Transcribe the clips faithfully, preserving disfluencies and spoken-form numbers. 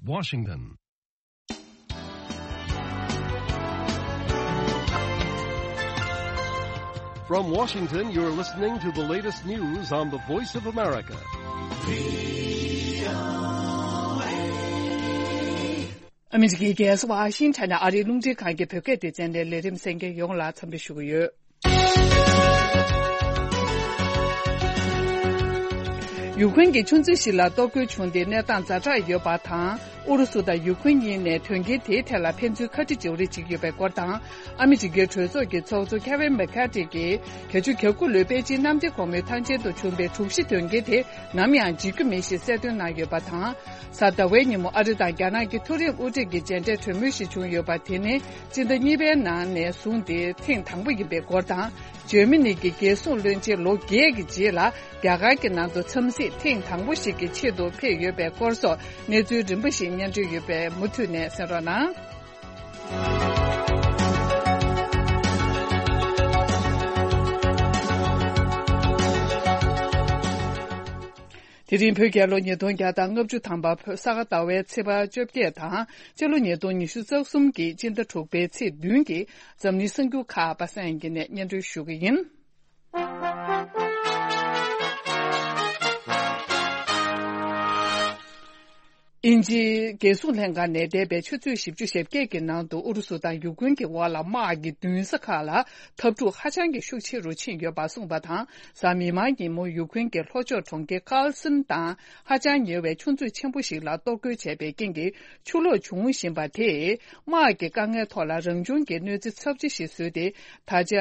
Washington. From Washington, you're listening to the latest news on the Voice of America. ཨ་མི་རི་ཀའི་རྒྱལ་ས་ཝ་ཤིང་ཊོན་ནས་ཨ་རིའི་རླུང་འཕྲིན་ཁང་གི་བོད་སྐད་སྡེ་ཚན་ནས་ལས་རིམ་གསན་མཁན་ཡོངས་ལ་འཚམས་འདྲི་ཞུ་གི་ཡོད། ཡུཀ་རེན་གྱི་ཆུ་མཛོད་ཞིག་ལ་གཏོར་རྒོལ་བྱུང་སྟེ་གནས་སྟངས་ཛ་དྲག་ཡོད་པ་དང་། ཨུ་རུ་སུ་དང་ཡུཀ་རེན་གཉིས་ནས་དོན་རྐྱེན་དེའི་ཐད་ལ་ཕན་ཚུན་ཁ་དཀྲི་འཇོག་རེས་བྱེད་ཀྱི་ཡོད་པའི་སྐོར་དང་། ཨ་མི་རི་ཀའི་གྲོས་ཚོགས་ཀྱི་ཚོགས་གཙོ་ཁེ་ཝིན་མེ་ཁ་ཏི་གིས་བརྒྱད་ཅུ་གྱ་དགུ་ལོའི་པེ་ཅིན་གནམ་བདེ་གོང་མའི་ཐང་ཆེན་དུ་བྱུང་བའི་དྲུག་བཞི་དོན་རྐྱེན་དེ་ནམ་ཡང་བརྗེད་རྒྱུ་མེད་ཞེས་གསལ་སྟོན་གནང་ཡོད་པ་དང་། གཟའ་ཟླ་བའི་ཉིན་མོ་ཨ་རི་དང་རྒྱ་ནག་གི་མཐོ་རིམ་དབུ་ཁྲིད་ཀྱི་མཇལ་འཕྲད་གྲོས་མོལ་ཞིག་བྱུང་ཡོད་པ། དེ་ནི་སྤྱི་ཟླ་གཉིས་པའི་ནང་ནས་བཟུང་སྟེ་ཐེངས་དང་པོ་ཡིན་པའི་སྐོར་དང་། འཇར་མ་ནི་གི་རྒྱལ་སྲུང་བློན་ཆེན་ལོ་བརྒྱད་ཀྱི་རྗེས་ལ་རྒྱ་གར་གྱི་ནང་དུ་འཚམས་གཟིགས་ཐེངས་དང་པོ་ཞིག་གི་ཆེད་དུ་ཕེབས་ཡོད་པའི་སྐོར་སོགས་གནས་ཚུལ་རིམ་པ་ཞིག་སྙན་སྒྲོན་ཡོད་པས་མུ་མཐུད་ནས་གསན་རོགས་གནང་། དེ་རིང་བོད་རྒྱལ་ལོ་ཉིས་སྟོང་བརྒྱ་དང་ལྔ་བཅུ་ཐམ་པ། བོད་ས་ག་ཟླ་བའི་ཚེས་པ་བཅོ་བརྒྱད་དང་། སྤྱི་ལོ་ཉིས་སྟོང་ཉི་ཤུ་རྩ་གསུམ་གྱི་སྤྱི་ཟླ་དྲུག་པའི་ཚེས་བདུན་གྱི་འཛམ་གླིང་གསར་འགྱུར་ཁག་པ་སངས་དབྱངས་སྐྱིད་ནས་སྙན་སྒྲོན་ཞུ་གི་ཡིན། དབྱིན་ཇིའི་རྒྱལ་སྲུང་ལྷན་ཁང་ནས་འདས་པའི་ཆུ་ཚོད་བཞི་བཅུ་ཞེ་བརྒྱད་ཀྱི་ནང་དུ་ཨུ་རུ་སུ་དང་ཡུཀ་རེན་གྱི་དབར་ལ་དམག་གི་མདུན་ས་ཁག་ལ་འཐབ་འཁྲུག་ཧ་ཅང་གི་ཤུགས་ཆེ་རུ་ཕྱིན་ཡོད་པ་གསུངས་པ་དང་། གཟའ་མིག་དམར་ཉིན་མོ་ཡུཀ་རེན་གྱི་ལྷོ་ཕྱོགས་གྲོང་ཁྱེར་ཀཱལ་སིན་དང་ཧ་ཅང་ཉེ་བའི་ཆུ་མཛོད་ཆེན་པོ་ཞིག་ལ་གཏོར་རྒོལ་བྱས་པའི་རྐྱེན་གྱིས་ཆུ་ལོག་བྱུང་བཞིན་པ་དེས་དམག་གི་དཀའ་ངལ་ཐོག་ལ་རང་བྱུང་གི་གནོད་འཚེ་ཚབས་ཆེ་ཞིག་བཟོས་ཏེ། ད་ཆ་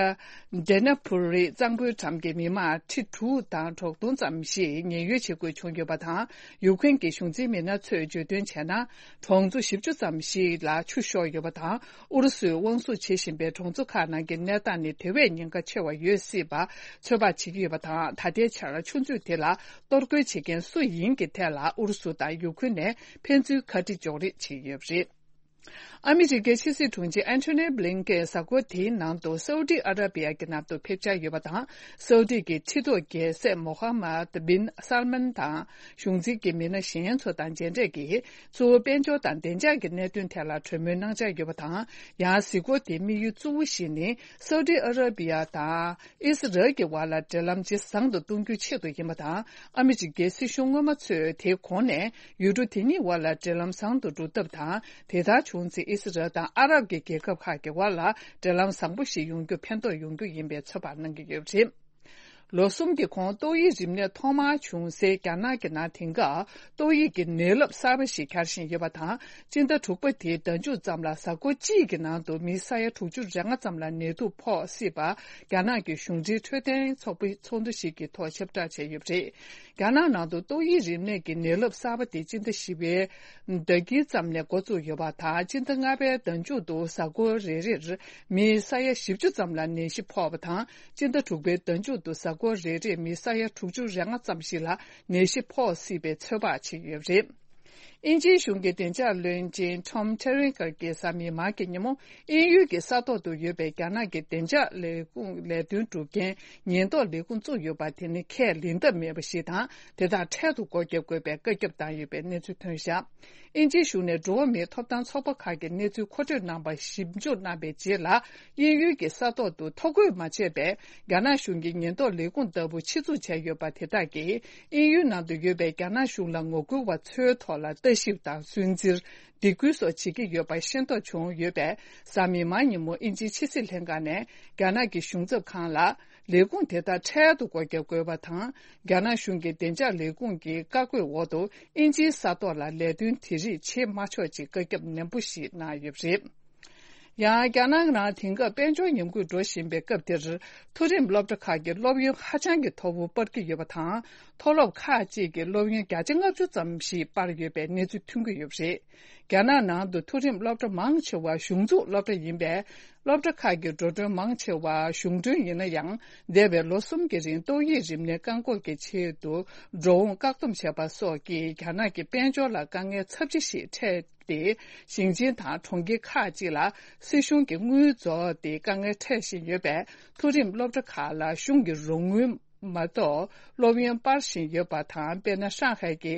ཌེ་ན་པུ་རི་གཙང་པོའི་འགྲམ་གྱི་མི་མང་ཁྲི་དྲུག་དང་དྲུག་སྟོང་ཙམ་ཞིག་ཉེན་གཡོལ་བྱེད་དགོས་བྱུང་ཡོད་པ་དང་། ཡུཀ་རེན་གྱི་གཞུང་འཛིན་མི་སྣ་ཚོས་བརྗོད་དོན་བྱས་ན། གྲོང་ཚོ་བཞི་བཅུ་ཙམ་ཞིག་ལ་ཆུ་ཤོར་ཡོད་པ་དང་། ཨུ་རུ་སུས་དབང་བཟུང་བྱེད་བཞིན་པའི་གྲོང་ཚོ་ཁག་ནང་གི་གནས་སྟངས་ནི་དེ་བས་ཉེན་ཁ་ཆེ་བ་ཡོད་སྲིད་པ་ཚོད་དཔག་བྱེད་ཀྱི་ཡོད་པ་དང་། ད་ལྟའི་ཆར་ཆུ་མཛོད་དེ་ལ་གཏོར་རྒོལ་བྱེད་མཁན་སུ་ཡིན་གྱི་ཐད་ལ་ཨུ་རུ་སུ་དང་ཡུཀ་རེན་ནས་ཕན་ཚུན་ཁ་དཀྲི་འཇོག་རེས་བྱེད་ཀྱི་ཡོད་པ་རེད། ཨ་མི་རི་ཀའི་ཕྱི་སྲིད་དྲུང་ཆེ་ཨན་ཐོ་ནི་བྷི་ལིན་ཀེན་གཟའ་འཁོར་དེའི་ནང་དུ་སའུ་ཏི་ཨ་ར་པི་ཡ་གི་ནང་དུ་ཕེབས་འཆར་ཡོད་པ་དང་། སའུ་ཏི་གི་ཁྲི་ཐོག་རྒྱལ་སྲས་མོ་ཧ་མད་བིན་སལ་མན་དང་གཞུང་འཛིན་གྱི་མི་སྣ་གཞན་ཚོ་དང་མཇལ་འཕྲད་ཀྱིས། གཙོ་བོ་དཔལ་འབྱོར་དང་བདེ་འཇགས་ཀྱི་གནད་དོན་ཐད་ལ་གྲོས་མོལ་གནང་འཆར་ཡོད་པ་དང་། ཡང་གཟིགས་སྐོར་དེའི་དམིགས་ཡུལ་གཙོ་བོ་ཞིག་ནི་སའུ་ཏི་ཨ་ར་པི་ཡ་དང་། ཨི་སི་རལ་གྱི་བར་ལ་འབྲེལ་ལམ་ཇེ་བཟང་དུ་གཏོང་རྒྱུའི་ཆེད་དུ་ཡིན་པ་དང་། ཨ་མི་རི་ཀའི་སྲིད་གཞུང་སྔོན་མ་ཚོས་དེའི་གོང་ནས་ཡུལ་གྲུ་དེ་གཉིས་བར་ལ་འབྲེལ་ལམ་བཟང་དུ་འགྲོ་ཐབས་དང་། དེ་ལྟར་བྱུང་ཚེ་ཨི་སི་རལ་དང་ཨ་རབ་ཀྱི་རྒྱལ་ཁབ་ཁག་གི་བར་ལ་འབྲེལ་ལམ་བཟང་པོ་ཞིག་ཡོང་རྒྱུ་ཕན་ཐོགས་ཡོང་རྒྱུ་ཡིན་པའི་ཚོད་དཔག་གནང་གི་ཡོད་པ་རེད། ལོ་གསུམ་གྱི་གོང་ཏོག་དབྱིབས་རིམས་ནད་ཐོག་མར་བྱུང་སའི་རྒྱ་ནག་གི་ནང་དེང་སྐབས་ཏོག་དབྱིབས་ཀྱི་ནད་རླབས་གསར་པ་ཞིག་འཁྱར་བཞིན་ཡོད་པ་དང་། སྤྱི་ཟླ་དྲུག་པ་དེའི་ཟླ་མཇུག་ཙམ་ལ་གཟའ་འཁོར་གཅིག་གི་ནང་དུ་མི་ས་ཡ་དྲུག་ཅུ་རེ་ལྔ་ཙམ་ལ་ནད་དུག་ཕོག་སྲིད་པ། རྒྱ་ནག་གི་གཞུང་འབྲེལ་འཕྲོད་བསྟེན་ཚོགས་པའི་ཚོགས་འདུ་ཞིག་གི་ཐོག་ཁྱབ་བསྒྲགས་བྱས་ཡོད་པ་རེད། རྒྱ་ནག་ནང་དུ་ཏོག་དབྱིབས་རིམས་ནད་ཀྱི་ནད་རླབས་གསར་པ་དེ་སྤྱི་ཟླ་བཞི་པའི་ཟླ་དཀྱིལ་ཙམ་ནས་འགོ་བཙུགས་ཡོད་པ་དང་། སྤྱི་ཟླ་ལྔ་པའི་ཟླ་མཇུག་ཏུ་གཟའ་འཁོར་རེ་རེར་མི་ས་ཡ་བཞི་བཅུ་ཙམ་ལ་ནད་གཞི་ཕོག་པ་དང་། སྤྱི་ཟླ་དྲུག་པའི་ཟླ་མཇུག་ཏུ་གཟའ་འཁོར་རེ་རེར་མི་ས་ཡ་དྲུག་ཅུ་རེ་ལྔ་ཙམ་ཞིག་ལ་ནད་གཞི་ཕོག་སྲིད་པའི་ཚོད་དཔག་བྱེད་ཀྱི་ཡོད་པ་རེད། དབྱིན་ཇིའི་གཞུང་གི་བདེ་འཇགས་བློན་ཆེན་ཊོམ་ཐེ་རེན་ཀར་གྱིས་གཟའ་མིག་དམར་གྱི་ཉིན་མོ་དབྱིན་ཡུལ་གྱི་ས་ཐོག་ཏུ་ཡོད་པའི་རྒྱ་ནག་གི་བདེ་འཇགས་ལས་ཁུངས་ལས་དོན་སྒྲུབ་མཁན་ཉེན་རྟོག་ལས་ཁུངས་བཙུགས་ཡོད་པ་དེ་ནི་ཁས་ལེན་ཐབས་མེད་པ་ཞིག་དང་། དེ་དག་འཕྲལ་དུ་སྒོ་བརྒྱབ་དགོས་པའི་བཀའ་ཁྱབ་བཏང་ཡོད་པའི་གནས་ཚུལ་ཐོན་བཞག་དབྱིན་ཇིའི་གཞུང་ནས་འགྲོ་བ་མིའི་ཐོབ་ཐང་ཚོགས་པ་ཁག་གི་གནས་ཚུལ་མཁོ་སྤྲོད་གནང་པ་ཞིབ་འཇུག་གནང་པའི་རྗེས་ལ། དབྱིན་ཡུལ་གྱི་ས་ཐོག་ཏུ་ཐོ་འགོད་མ་བྱས་པའི་རྒྱ་ནག་གཞུང་གི་ཉེན་རྟོག་ལས་ཁུངས་ལྟ་བུ་ཆེད་འཛུགས་བྱས་ཡོད་པ་དེ་དག་གིས། དབྱིན་ཡུལ་ནང་དུ་ཡོད་པའི་རྒྱ་ནག་གཞུང་ལ་ངོ་རྒོལ་བ་ཚོའི་ཐོག་ལ་ལྟ་ཞིབ་དང་སུན་གཙེར། སྡིགས་སྐུལ་སོགས་བྱེད་ཀྱི་ཡོད་པ་ཤེས་རྟོགས་བྱུང་ཡོད་པས། གཟའ་མིག་དམར་ཉིན་མོ་དབྱིན་ཇིའི་ཕྱི་སྲིད་ལྷན་ཁང་ནས་རྒྱ་ནག་གི་གཞུང་ཚབ་ཁང་ལ། ལས་ཁུངས་དེ་དག་འཕྲལ་དུ་སྒོ་བརྒྱབ་དགོས་པ་དང་། རྒྱ་ནག་གཞུང་གི་བདེ་འཇགས་ལས་ཁུངས་ཀྱི་བཀའ་བཀོད་འོག་ཏུ་དབྱིན་ཇིའི་ས་ཐོག་ལ་ལས་དོན་དེ་རིགས་བྱེད་མ་ཆོག་ཅེས་བཀའ་ཁྱབ་ནན་པོ་ཞིག་གནང་ཡོད་པ་རེད། ཡང་རྒྱ་ནག་ནང་དེང་སྐབས་དཔལ་འབྱོར་ཉམས་རྒུད་འགྲོ་བཞིན་པའི་སྐབས་འདིར། མཐོ་རིམ་སློབ་གྲྭ་ཁག་གི་སློབ་ཡོན་ཧ་ཅང་གི་མཐོ་བོ་སྤར་གྱི་ཡོད་པ་དང་། མཐོ་སློབ་ཁག་ཅིག་གི་སློབ་ཡོན་བརྒྱ་ཆ་ལྔ་བཅུ་ཙམ་ཞིག་སྤར་ཡོད་པའི་གནས་ཚུལ་ཐོན་གྱི་ཡོད་པ་རེད། རྒྱ་ནག་ནང་དུ་མཐོ་རིམ་སློབ་གྲྭ་མང་ཆེ་བ་གཞུང་འཛུགས་སློབ་གྲྭ་ཡིན་པས། སློབ་གྲྭ་ཁག་གི་འགྲོ་གྲོན་མང་ཆེ་བ་གཞུང་མགྲོན་ཡིན་ན་ཡང་། འདས་པའི་ལོ་གསུམ་གྱི་རིང་ཏོག་དབྱིབས་རིམས་ནད་བཀག་འགོག་གི་ཆེད་དུ་འགྲོ་འོང་བཀག་སྡོམ་བྱས་པ་སོགས་ཀྱིས་རྒྱ་ནག་གི་དཔལ་འབྱོར་ལ་དཀའ་ངལ་ཚབས་ཆེ་ཞིག་འཕྲད་དེ། ཞིང་ཆེན་དང་གྲོང་ཁྱེར་ཁག་ཅིག་ལ་སྲིད་གཞུང་གིས་དངུལ་རྫོགས་ཏེ་དཀའ་ངལ་འཕྲད་བཞིན་ཡོད་པས། མཐོ་རིམ་སློབ་གྲྭ་ཁག་ལ་གཞུང་གི་རོགས་དངུལ་ མ་གཏོགས་སློབ་ཡོན་སྤར་བཞིན་ཡོད་པ་དང་། དཔེར་ན། ཧྲང་ཧའེ་གྱི་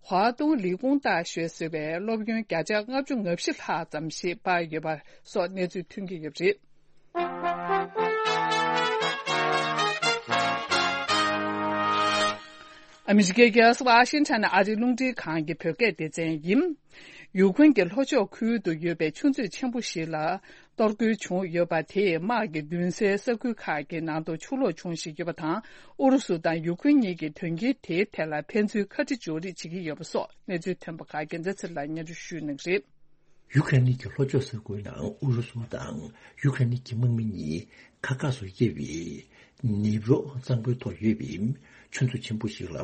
ཧྭ་ཏུང་ལི་ཀུང་ཏཱ་ཞོན་ཟེར་བའི་སློབ་ཡོན་བརྒྱ་ཆ་ལྔ་བཅུ་ང་བཞི་ལྷག་ཙམ་ཞིག་སྤར་ཡོད་པ་སོགས་གནས་ཚུལ་ཐོན་གྱི་ཡོད་པ་རེད། ཨ་མི་རི་ཀའི་རྒྱལ་ས་ཝ་ཤིང་ཊོན་ནས་ཨ་རིའི་རླུང་འཕྲིན་ཁང་གི་བོད་སྐད་སྡེ་ཚན་ཡིན། ཡུཀ་རེན་གྱི་ལྷོ་ཕྱོགས་ཁུལ་དུ་ཡོད་པའི་ཆུ་མཛོད་ཆེན་པོ་ཞིག་ལ་གཏོར་རྒོལ་བྱུང་ཡོད་པ་དེས་དམག་གིས་མདུན་སའི་ས་ཁུལ་ཁག་གི་ནང་དུ་ཆུ་ལོག་བྱུང་བཞིན་ཡོད་པ་དང་། ཨུ་རུ་སུ་དང་ཡུཀ་རེན་གཉིས་ཀྱིས་དོན་རྐྱེན་དེའི་ཐད་ལ་ཕན་ཚུན་ཁ་དཀྲི་འཇོག་རེས་བྱེད་ཀྱི་ཡོད་པ་སོགས་གནས་ཚུལ་ཐོན་པ་ཁག་རྒྱལ་མཚན་ཚེ་རིང་ལགས་སྙན་སྒྲོན་ཞུ་གནང་གི་རེད། ཡུ་ཁ་རེན་གྱི་ལྷོ་ཕྱོགས་ས་ཁུལ་ནང་ཨུ་རུ་སུ་དང་ཡུ་ཁ་རེན་གྱི་དམག་མི་གཉིས་ཁ་ཁ་སུ་དབྱེ་བའི་ནེབ་རོ་གཙང་པོའི་ཐོག་ཡོད་པའི་ཆུ་མཛོད་ཆེན་པོ་ཞིག་ལ་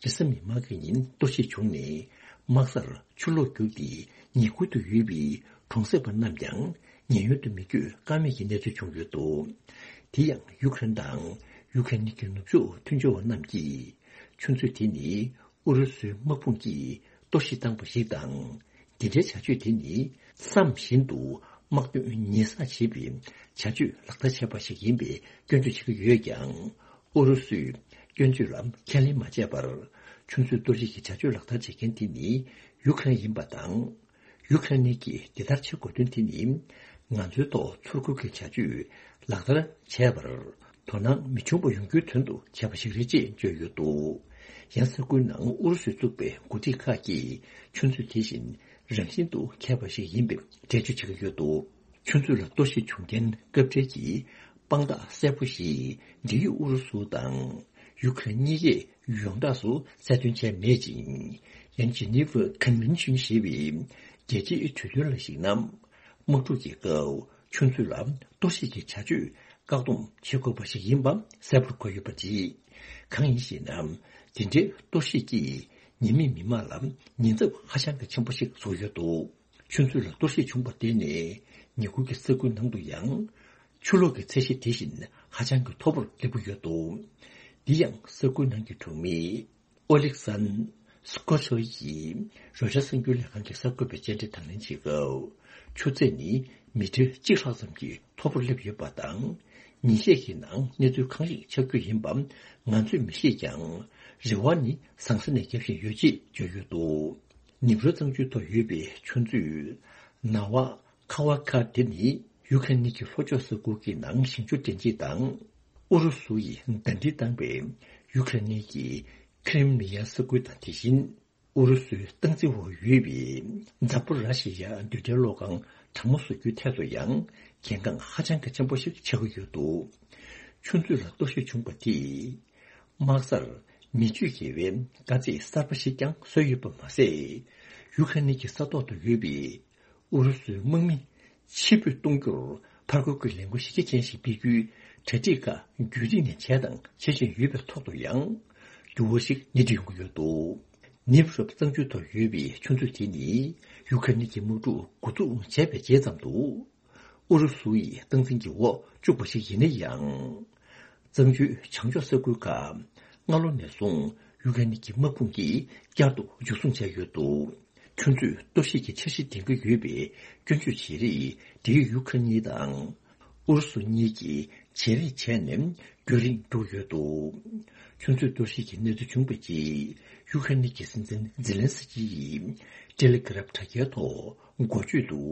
རེས་གཟའ་མིག་དམར་གྱི་ཉིན་གཏོར་བཤིག་བྱུང་ནས། དམག་སར་ཆུ་ལོག་རྒྱུགས་ཏེ་ཉེ་ཁུལ་དུ་ཡོད་པའི་གྲོང་གསེབ་པ་རྣམས་ཀྱང་ཉེན་གཡོལ་དུ་མི་བསྐྱོད་ཀ་མེད་ཀྱི་གནས་ཚུལ་བྱུང་ཡོད་འདུག། དེ་ཡང་ཡུ་ཁ་རེན་དང་ཡུ་ཁ་རེན་གྱི་ནུབ་ཕྱོགས་མཐུན་སྦྱོར་བ་རྣམས་ཀྱིས་ཆུ་མཛོད་དེ་ནི་ཨུ་རུ་སུའི་དམག་དཔུང་གིས་གཏོར་བཤིག་བཏང་པ་ཞིག་དང་། འདི་འདྲའི་བྱ་སྤྱོད་དེ་ནི་བསམ་བཞིན་དུ་དམག་དོན་ཉེས་བསགས་བྱེད་པའི་བྱ་སྤྱོད་ལག་བསྟར་བྱས་པ་ཞིག་ཡིན་པའི་སྐྱོན་བརྗོད་བྱེད་ཀྱི་ཡོད་ཀྱང་། ཨུ་རུ་སུས་སྐྱོན་བརྗོད་ལ་ཁས་ལེན་མ་བྱས་པར། ཆུ་མཛོད་གཏོར་བཤིག་གི་བྱ་སྤྱོད་ལག་བསྟར་བྱེད་མཁན་དེ་ནི་ཡུ་ཁ་རེན་ཡིན་པ་དང་། ཡུ་ཁ་རེན་གྱིས་འདི་ལྟར་བྱེད་དགོས་དོན་དེ་ནི། ང་ཚོའི་ཐོག་ཚུར་རྒོལ་གྱི་བྱ་སྤྱོད་ལག་བསྟར་བྱས་པར་དོ་སྣང་མི་བྱུང་བ་ཡོང་རྒྱུའི་དོན་དུ་བྱས་པ་ཞིག་རེད་ཅེས་བརྗོད་ཡོད་འདུག། ཡང་ས་ཁུལ་ནང་ཨུ་རུ་སུས་བཙུགས་པའི་འགོ་ཁྲིད་ཁག་གིས་ཆུ་མཛོད་དེ་བཞིན་རང་བཞིན་དུ་ཁེགས་པ་ཞིག་ཡིན་པའི་འགྲེལ་བརྗོད་བྱེད་ཀྱི་ཡོད་འདུག། ཆུ་མཛོད་ལ་གཏོར་བཤིག་བྱུང་རྐྱེན་སྐབས་འབྲེལ་གྱི་དཔང་རྟགས་གསལ་པོ་ཞིག་འབྲེལ་ཡོད་ཨུ་རུ་སུ་དང་ཡུ་ཁ་རེན་གཉིས་ཀས་ཡོངས་གྲགས་སུ་གསལ་སྟོན་བྱས་མེད་ཅིང་། ཡང་ཇི་ནི་ཝ་ཀོན་ཝེན་ཤིན་ཞེས་པའི་རྒྱལ་སྤྱིའི་གྲོས་མཐུན་ལ་གཞིགས་ན། དམག་འཁྲུག་གི་སྐབས་ཆུ་མཛོད་ལ་གཏོར་བཤིག་གི་བྱ་སྤྱོད་བཀག་སྡོམ་བྱེད་དགོས་པ་ཞིག་ཡིན་པ་གསལ་པོར་འཁོད་ཡོད་པ་རེད། གང་ཡིན་ཞེ་ན། དེ་འདྲའི་གཏོར་བཤིག་གིས་ཉེན་མེད་མི་མང་ལ་ཉེན་ཚབས་ཧ་ཅང་གི་ཆེན་པོ་ཞིག་བཟོ་ཡོད་འདུག། ཆུ་མཛོད་ལ་གཏོར་བཤིག་བྱུང་བ་དེ་ནས་ཉེ་འཁོར་གྱི་ས་ཁུལ་ནང་དུ་ཡང་ཆུ་ལོག་གི་ཚད་གཞི་དེ་བཞིན་ཧ་ཅང་གི་མཐོ་པོར་སླེབས་ཀྱི་ཡོད་འདུག། འདི་ཡང་ས་ཁུལ་ནང་གི་གྲོང་མི་ཨོ་ལིག་སན་སྐོ་ཆོ་ཡིས་རོའི་ཊར་གསར་འགྱུར་ལས་ཁང་གི་གསར་འགོད་པའི་བཅར་འདྲི་དང་ལེན་བྱེད་སྐབས། ཆུ་ཚད་ནི་མི་ཊར་གཅིག་ལྷག་ཙམ་གྱིས་མཐོ་པོར་སླེབས་ཡོད་པ་དང་། ཉིན་ཤས་ཀྱི་ནང་གནས་ཚུལ་གང་ཞིག་ཆགས་རྒྱུ་ཡིན་པ་ང་ཚོས་མི་ཤེས་ཀྱང་། རེ་བ་ནི་ཟང་ཟིང་ནས་རྒྱབ་བཞིན་ཡོད་ཅེས་བརྗོད་ཡོད་འདུག། ནེབ་རོ་གཙང་ཆུའི་ཐོག་ཡོད་པའི་ཆུ་མཛོད་ནཱ་ཝ་ཁ་ཝ་ཁ་དེ་ནི་ཡུ་ཁ་རེན་གྱི་ལྷོ་ཕྱོགས་ས་ཁུལ་གྱི་ནང་ཞིང་ཆུ་འདྲེན་བྱེད་དང་། ཨུ་རུ་སུ་ཡིས་ཟླ་སྒྲིལ་བཏང་པའི་ཡུ་ཁ་རེན་གྱི་ཁི་རིམ་མི་ཡ་ས་ཁུལ་དང་། དེ་བཞིན་ཨུ་རུ་སུའི་སྟངས་འཛིན་འོག་ཡོད་པའི་ཛ་པོ་ར་ཤི་ཡ་རྡུལ་ཕྲན་གློག་ཁང་གྲང་མོ་བཟོ་རྒྱུའི་ཐད་དུ་ཡང་གལ་འགངས་ཧ་ཅང་གི་ཆེན་པོ་ཞིག་ཆགས་ཀྱི་ཡོད་འདུག། ཆུ་མཛོད་ལ་གཏོར་བཤིག་བྱུང་བ་དེས་དམག་སར་མི་སྤྱོད་བརྒལ་བའི་དཀའ་ཚེགས་གསར་པ་ཞིག་ཀྱང་བཟོས་ཡོད་པ་མ་ཟད། ཡུ་ཁ་རེན་གྱི་ས་ཐོག་ཏུ་ཡོད་པའི་ཨུ་རུ་སུའི་དམག་མི་ཕྱིར་འབུད་གཏོང་རྒྱུར་ཕར་རྒོལ་གྱི་ལས་འགུལ་གཞི་རྒྱ་ཅན་ཞིག་སྤེལ་རྒྱུའི་གྲ་སྒྲིག་ཁག་རྒྱུན་རིང་ནས་བྱས་དང་བྱེད་བཞིན་ཡོད་པའི་ཐོག་ཏུ་ཡང་འགྱུར་བ་ཞིག་སྣེ་ཁྲིད་ཡོང་གི་ཡོད་འདུག། ནེབ་རོ་གཙང་ཆུའི་ཐོག་ཡོད་པའི་ཆུ་མཛོད་དེ་ནི་ཡུ་ཁ་རེན་གྱི་དམག་འཁྲུག་འགོ་འཛུགས་བྱས་པའི་རྗེས་ཙམ་དུ། ཨུ་རུ་སུ་ཡི་སྟངས་འཛིན་གྱི་འོག་བཅུག་པ་ཞིག་ཡིན་ན་ཡང་། གཙང་ཆུའི་བྱང་ཕྱོགས་ས་ཁུལ་ཁག་སྔ་ལོ་ནས་བཟུང་ཡུ་ཀེ་རེན་གྱི་དམག་དཔུང་གིས་བསྐྱར་དུ་འཇུ་བཟུང་བྱས་ཡོད་འདུག། ཆུ་མཛོད་གཏོར་བཤིག་གི་འཆར་གཞི་འདིང་གི་ཡོད་པའི་སྐྱོན་བརྗོད་བྱེད་རིགས་འབྲེལ་ཡོད་ཡུ་ཁ་རེན་དང་ཨུ་རུ་སུ་གཉིས་ཀྱིས་བྱེད་རེས་བྱས་ནས་རྒྱུན་རིང་འགྲོ་གི་ཡོད་འདུག། ཆུ་མཛོད་གཏོར་བཤིག་གི་གནས་ཚུལ་བྱུང་བའི་རྗེས་ཡུ་ཀེ་རེན་གྱི་སྲིད་འཛིན་ཛེ་ལན་སི་ཀི་ཡིས་ཊེ་ལི་གྷི་རབ་དྲ་རྒྱའི་ཐོག་འགོ་བརྗོད་དུ།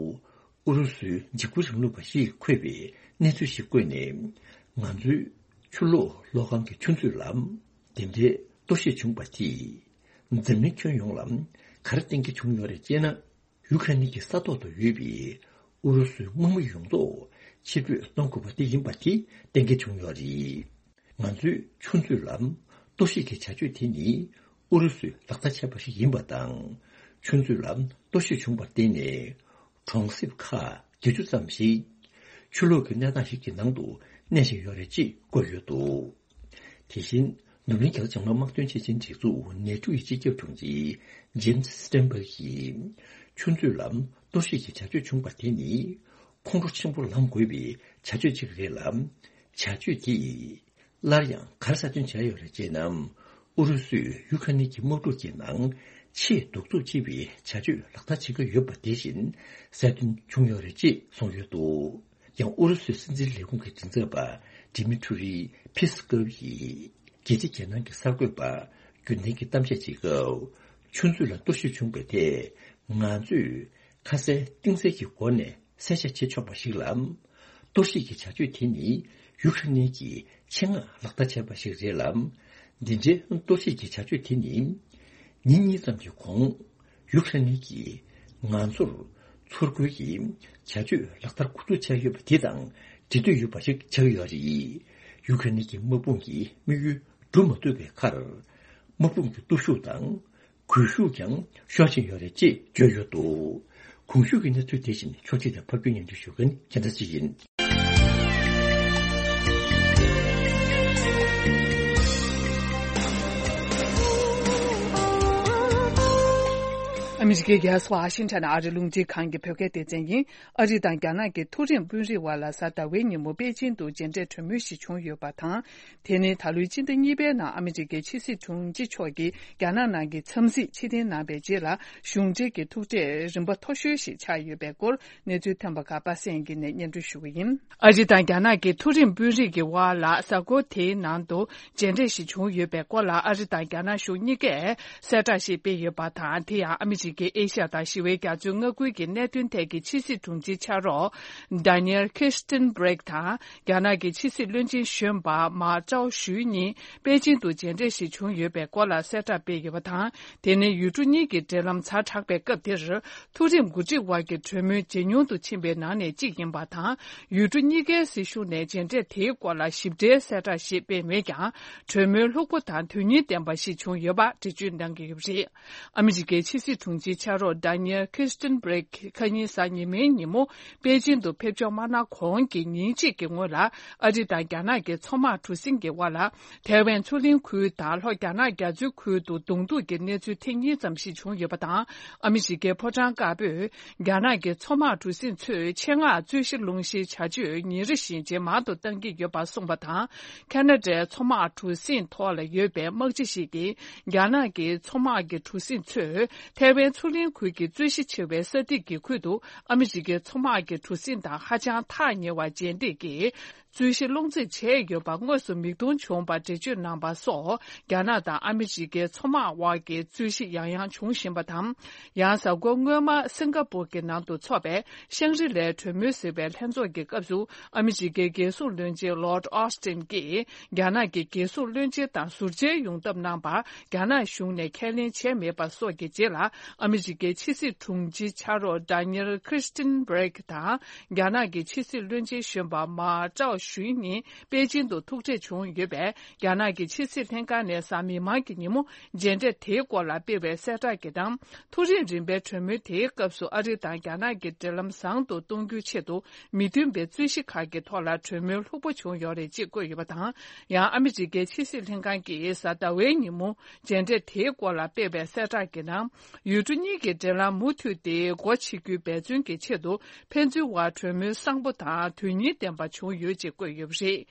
ཨུ་རུ་སུའི་འཇིགས་སྐུལ་རིང་ལུགས་པ་ཞིག་འཁོད་པའི་གནས་ཚུལ་ཞིག་བཀོད་ནས། ང་ཚོའི་ཆུ་གློག་གློག་ཁང་གི་ཆུ་མཛོད་ལ་དེ་འདྲའི་གཏོར་བཤིག་བྱུང་བ་དེས། འཛམ་གླིང་ཁྱོན་ཡོངས་ལ་ག་རེ་བསྟན་གྱི་བྱུང་ཡོད་རེད་ཅེ་ན། ཡུ་ཀེ་རེན་གྱི་ས་ཐོག་ཏུ་ཡོད་པའི་ཨུ་རུ་སུའི་དམག་མི་ཡོངས་རྫོགས་ཕྱིར་འབུད་གཏོང་དགོས་པ་དེ་ཡིན་པ་དེ་བསྟན་གྱི་བྱུང་ཡོད་རེད། ང་ཚོའི་ཆུ་མཛོད་ལ་གཏོར་བཤིག་གི་བྱ་སྤྱོད་དེ་ནི་ཨུ་རུ་སུས་ལག་བསྟར་བྱས་པ་ཞིག་ཡིན་པ་དང་། ཆུ་མཛོད་ལ་གཏོར་བཤིག་བྱུང་བར་བརྟེན་ནས། གྲོང་གསེབ་ཁག་བརྒྱད་ཅུ་ཙམ་ཞིག་ཆུ་ལོག་གི་གནས་སྟངས་ཤིག་གི་ནང་དུ་གནས་བཞིན་ཡོད་རེད་ཅེས་བཀོད་ཡོད་འདུག། དེ་བཞིན་འཛམ་གླིང་རྒྱལ་ཚོགས་འཇམ་དབྱངས་དམག་དོན་ཆེད་ཆེན་སྒྲིག་འཛུགས་ནེ་ཊོ་ཡི་སྤྱི་ཁྱབ་དྲུང་ཆེ་ཇེམ་སི་སི་ཊེན་བྷག་གིས། ཆུ་མཛོད་ལ་གཏོར་བཤིག་གི་བྱ་སྤྱོད་བྱུང་བ་དེ་ནི་ཁོང་ཁྲོ་ཆེན་པོ་ལངས་དགོས་པའི་བྱ་སྤྱོད་ཅིག་རེད་ལ། བྱ་སྤྱོད་དེས། སླར་ཡང་ག་རེ་གསལ་སྟོན་བྱས་ཡོད་རེད་ཅེ་ན། ཨུ་རུ་སུས་ཡུ་ཀེ་རེན་གྱི་དམག་འཁྲུག་གི་ནང་ཆེས་གདུག་རྩུབ་ཆེ་བའི་བྱ་སྤྱོད་ལག་བསྟར་བྱེད་ཀྱི་ཡོད་པ་དེ་བཞིན་གསལ་སྟོན་བྱུང་ཡོད་རེད་ཅེས་གསུངས་ཡོད་འདུག། ཡང་ཨུ་རུ་སུའི་སྲིད་འཛིན་ལས་ཁུངས་ཀྱི་མགྲིན་ཚབ་པ་ཌི་མི་ཊུ་རི་ཕི་སི་ཀོབ་ཡིས། རྒྱལ་སྤྱི་རྒྱལ་ནང་གི་གསར་འགོད་པ་རྒྱུན་ལྡན་གྱི་གཏམ་བཤད་བྱེད་སྐབས། ཆུ་མཛོད་ལ་གཏོར་བཤིག་བྱུང་བའི་ཐད་ང་ཚོས་ཁ་གསལ་གཏིང་གསལ་གྱི་སྒོ་ནས་གསལ་བཤད་བྱེད་ཆོག་པ་ཞིག་ལ། གཏོར་བཤིག་གི་བྱ་སྤྱོད་དེ་ནི་ཡུ་ཁ་རེན་གྱི་ཆེད་མངགས་ལག་བསྟར་བྱས་པ་ཞིག་རེད་ལ། འདི་འདྲའི་གཏོར་བཤིག་གི་བྱ་སྤྱོད་དེ་ནི་ཉིན་གཉིས་ཙམ་གྱི་གོང་ཡུ་ཁ་རེན་གྱིས་ང་ཚོར་ཚུར་རྒོལ་གྱི་བྱ་སྤྱོད་ལག་བསྟར་འགོ་འཛུགས་བྱས་ཡོད་པ་དེ་དང་འབྲེལ་མཐུད་ཡོད་པ་ཞིག་ཆགས་ཀྱི་ཡོད་རེད། ཡུ་ཁ་རེན་གྱི་དམག་དཔུང་གི་དམིགས་ཡུལ་འགྲུབ་མ་ཐུབ་པའི་ཁར། དམག་དཔུང་གི་སྟོབས་ཤུགས་དང་། སྒུལ་ཤུགས་ཀྱང་ཤོར་བཞིན་ཡོད་རེད་ཅེས་བརྗོད་ཡོད་འདུག་གོང་ཞུས་ཀྱི་གནས་ཚུལ་དེ་བཞིན་ཕྱོགས་སྒྲིག་དང་ཕབ་སྒྱུར་སྙན་སྒྲོན་ཞུ་མཁན་ཁྱེད་ཚོ་ཡིན། ཨ་མི་རི་ཀའི་རྒྱལ་ས་ཝ་ཤིང་ཊོན་ཨ་རིའི་རླུང་འཕྲིན་ཁང་གི་བོད་སྐད་སྡེ་ཚན་ཡིན། ཨ་རི་དང་རྒྱ་ནག་གི་མཐོ་རིམ་དཔོན་རིགས་དབར་ལ་གཟའ་ཟླ་བའི་ཉིན་མོ་པེ་ཅིང་དུ་མཇལ་འཕྲད་གྲོས་མོལ་ཞིག་བྱུང་ཡོད་པ་དང་། དེ་ནི་ད་ལོའི་སྤྱི་ཟླ་གཉིས་པའི་ནང་ཨ་མི་རི་ཀའི་ཕྱི་སྲིད་དྲུང་ཆེ་མཆོག་གིས་རྒྱ་ནག་ནང་གི་འཚམས་གཟིགས་ཕྱིར་འཐེན་གནང་བའི་རྗེས་ལ། གཞུང་འབྲེལ་གྱི་ཐུག་འཕྲད་རིམ་པ་མཐོ་ཤོས་ཤིག་ཆགས་ཡོད་པའི་སྐོར་གནས་ཚུལ་ཐོན་པ་ཁག་པ་སངས་སྐྱིད་ནས་སྙན་སྒྲོན་ཞུ་གི་ཡིན། ཨ་རི་དང་རྒྱ་ནག་གི་མཐོ་རིམ་དཔོན་རིགས་ཀྱི་དབར་ལ་གཟའ་འཁོར་དེའི་ནང་དུ་མཇལ་འཕྲད་ཞིག་བྱུང་ཡོད་པའི་སྐོར་ལ། ཨ་རི་དང་རྒྱ་ནག་གཞུང་གཉིས་ཀས་གསལ་བསྒྲགས་ཤིག་སྤེལ་ཡོད་པ་དང་། དེ་ཡང་ཨ་མི་རི་ཀའི་ཨེ་ཤ་ཡ་དང་ཞི་བའི་རྒྱ་མཚོའི་མངའ་ཁུལ་གྱི་གནད་དོན་ཐད་ཀྱི་ཕྱི་སྲིད་དྲུང་ཆེའི་ཕྱག་རོགས་Daniel Kirstenbrink དང་རྒྱ་ནག་གི་ཕྱི་སྲིད་བློན་ཆེན་གཞོན་པ་མཱ་ཀྲའོ་ཞུའེ་གཉིས་པེ་ཅིང་དུ་མཇལ་འཕྲད་ཞིག་བྱུང་ཡོད་པའི་སྐོར་ལ་གསལ་བསྒྲགས་སྤེལ་ཡོད་པ་དང་། དེ་ནི་ཡུལ་གྲུ་གཉིས་ཀྱི་འབྲེལ་ལམ་ཛ་དྲག་པའི་སྐབས་འདིར། མཐོ་རིམ་འགོ་ཁྲིད་དབར་གྱི་གྲོས་མོལ་ཇེ་ཉུང་དུ་ཕྱིན་པའི་ནང་ནས་གཅིག་ཡིན་པ་དང་། ཡུལ་གྲུ་གཉིས་ཀའི་སྲིད་གཞུང་ནས་མཇལ་འཕྲད་དེའི་སྐོར་ལ་ཞིབ་ཕྲའི་གསལ་བསྒྲགས་ཤིག་སྤེལ་མེད་ཀྱང་། གྲོས་མོལ་ལྷུག་པོ་དང་དོན་སྙིང་ལྡན་པ་ཞིག་བྱུང་ཡོད་པ་འགྲེལ་བརྗོད་གནང་གི་ཡོད་པ་རེད། ཨ་མི་རི་ཀའི་ཕྱི་སྲིད་དྲུང་ཆེའི་ཕྱག་རོགས་Daniel Kirstenbrink ཁ་ཉིན་གཟའ་ཉི་མའི་ཉིན་མོ་པེ་ཅིང་དུ་ཕེབས་འབྱོར་མ་གནང་གོང་གི་ཉིན་གཅིག་གི་སྔོན་ལ། ཨ་རི་དང་རྒྱ་ནག་གི་མཚོ་དམག་གྲུ་གཟིངས་ཀྱི་དབར་ལ། ཐའེ་ཝན་མཚོ་གླིང་ཁུལ་དང་ལྷོ་རྒྱ་ནག་རྒྱ་མཚོའི་ཁུལ་དུ་གདོང་ཐུག་གི་གནས་ཚུལ་ཐེངས་གཉིས་ཙམ་ཞིག་བྱུང་ཡོད་པ་དང་། ཨ་མི་རི་ཀའི་ཕོ་བྲང་དཀར་པོས་རྒྱ་ནག་གི་མཚོ་དམག་གྲུ་གཟིངས་ཚོས་ཆེད་མངགས་རྩོད་གཞི་སློང་གཞིའི་བྱ་སྤྱོད་ཉིན་རེ་བཞིན་ཇེ་མང་དུ་གཏང་གི་ཡོད་པ་གསུངས་པ་དང་། ཁ་ན་ཌའི་མཚོ་དམག་གྲུ་གཟིངས་ཐོག་ལ་ཡོད་པའི་དམག་སྤྱི་ཞིག་གིས་རྒྱ་ནག་གི་མཚོ་དམག་གི་གྲུ་གཟིངས་ཚོས་ཐའེ་ཝན་མཚོ་གླིང་ཁུལ་གྱི་རྩོད་གཞི་ཆེ་བའི་ས་ཐིག་གི་ཁུལ་དུ་ཨ་མི་རི་ཀའི་མཚོ་དམག་གི་གྲུ་གཟིངས་དང་ཧ་ཅང་ཐག་ཉེ་བར་མཇལ་འཕྲད་ཀྱིས། རྩོད་གཞི་སློང་རྩིས་བྱས་ཡོད་པ་དངོས་སུ་མིག་མཐོང་བྱུང་བར་འགྲེལ་བརྗོད་གནང་པ་སོགས། རྒྱ་ནག་དང་ཨ་མི་རི་ཀའི་མཚོ་དམག་དབར་གྱི་རྩོད་གཞི་ཡང་ཡང་འབྱུང་བཞིན་པ་དང་། ཡང་གཟའ་འཁོར་སྔོན་མ་སིང་ག་པུར་གྱི་ནང་དུ་འཚོགས་པའི་ཤང་རི་ལའི་གྲོས་མོལ་ཟེར་བའི་ལྷན་ཚོགས་ཀྱི་སྐབས་སུ། ཨ་མི་རི་ཀའི་རྒྱལ་སྲུང་བློན་ཆེན་Lord Austin གྱིས་རྒྱ་ནག་གི་རྒྱལ་སྲུང་བློན་ཆེན་དང་ཟུར་མཇལ་ཡོང་ཐབས་གནང་བར་རྒྱ་ནག་གཞུང་ནས་ཁས་ལེན་བྱས་མེད་པ་སོགས་ཀྱི་རྗེས་ལ། ཨ་མི་རི་ཀའི་ཕྱི་སྲིད་དྲུང་ཆེའི་ཕྱག་རོགས་Daniel Kirstenbrink དང་། རྒྱ་ནག་གི་ཕྱི་སྲིད་བློན་ཆེན་གཞོན་པ་མཱ་ཀྲའོ་ཞུའེ་གཉིས་པེ་ཅིང་དུ་ཐུག་འཕྲད་བྱུང་ཡོད་པས། རྒྱ་ནག་གི་ཕྱི་སྲིད་ལྷན་ཁང་ནས་གཟའ་མིག་དམར་གྱི་ཉིན་མོ་མཇལ་འཕྲད་དེའི་སྐོར་ལ་སྤེལ་བའི་གསལ་བསྒྲགས་ཀྱི་ནང་། མཐོ་རིམ་རིམ་པའི་གྲོས་མོལ་དེའི་སྐབས་སུ་ཨ་རི་དང་རྒྱ་ནག་གི་འབྲེལ་ལམ་བཟང་དུ་གཏོང་རྒྱུའི་ཆེད་དུ། མི་མཐུན་པའི་རྩོད་གཞི་ཁག་གི་ཐོག་ལ་གྲོས་མོལ་ལྷུག་པོ་བྱུང་ཡོད་རེད་ཅེས་བཀོད་ཡོད་པ་དང་། ཡང་ཨ་མི་རི་ཀའི་ཕྱི་སྲིད་ལྷན་ཁང་གིས་གཟའ་ཟླ་བའི་ཉིན་མོ་མཇལ་འཕྲད་དེའི་སྐོར་ལ་སྤེལ་བའི་གསལ་བསྒྲགས་ཀྱི་ནང་། ཡུལ་གྲུ་གཉིས་ཀྱི་འབྲེལ་ལམ་མུ་མཐུད་དེ་སྒོ་ཕྱེ་རྒྱུའི་འབད་བརྩོན་གྱི་ཆེད་དུ། ཕན་ཚུན་དབར་གྲོས་མོལ་བཟང་པོ་དང་དོན་སྙིང་ལྡན་པ་བྱུང་ཡོད་ཅེས་བཀོད་ཡོད་པ་རེད།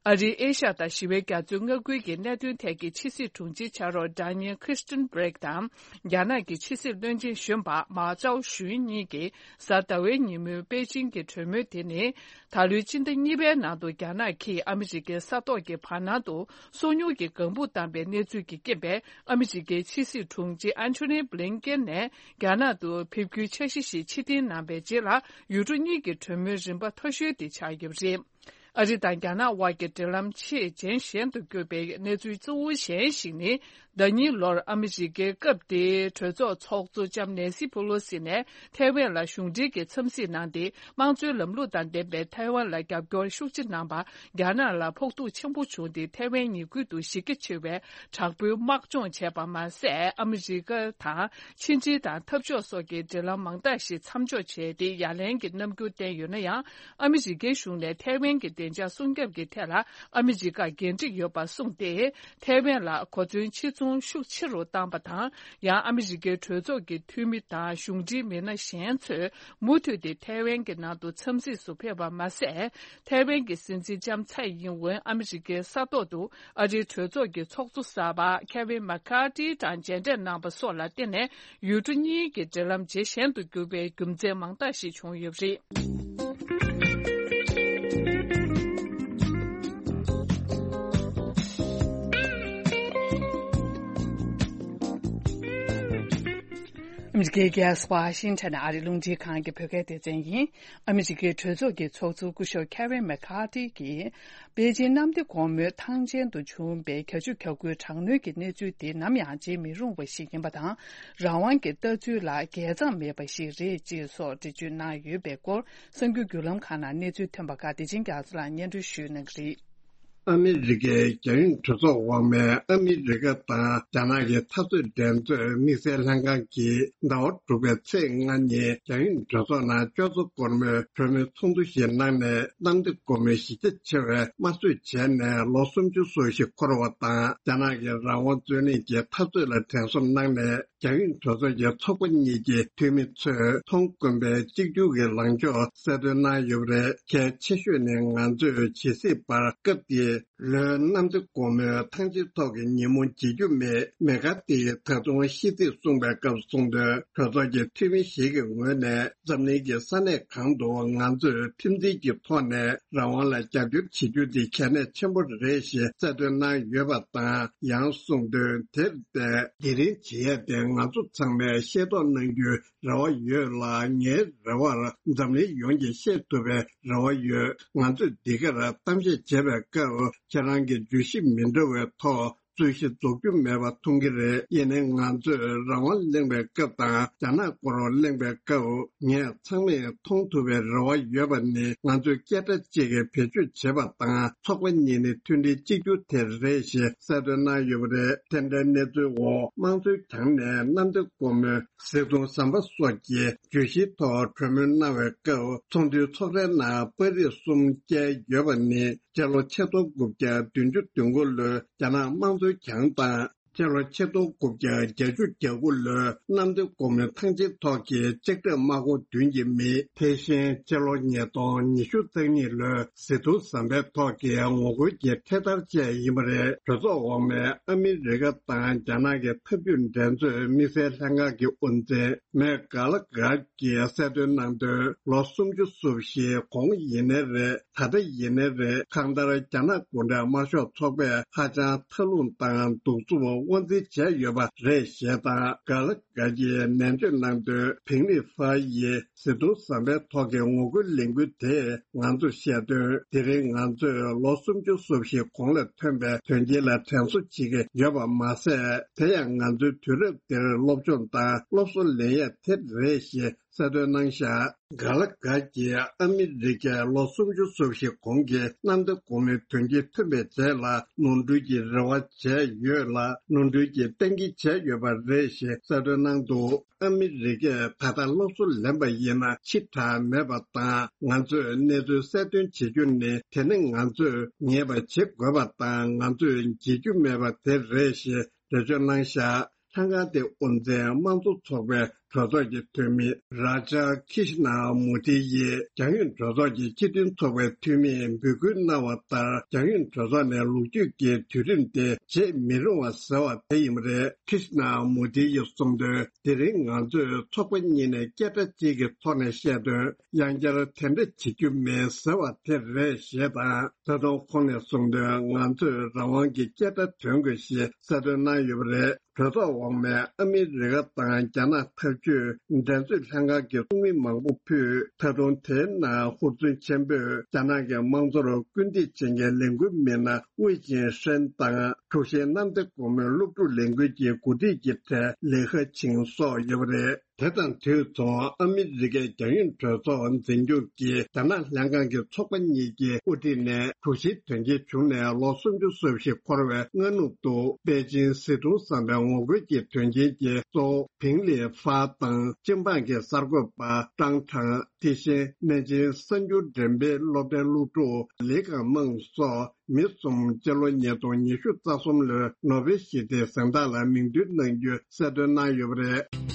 ཨ་རིའི་ཨེ་ཤ་ཡ་དང་ཞི་བའི་རྒྱ་མཚོའི་མངའ་ཁུལ་གྱི་གནད་དོན་ཐད་ཀྱི་ཕྱི་སྲིད་དྲུང་ཆེའི་ཕྱག་རོགས་Daniel Kirstenbrink དང་། རྒྱ་ནག་གི་ཕྱི་སྲིད་བློན་ཆེན་གཞོན་པ་མཱ་ཅའོ་ཞུན་གཉིས་ཀྱིས་གཟའ་ཟླ་བའི་ཉིན་མོའི་པེ་ཅིང་གི་གྲོས་མོལ་དེ་ནི། ད་ལོའི་སྤྱི་ཟླ་གཉིས་པའི་ནང་དུ་རྒྱ་ནག་གིས་ཨ་མི་རི་ཀའི་ས་ཐོག་གི་བར་སྣང་དུ་སོ་ཉུལ་གྱི་ལྒང་བུ་བཏང་པའི་གནས་ཚུལ་གྱི་རྐྱེན་པས། ཨ་མི་རི་ཀའི་ཕྱི་སྲིད་དྲུང་ཆེ་Antony Blinken ནས་རྒྱ་ནག་ཏུ་ཕེབས་རྒྱུའི་འཆར་གཞི་ཞིག་ཕྱིར་འཐེན་གནང་པའི་རྗེས་ལ། ཡུལ་གྲུ་གཉིས་ཀྱི་གྲོས་མོལ་རིམ་པ་མཐོ་ཤོས་དེ་ཆགས་ཡོད་པ་རེད། ཨ་རི་དང་རྒྱ་ནག་དབར་གྱི་འབྲེལ་ལམ་ཆེས་ཇེ་ཞན་དུ་གྱུར་པའི་གནས་ཚུལ་གཙོ་བོ་གཞན་ཞིག་ནི། ཟླ་ཉིན་ལོར་ཨ་མི་རི་ཀའི་སྐབས་དེའི་གྲོས་ཚོགས་ཚོགས་གཙོ་ལྕམ་ནེ་སི་པེ་ལོ་སི་ནས་ཐའེ་ཝན་ལ་གཞུང་འབྲེལ་གྱི་འཚམས་གཟིགས་གནང་སྟེ། དམངས་གཙོའི་ལམ་ལུགས་དང་ལྡན་པའི་ཐའེ་ཝན་ལ་རྒྱབ་སྐྱོར་ཤུགས་ཆེ་གནང་བར་རྒྱ་ནག་ལ་ཕོག་ཐུག་ཆེན་པོ་བྱུང་སྟེ། ཐའེ་ཝན་ཉེ་ཁུལ་དུ་གཞི་རྒྱ་ཆེ་བའི་དྲག་པོའི་དམག་སྦྱོང་བྱས་པ་མ་ཟད། ཨ་མི་རི་ཀ་དང་ཕྱི་འབྲེལ་དང་འཐབ་ཕྱོགས་སོགས་ཀྱི་འབྲེལ་ལམ་མང་དག་ཞིག་མཚམས་འཇོག་བྱས་ཏེ། ཡ་ལན་གྱི་རྣམ་འགྱུར་བསྟན་ཡོད་ན་ཡང་། ཨ་མི་རི་ཀའི་གཞུང་ནས་ཐའེ་ཝན་གྱི་བདེ་འཇགས་སྲུང་སྐྱོབ་ཀྱི་ཐད་ལ་ཨ་མི་རི་ཀར་འགན་འཁྲི་ཡོད་པ་གསུངས་ཏེ། ཐའེ་ཝན་ལ་གོ་མཚོན་ཕྱིར་ཚོང་ཤུགས་ཆེ་རུ་བཏང་པ་དང་། ཡང་ཨ་མི་རི་ཀའི་གྲོས་ཚོགས་ཀྱི་འཐུས་མི་དང་གཞུང་འབྲེལ་མི་སྣ་གཞན་ཚོས་མུ་མཐུད་དེ་ཐའེ་ཝན་གྱི་ནང་དུ་འཚམས་གཟིགས་སུ་ཕེབས་པ་མ་ཟད། ཐའེ་ཝན་གྱི་སྲིད་འཛིན་ལྕམ་ཚའེ་ཡིན་ཝེན་ཨ་མི་རི་ཀའི་ས་ཐོག་ཏུ་ཨ་རིའི་གྲོས་ཚོགས་ཀྱི་ཚོགས་གཙོ་གསར་པ་ཁེ་ཝིན་མེ་ཁ་ཏི་དང་མཇལ་འཕྲད་གནང་པ་སོགས་ལ་བརྟེན་ནས། ཡུལ་གྲུ་གཉིས་ཀྱི་འབྲེལ་ལམ་ཇེ་ཞན་དུ་གྱུར་པའི་རྒྱུ་མཚན་མང་དག་ཞིག་བྱུང་ཡོད་པ་རེད། ཨ་མི་རི་ཀའི་རྒྱལ་ས་ཝ་ཤིང་ཊོན་ཨ་རིའི་རླུང་འཕྲིན་ཁང་གི་བོད་སྐད་སྡེ་ཚན་ཡིན། ཨ་མི་རི་ཀའི་གྲོས་ཚོགས་ཀྱི་ཚོགས་གཙོ་སྐུ་ཞབས་ཁེ་ཝིན་མེ་ཁ་ཐི་གིས། པེ་ཅིན་གནམ་བདེ་སྒོ་མོའི་ཐང་ཆེན་དུ་བྱུང་བའི་བརྒྱ་ཆ་བརྒྱ་དགུའི་དྲག་གནོན་གྱི་གནས་ཚུལ་དེ་ནམ་ཡང་བརྗེད་མི་རུང་བ་ཞིག་ཡིན་པ་དང་། རང་དབང་གི་ལྟ་ཚུལ་ལ་འགལ་གཙང་མེད་པ་ཞིག་རེད་ཅེས་སོགས་འགྲེལ་བརྗོད་གནང་ཡོད་པའི་སྐོར། གསར་འགྱུར་བརྒྱུད་ལམ་ཁག་ནང་གནས་ཚུལ་ཐོན་པ་ཁག་བདེ་ཆེན་རྒྱ་མཚོ་ལགས་སྙན་སྒྲོན་ཞུ་གནང་གི་རེད། ཨ་མི་རི་ཀའི་རྒྱང་ཡོད་གྲོས་ཚོགས་འོག་མའི་ཨ་མི་རི་ཀ་དང་རྒྱ་ནག་གི་འཐབ་རྩོད་འགྲན་རྩོད་དམིགས་བསལ་ལྷན་ཁང་གིས་ཟླ་བ་དྲུག་པའི་ཚེས་ལྔ་ཉིན་རྒྱང་ཡོད་གྲོས་ཚོགས་ནང་ཅོག་ཙེ་སྒོར་མོའི་གྲོས་མོལ་ཚོགས་འདུ་ཞིག་གནང་ནས། གནམ་བདེ་སྒོ་མོའི་གཞི་རྒྱ་ཆེ་བའི་དམར་གསོད་བྱས་ནས་ལོ་སུམ་ཅུ་སོ་བཞི་འཁོར་བ་དང་། རྒྱ་ནག་གི་རང་དབང་རྩོད་ལེན་གྱི་འཐབ་རྩོད་ལ་དྲན་གསོ་གནང་ནས། རྒྱང་ཡོད་གྲོས་ཚོགས་ཀྱི་ཚོགས་པ་གཉིས་ཀྱི་འཐུས་མི་ཚོས་མཐོང་དཀོན་པའི་གཅིག་གྱུར་གྱི་ལངས་ཕྱོགས་གསལ་སྟོན་གནང་ཡོད་པ་རེད། གལ་ཆེ་ཤོས་ནི་ང་ཚོས་ཇི་སྲིད་བར་སྐབས་དེའི་ལོའི་གནམ་བདེ་སྒོ་མོའི་ཐང་ཆེན་ཐོག་གི་ཉིན་མོ་བརྗེད་རྒྱུ་མེད། མེ་ཁ་ཐི་ཡིས་ད་དུང་ཤིས་ཚིག་གསུངས་པའི་སྐབས་གསུངས་དོན། གྲོས་ཚོགས་ཀྱི་འཐུས་མི་ཞིག་གི་ངོས་ནས་འཛམ་གླིང་གི་ས་གནས་གང་དུ་ང་ཚོས་ཁྲིམས་འཛིན་གྱི་ཐོག་ནས་རང་དབང་ལ་རྒྱབ་སྐྱོར་བྱེད་རྒྱུ་དེ་གལ་གནད་ཆེན་པོ་རེད་ཞེས་གསལ་སྟོན་གནང་ཡོད་པ་དང་། ཡང་གསུངས་དོན། དེར་བརྟེན། དེ་རིང་བྱེད་ཡས་དེ་ང་ཚོ་ཚང་མས་ཤེས་རྟོགས་གནང་རྒྱུའི་རེ་བ་ཡོད་ལ། ངའི་རེ་བར་འཛམ་གླིང་ཡོངས་ཀྱིས་ཤེས་ཐུབ་པའི་རེ་བ་ཡོད། ང་ཚོས་འདི་གར་གཏམ་བཤད་བྱེད་པའི་སྐབས། ཁྱེད་རང་གི་བརྗོད་གཞི་མི་འདྲ་བའི་ཐོག་རྩོད་གཞི་རྫོགས་རྒྱུ་མེད་པ་མཐོང་གི་རེད། ཡིན་ནའི་ང་ཚོས་རང་དབང་གླེང་བའི་སྐབས་དང་། རྒྱ་ནག་སྐོར་གླེང་བའི་སྐབས། ངས་ཚང་མས་མཐོང་ཐུབ་པའི་རེ་བ་ཡོད་པ་ནི། ང་ཚོས་སྐད་སྒྲ་གཅིག་གིས་བེད་སྤྱོད་བྱེད་པ་དང་། ཚོགས་པ་གཉིས་ནི་མཐུན་སྒྲིལ་གཅིག་གྱུར་དེ་རེད་ཞེས་གསལ་སྟོན་གནང་ཡོད་པ་རེད། དེ་འདྲའི་གནས་ཚུལ་འོག་དམངས་གཙོའི་གྱང་ནས་གནམ་བདེ་སྒོ་མོའི་གཟིགས་མཐོང་ཟམ་པ་སོགས་ཀྱི་བརྗོད་གཞིའི་ཐོག་གྲོས་མོལ་གནང་བའི་སྐབས། ཚོགས་འདུའི་ཚོགས་རའི་ནང་པར་རིས་གསུམ་བཀལ་ཡོད་པ་ནི། སྤྱི་ལོ་ཆིག་སྟོང་དགུ་བརྒྱ་བདུན་ཅུ་དོན་དགུ་ལོའི་རྒྱ་ནག་དམངས་གཙོའི་གྱང་དང་། སྤྱི་ལོ་ཆིག་སྟོང་དགུ་བརྒྱ་བརྒྱད་ཅུ་གྱ་དགུ་ལོའི་གནམ་བདེ་སྒོ་མོའི་ཐང་ཆེན་ཐོག་གི་ལྕགས་ཁྲབ་དམག་ཁོངས་བདུན་གྱི་མི། དེ་བཞིན་སྤྱི་ལོ་ཉིས་སྟོང་ཉི་ཤུ་རྩ་གཉིས་ལོའི་གཟིགས་མཐོང་ཟམ་པའི་ཐོག་གི་ངོ་རྒོལ་གྱི་འཕྲེད་དར་བཅས་ཡིན་པ་རེད། གྲོས་ཚོགས་འོག་མའི་ཨ་མི་རི་ཀ་དང་རྒྱ་ནག་གི་འཐབ་ཇུས་འགྲན་རྩོད་དམིགས་བསལ་ལྷན་ཁང་གི་དབུ་འཛིན་མེག་གྷ་ལ་གྷར་གྱིས་གསལ་སྟོན་གནང་དོན། ལོ་སུམ་ཅུ་སོ་བཞིའི་གོང་ཡིན་ནའི་རེད། ད་ལྟ་ཡིན་ནའི་རེད། གང་ལྟར་རྒྱ་ནག་གུང་ཁྲན་དམར་ཤོག་ཚོགས་པས་ཧ་ཅང་མཐའ་ལྷུང་དང་གདུག་རྩུབ་དབང་འཛིན་བྱས་ཡོད་པ་རེད་ཞེས་དང་། གྷ་ལ་གྷར་གྱིས་ནན་བརྗོད་གནང་དོན། ཕིང་ལི་ཧྥ་ཡིས་གཟིགས་མཐོང་ཟམ་པའི་ཐོག་གི་ངོ་རྒོལ་ལས་འགུལ་དེས་ང་ཚོར་བཤད་དོན། དེ་རིང་ང་ཚོས་ལོ་སུམ་ཅུ་སོ་བཞིའི་གོང་ལ་ཐོན་པའི་དོན་རྐྱེན་ལ་དྲན་གསོ་བྱེད་ཀྱི་ཡོད་པ་མ་ཟད། དེ་ཡང་ང་ཚོའི་དུས་རབས་འདིར་སློབ་སྦྱོང་དང་སློབ་གསོ་ལེན་ཡས་དེ་རེད་ཞེས་གསལ་སྟོན་གནང་བཞག་གྷ་ལ་གྷར་གྱིས་ཨ་མི་རི་ཀས་ལོ་སུམ་ཅུ་སོ་བཞི་གོང་གི་གནམ་བདེ་སྒོ་མོའི་དོན་རྐྱེན་ཐོན་པའི་རྗེས་ལ་ནོར་འཁྲུལ་གྱི་རེ་བ་བྱས་ཡོད་ལ། ནོར་འཁྲུལ་གྱི་གཏན་འཁེལ་བྱས་ཡོད་པ་རེད་ཞེས་གསལ་སྟོན་གནང་འདུག་ཨ་མི་རི་ཀས་ད་ལྟ་སློབ་གསོ་ལེན་པ་ཡིན་ན་ཕྱི་དྲགས་མེད་པ་དང་། ང་ཚོས་གནས་ཚུལ་གསལ་སྟོན་བྱེད་རྒྱུ་ནི། དེ་ནི་ང་ཚོས་ངེས་པ་བྱེད་དགོས་པ་དང་། ང་ཚོས་བརྗེད་རྒྱུ་མེད་པ་དེ་རེད་ཞེས་འགྲེལ་བརྗོད་གནང་བཞག་ལྷན་ཁང་དེའི་དབུ་འཛིན་དམངས་གཙོ་ཚོགས་པའི་གྲོས་ཚོགས་ཀྱི་འཐུས་མི་རཱ་ཇཱ་ཁི་ཤི་ན་མུ་ཐི་ཡིས། རྒྱང་ཡོད་གྲོས་ཚོགས་ཀྱི་སྤྱི་མཐུན་ཚོགས་པའི་འཐུས་མིས་འབོད་སྐུལ་གནང་བ་ལྟར། རྒྱང་ཡོད་གྲོས་ཚོགས་ནས་ལོ་རྒྱུས་ཀྱི་དུས་རིམ་དེ་བརྗེད་མི་རུང་བ་ཟེར་བ་དེ་ཡིན་པ་རེད། ཁི་ཤི་ན་མུ་ཐི་ཡིས་གསུངས་དོན། དེ་རིང་ང་ཚོས་ཚོགས་པ་གཉིས་ནས་སྐད་སྒྲ་གཅིག་གི་ཐོག་ནས་བཤད་དོན། ཡང་བསྐྱར་དེ་འདྲ་བྱེད་རྒྱུ་མེད་ཟེར་བ་དེ་རེད་ཞེས་དང་། ད་དུང་ཁོང་ནས་གསུངས་དོན། ང་ཚོས་རང་དབང་གི་སྐད་སྒྲ་འདོན་དགོས་ཞེས་གསལ་སྟོན་གནང་ཡོད་པ་རེད། གྲོས་ཚོགས་འོག་མས་ཨ་མི་རི་ཀ་དང་རྒྱ་ནག་འཐབ་ཇུས་འགྲན་རྩོད་ལྷན་ཁང་གི་ཚོགས་མི་མང་པོ་ཕུད། ད་དུང་དེའི་ནང་ཧུར་བརྩོན་ཆེན་པོས་རྒྱ་ནག་གི་དམངས་གཙོར་སྐུལ་འདེད་བྱེད་མཁན་ལས་འགུལ་མི་སྣ་ཝེ་ཅིན་ཧྲེན་དང་། དྲུག་བཞིའི་གནམ་བདེ་སྒོ་མོའི་སློབ་ཕྲུག་ལས་འགུལ་གྱི་འགོ་ཁྲིད་ཀྱི་གྲས་ལི་ཁ་ཆིང་སོགས་ཡོད་པ་རེད། དེ་དང་དུས་མཚུངས། ཨ་མི་རི་ཀའི་རྒྱང་ཡོད་གྲོས་ཚོགས་འཛིན་སྐྱོང་གིས་རྒྱ་ནག་ལྷན་ཁང་གི་ཚོགས་པ་གཉིས་ཀྱི་དབུ་ཁྲིད་ནས་དྲུག་བཞིའི་དོན་རྐྱེན་བྱུང་ནས་ལོ་སུམ་ཅུ་སོ་བཞི་འཁོར་བའི་སྔ་ནུབ་ཏུ། པེ་ཅིན་གཟིགས་མཐོང་ཟམ་པའི་ངོ་རྒོལ་གྱི་དོན་རྐྱེན་གྱིས་གཙོ་བོ་ཕིང་ལི་ཧྥ་དང་། སྤྱི་འབངས་ཀྱི་གསར་འགོད་པ་ཀྲང་ཁྲང་། དེ་བཞིན་སྨན་ཆེན་གསར་འགྱུར་འགྲེམས་སྤེལ་སློབ་གྲྭའི་སློབ་ཕྲུག་ལི་ཀང་མེང་སོགས། མི་གསུམ་སྤྱི་ལོ་ཉིས་སྟོང་ཉི་ཤུ་རྩ་གསུམ་ལོའི་ནོ་བེལ་ཞི་བདེའི་གཟེངས་རྟགས་ལ་མིང་འདོན་གནང་རྒྱུ་གསལ་སྟོན་གནང་ཡོད་པ་རེད།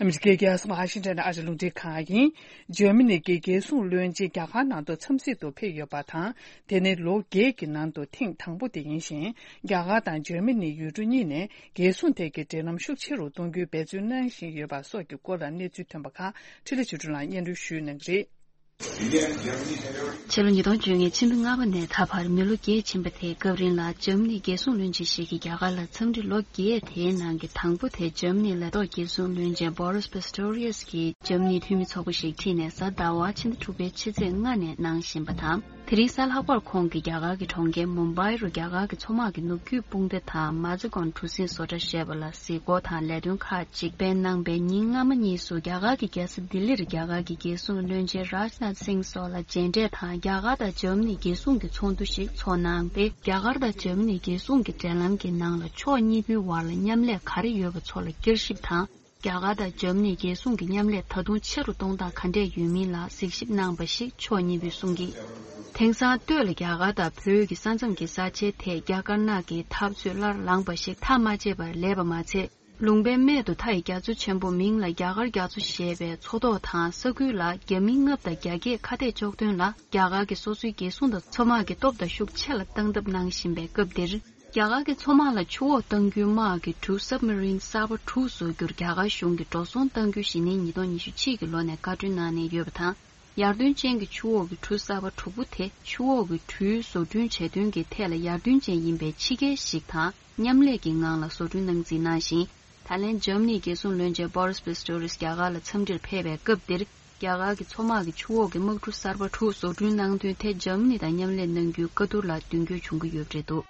ཨ་མི་རི་ཀའི་རྒྱལ་ས་ཝ་ཤིང་ཊོན་ཨ་རིའི་རླུང་འཕྲིན་ཁང་ཡིན། འཇར་མ་ནི་གི་རྒྱལ་སྲུང་བློན་ཆེན་རྒྱ་གར་ནང་དུ་འཚམས་གཟིགས་དུ་ཕེབས་ཡོད་པ་དང་། དེ་ནི་ལོ་བརྒྱད་ཀྱི་ནང་དུ་ཐེངས་དང་པོ་དེ་ཡིན་ཞིང་། རྒྱ་གར་དང་འཇར་མ་ནི་ཡུལ་གྲུ་གཉིས་ནས། རྒྱལ་སྲུང་ཐད་ཀྱི་འབྲེལ་ལམ་ཤུགས་ཆེ་རུ་གཏོང་རྒྱུའི་འབད་བརྩོན་གནང་བཞིན་ཡོད་པ་སོགས་ཀྱི་སྐོར་ལ་གནས་ཚུལ་ཐོན་པ་ཁག་འཕྲིན་ལས་ཆོས་སྒྲོན་ལགས་སྙན་སྒྲོན་ཞུས་གནང་གི་རེད། ཕྱི་ལོ་ཉིས་སྟོང་བཅོ་ལྔ་ཕྱི་ཟླ་ལྔ་པ་ནས་ད་བར་མི་ལོ་བརྒྱད་ཕྱིན་པ་དེའི་སྐབས་རིང་ལ་འཇར་མ་ནིའི་རྒྱལ་སྲུང་བློན་ཆེན་ཞིག་གིས་རྒྱ་གར་ལ་འཚམས་འདྲི་ལོ་བརྒྱད་དེའི་ནང་གི་དང་པོ་དེ་འཇར་མ་ནིའི་ལས་ཐོག་རྒྱལ་སྲུང་བློན་ཆེན་Boris Pistorius གིས་འཇར་མ་ནིའི་འཐུས་མི་ཚོགས་པ་ཞིག་ཁྲིད་ནས་གཟའ་ཟླ་བ་ཕྱི་ཟླ་དྲུག་པའི་ཕྱི་ཚེས་ལྔ་ནས་གནང་བཞིན་པ་དང་། དེ་རིང་གཟའ་ལྷག་པར་ཁོང་གིས་རྒྱ་གར་གྱི་གྲོང་ཁྱེར་མུམ་བྷའི་རུ་རྒྱ་གར་གྱི་མཚོ་དམག་གི་ནུབ་རྒྱུད་དཔུང་སྡེ་དང་མ་ཛི་གོན་གྲུ་གཟིངས་བཟོ་གྲྭ་ཞེས་པ་ལ་གཟིགས་སྐོར་དང་ལས་དོན་ཁག་ཅིག་སྤེལ་གནང་པའི་ཉིན་སྔ་མ་གཉིས་སུ་རྒྱ་གར་གྱི་རྒྱལ་ས་ལྡི་ལིར་རྒྱ་གར་གྱི་རྒྱལ་སྲུང་བློན་ཆེན་རཱཇ་ནཱཐ་སིང་སོགས་ལ་མཇལ་འཕྲད་དང་། རྒྱ་གར་དང་འཇར་མ་ནི་རྒྱལ་སྲུང་གི་ཚོགས་འདུ་ཞིག་ཚོགས་གནང་སྟེ། རྒྱ་གར་དང་འཇར་མ་ནི་རྒྱལ་སྲུང་གི་འབྲེལ་ལམ་གྱི་ནང་ལ་ཕྱོགས་གཉིས་པོའི་བར་ལ་མཉམ་ལས་ག་རེ་ཡོད་པ་ཚོ་ལ་བསྐྱར་ཞིབ་དང་། རྒྱ་གར་དང་འཇར་མ་ནི་རྒྱལ་སྲུང་གི་མཉམ་ལས་ད་དུང་ཆེ་རུ་གཏོང་སྟངས་ག་འདྲས་ཡོད་མིན་ལ་གཟིགས་ཞིབ་གནང་པ་ཞིག་ཕྱོགས་གཉིས་པོས་གསུངས་ཀྱིས། དེང་སང་སྟོད་ལ་རྒྱ་གར་དང་བོད་ཀྱི་ས་མཚམས་ཀྱི་ས་ཆའི་ཐད་རྒྱ་དཀར་ནག་གི་འཐབ་རྩོད་སླར་ལངས་པ་ཞིག་ཐག་མ་ཆད་པར་ལས་པ་མ་ཚད། ལུང་པའི་སྨད་དུ་མཐའ་ཡི་རྒྱ་མཚོ་ཆེན་པོ་མིང་ལ་རྒྱ་གར་རྒྱ་མཚོ་ཞེས་པའི་མཚོ་ཐོག་དང་ས་ཁུལ་ལ་རྒྱ་མི་ལྔ་བདག་རྒྱ་སྐྱེད་ཁ་གཏད་གཅོག་དོན་ལ་རྒྱ་གར་གྱི་སོ་སོའི་རྒྱལ་སྲུང་དང་མཚོ་དམག་གི་སྟོབས་དང་ཤུགས་ཆེ་ལ་བཏང་ཐབས་གནང་བཞིན་པའི་སྐབས་འདིར། རྒྱ་གར་གྱི་མཚོ་དམག་ལ་ཆུ་འོག་གཏང་རྒྱུའི་དམག་གི་གྲུ་སབ་མ་རིན་གསར་པ་དྲུག་བཟོ་རྒྱུར་རྒྱ་གར་གཞུང་གིས་འགྲོ་སོང་གཏང་རྒྱུ་ཞེ་ནིང་ཉིས་སྟོང་ཉི་ཤུ་གཅིག་གི་ལོ་ནས་བཀའ་འཁྲོལ་གནང་ནས་ཡོད་པ་དང་། ཡར་ཐོན་ཅན་གྱི་ཆུ་འོག་གི་གྲུ་གསར་པ་དྲུག་པོ་དེ་ཆུ་འོག་གི་གྲུའི་བཟོ་སྐྲུན་བྱེད་དོན་གྱི་ཐད་ལ་ཡར་ཐོན་ཅན་ཡིན་པའི་ཕྱི་རྒྱལ་ཞིག་དང་མཉམ་ལས་ཀྱི་ངང་ལ་བཟོ་སྐྲུན་གནང་རྩིས་གནང་ཞིང་། ད་ལན་འཇར་མ་ནིའི་རྒྱལ་སྲུང་བློན་ཆེན་Boris Pistorius རྒྱ་གར་ལ་འཚམས་འདྲིར་ཕེབས་པའི་སྐབས་འདིར། རྒྱ་གར་གྱི་མཚོ་དམག་གི་ཆུ་འོག་གི་དམག་གྲུ་གསར་པ་དྲུག་བཟོ་སྐྲུན་གནང་དོན་ཐད་འཇར་མ་ནི་དང་མཉམ་ལས་གནང་རྒྱུའི་བཀའ་བསྡུར་ལ་མདུན་སྐྱོད་བྱུང་གི་ཡོད་པ་རེད་འདུག་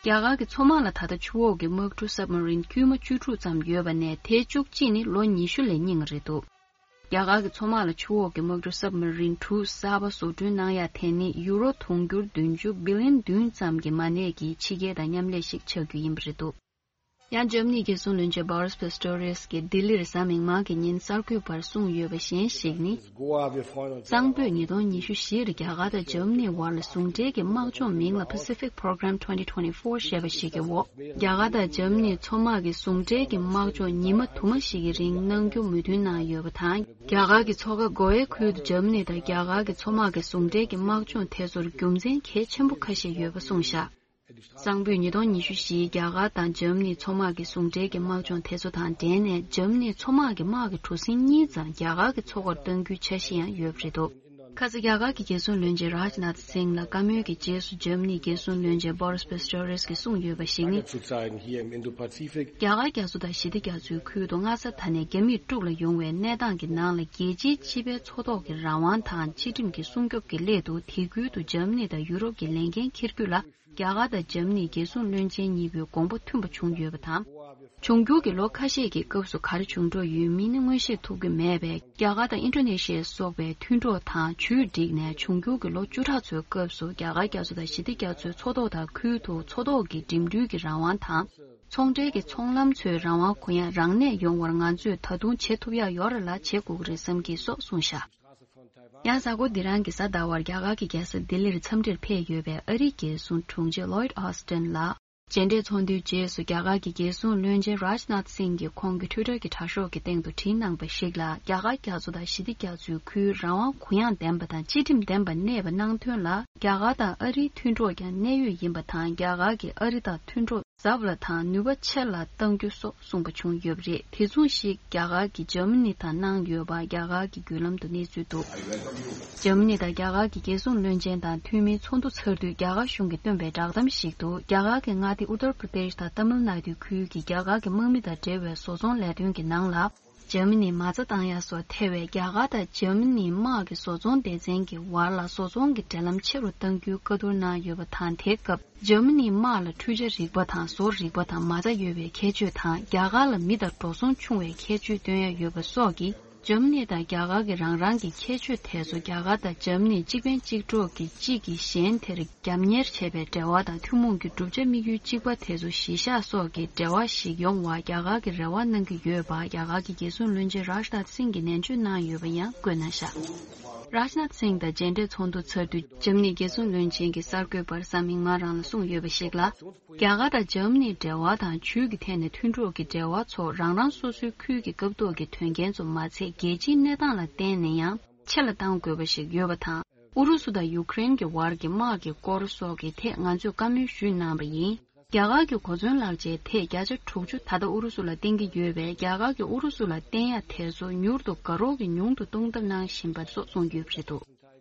རྒྱ་གར་གྱི་མཚོ་དམག་ལ་ད་ལྟ་ཆུ་འོག་གི་དམག་གྲུ་སབ་མ་རིན་དཀྱུས་མ་བཅུ་དྲུག་ཙམ་ཡོད་པ་ནས་དེའི་བཅུ་གཅིག་ནི་ལོ་ཉི་ཤུ་ལས་རྙིང་བ་རེད་འདུག་རྒྱ་གར་གྱི་མཚོ་དམག་ལ་ཆུ་འོག་གི་དམག་གྲུ་སབ་མ་རིན་དྲུག་གསར་པ་བཟོ་སྐྲུན་གནང་ཡ་དེ་ནི་ཡུ་རོ་དུང་ཕྱུར་བདུན་ཅུ་བི་ལི་ཡོན་བདུན་ཙམ་གྱི་མ་གནས་ཀྱི་ཕྱི་རྒྱལ་དང་མཉམ་ལས་ཤིག་ཆགས་རྒྱུ་ཡིན་པ་རེད་འདུག་ཡང་འཇར་མ་ནིའི་རྒྱལ་སྲུང་བློན་ཆེན་Boris Pistorius གིས་ལྡི་ལིར་གཟའ་མིག་དམར་གྱི་ཉིན་གསར་འགོད་པར་གསུངས་ཡོད་པ་གཞན་ཞིག་ནི། གཙང་པོས་ཉིས་སྟོང་ཉི་ཤུ་བཞིར་རྒྱ་གར་དང་འཇར་མ་ནིའི་བར་ལ་ཟུང་འབྲེལ་གྱི་དམག་སྦྱོང་མིང་ལ་Pacific Program twenty twenty-four ཞེས་པ་ཞིག་གི་འོག་རྒྱ་གར་དང་འཇར་མ་ནིའི་མཚོ་དམག་གི་ཟུང་འབྲེལ་གྱི་དམག་སྦྱོང་ཉི་མ་དུ་མ་ཞིག་གི་རིང་གནང་རྒྱུ་མོས་མཐུན་གནང་ཡོད་པ་དང་། རྒྱ་གར་གྱི་མཚོ་ཁ་གོ་ཝེ་ཁུལ་དུ་འཇར་མ་ནི་དང་རྒྱ་གར་གྱི་མཚོ་དམག་གི་ཟུང་འབྲེལ་གྱི་དམག་སྦྱོང་དེ་ཚོར་རྒྱུ་མཚན་གལ་ཆེན་པོ་ཁ་ཤས་ཡོད་པ་གསུངས་བཞག་གཙང་པོས་ཉིས་སྟོང་ཉི་ཤུ་བཞིའི་རྒྱ་གར་དང་འཇར་མ་ནིའི་མཚོ་དམག་གི་ཟུང་འབྲེལ་གྱི་དམག་སྦྱོང་དེ་ཚོ་དང་འབྲེལ་ནས་འཇར་མ་ནིའི་མཚོ་དམག་གི་དམག་གི་གྲུ་གཟིངས་གཉིས་ཙམ་རྒྱ་གར་གྱི་མཚོ་ཁར་གཏང་རྒྱུའི་འཆར་གཞི་ཡང་ཡོད་པ་རེད་འདུག་ཁ་སང་རྒྱ་གར་གྱི་རྒྱལ་སྲུང་བློན་ཆེན་རཱཇ་ནཱཐ་སིང་ལ་བཀའ་མོལ་གྱི་རྗེས་སུ་འཇར་མ་ནིའི་རྒྱལ་སྲུང་བློན་ཆེན་Boris Pistorius གིས་གསུངས་ཡོད་པ་ཞིག་ནི། Zu sein hier im Indo-Pazifik. རྒྱ་གར་རྒྱ་མཚོ་དང་ཞི་བདེ་རྒྱ་མཚོའི་ཁུལ་དུ་སྔ་ས་ད་ནས་རྒྱ་མིས་དཀྲུག་ལ་ཡོང་བའི་གནས་སྟངས་ཀྱི་ནང་ལ་རྒྱལ་སྤྱིའི་སྤྱི་པའི་མཚོ་ཐོག་གི་རང་དབང་དང་སྤྱི་ཁྲིམས་ཀྱི་སྲུང་སྐྱོབ་ཀྱི་སླད་དུ་དེ་ཁུལ་དུ་འཇར་མ་ནི་དང་ཡུ་རོབ་ཀྱི་ལས་འགན་འཁྱེར་རྒྱུ་ལ། རྒྱ་གར་དང་འཇར་མ་ནིའི་རྒྱལ་སྲུང་བློན་ཆེན་གཉིས་པོའི་དགོངས་པ་མཐུན་པ་བྱུང་ཡོད་པ་དང་། འབྱུང་འགྱུར་གྱི་ལོ་ཁ་ཤས་ཀྱི་སྐབས་སུ་ག་རེ་བྱུང་འགྲོ་ཡོད་མིན་ནི་མངོན་ཤེས་ཐུབ་ཀྱི་མེད་པས། རྒྱ་གར་དང་ཨིན་ཌོ་ནེ་ཤི་ཡ་སོགས་པའི་མཐུན་གྲོགས་དང་ཇུས་བསྒྲིགས་ནས་འབྱུང་འགྱུར་གྱི་ལོ་བཅུ་ཕྲག་ཚོའི་སྐབས་སུ་རྒྱ་གར་རྒྱ་མཚོ་དང་ཞི་བདེ་རྒྱ་མཚོའི་མཚོ་ཐོག་དང་ཁུལ་དུ་མཚོ་ཐོག་གི་འགྲིམ་འགྲུལ་གྱི་རང་དབང་དང་། ཚོང་འབྲེལ་གྱི་ཚོང་ལམ་ཚོའི་རང་དབང་གུ་ཡངས་རང་གནས་ཡོང་བར་ང་ཚོས་ད་དུང་བྱེད་ཐུབ་ཡག་ཡོད་རེད་ལ་བྱེད་དགོས་ཀྱི་རེད་བསམ་གྱི་སོགས་གསུངས་བཞག་ཡང་གཟའ་འཁོར་འདི་རང་གི་གཟའ་ཟླ་བར་རྒྱ་གར་གྱི་རྒྱལ་ས་ལྡི་ལིར་འཚམས་འདྲིར་ཕེབས་ཡོད་པའི་ཨ་རིའི་རྒྱལ་སྲུང་དྲུང་ཆེ་Lloyd Austin ལགས། མཇལ་འཕྲད་ཚོགས་འདུའི་རྗེས་སུ་རྒྱ་གར་གྱི་རྒྱལ་སྲུང་བློན་ཆེན་Rajnath Singh གྱིས་ཁོང་གི་Twitter གྱི་དྲ་ཤོག་གི་སྟེང་དུ་བྲིས་གནང་པ་ཞིག་ལ། རྒྱ་གར་རྒྱ་མཚོ་དང་ཞི་བདེ་རྒྱ་མཚོའི་ཁུལ་རང་དབང་གུ་ཡངས་ལྡན་པ་དང་སྤྱི་ཁྲིམས་ལྡན་པ་གནས་པ་གནང་དོན་ལ། རྒྱ་གར་དང་ཨ་རིའི་མཐུན་གྲོགས་ཀྱང་གནད་ཡོད་ཡིན་པ་དང་། རྒྱ་གར་གྱིས་ཨ་རི་དང་མཐུན་གྲོགས་ཟབ་ལ་དང་ནུས་པ་ཆེ་ལ་གཏང་རྒྱུ་སོགས་གསུངས་པ་བྱུང་ཡོད་པ་རེད། དེ་མཚུངས་ཤིག་རྒྱ་གར་གྱིས་འཇར་མ་ནི་དང་གནང་ཡོད་པ་རྒྱ་གར་གྱི་བརྒྱུད་ལམ་དུ་གནས་ཚུལ་འདུག་འཇར་མ་ནི་དང་རྒྱ་གར་གྱི་རྒྱལ་སྲུང་བློན་ཆེན་དང་འཐུས་མིའི་ཚོགས་འདུ་ཚར་དུས་རྒྱ་གར་གཞུང་གིས་བཏོན་པའི་བསྒྲགས་གཏམ་ཞིག་ཏུ། རྒྱ་གར་གྱི་མངའ་སྡེ་ཨུ་ཏར་པྲ་དེཤ་དང་ཏཱ་མིལ་ནཱ་ཌུའི་ཁུལ་གྱི་རྒྱ་གར་གྱི་དམག་མི་དང་འབྲེལ་བའི་བཟོ་ཚོང་ལས་དོན་གྱི་ནང་ལ། འཇར་མ་ནིས་མ་རྩ་བཏང་ཡ་སོགས་ཐེ་བའི་རྒྱ་གར་དང་འཇར་མ་ནིའི་དམག་གི་བཟོ་ཚོང་སྡེ་ཚན་གྱི་བར་ལ་བཟོ་ཚོང་གི་འབྲེལ་ལམ་ཆེ་རུ་གཏང་རྒྱུའི་བཀའ་བསྡུར་གནང་ཡོད་པ་དང་། དེའི་སྐབས། འཇར་མ་ནིའི་དམག་ལ་འཕྲུལ་ཆས་རིག་པ་དང་བཟོ་རིག་པ་དང་མ་རྩ་ཡོད་པའི་ཁྱད་ཆོས་དང་། རྒྱ་གར་ལ་མི་དང་འགྲོ་སོང་ཆུང་བའི་ཁྱད་ཆོས་སྟོན་ཡ་ཡོད་པ་སོགས་ཀྱིས། འཇར་མ་ནི་དང་རྒྱ་གར་གྱི་རང་རང་གི་ཁྱད་ཆོས་དེ་ཚོ་རྒྱ་གར་དང་འཇར་མ་ནི་གཅིག་ཕན་གཅིག་གྲོགས་ཀྱིས་གཅིག་གིས་གཞན་དེར་རྒྱབ་གཉེར་བྱེད་པའི་འབྲེལ་བ་དང་། ཐུན་མོང་གི་བསྒྲུབ་བྱ་དམིགས་ཡུལ་གཅིག་པ་དེ་ཚོ་གཞི་བཞག་སོགས་ཀྱི་འབྲེལ་བ་ཞིག་ཡོང་བར་རྒྱ་གར་གྱིས་རེ་བ་གནང་གི་ཡོད་པ། རྒྱ་གར་གྱི་རྒྱལ་སྲུང་བློན་ཆེན་རཱཇ་ནཱཐ་སིང་གིས་ནན་བརྗོད་གནང་ཡོད་པ་ཡང་བཀོད་གནང་བཞག་རཱཇ་ནཱཐ་སིང་དང་མཇལ་འཕྲད་ཚོགས་འདུ་ཚར་དུས། འཇར་མ་ནིའི་རྒྱལ་སྲུང་བློན་ཆེན་གྱིས་གསར་འགོད་པར་གཟའ་མིག་དམར་རང་ལ་གསུངས་ཡོད་པ་ཞིག་ལ། རྒྱ་གར་དང་འཇར་མ་ནིའི་འབྲེལ་བ་དང་ཇུས་ཀྱི་ཐད་ནས་མཐུན་གྲོགས་ཀྱི་འབྲེལ་བ་ཚོ་རང་རང་སོ་སོའི་ཁུལ་གྱི་སྐབས་ཐོག་གི་དོན་རྐྱེན་ཚོ་མ་ཚད། རྒྱལ་སྤྱིའི་གནས་སྟངས་ལ་བརྟེན་ནས་ཡང་ཆེ་ལ་གཏང་དགོས་པ་ཞིག་ཡོད་པ་དང་། ཨུ་རུ་སུ་དང་ཡུ་ཀེ་རེན་གྱི་བར་གྱི་དམག་གི་སྐོར་སོགས་ཀྱི་ཐད་ང་ཚོས་བཀའ་མོལ་ཞུས་གནང་བ་ཡིན། རྒྱ་གར་གྱི་གོ་མཚོན་ལག་ཆའི་ཐད་བརྒྱ་ཆ་དྲུག་ཅུ་ད་ལྟ་ཨུ་རུ་སུ་ལ་བརྟེན་གྱི་ཡོད་པས། རྒྱ་གར་གྱིས་ཨུ་རུ་སུ་ལ་བརྟེན་ཡ་དེ་ཚོ་མྱུར་དུ་དགའ་རོགས་ཀྱིས་ཉུང་དུ་གཏོང་ཐབས་གནང་བཞིན་པ་སོགས་གསུངས་ཡོད་པ་རེད་འདུག།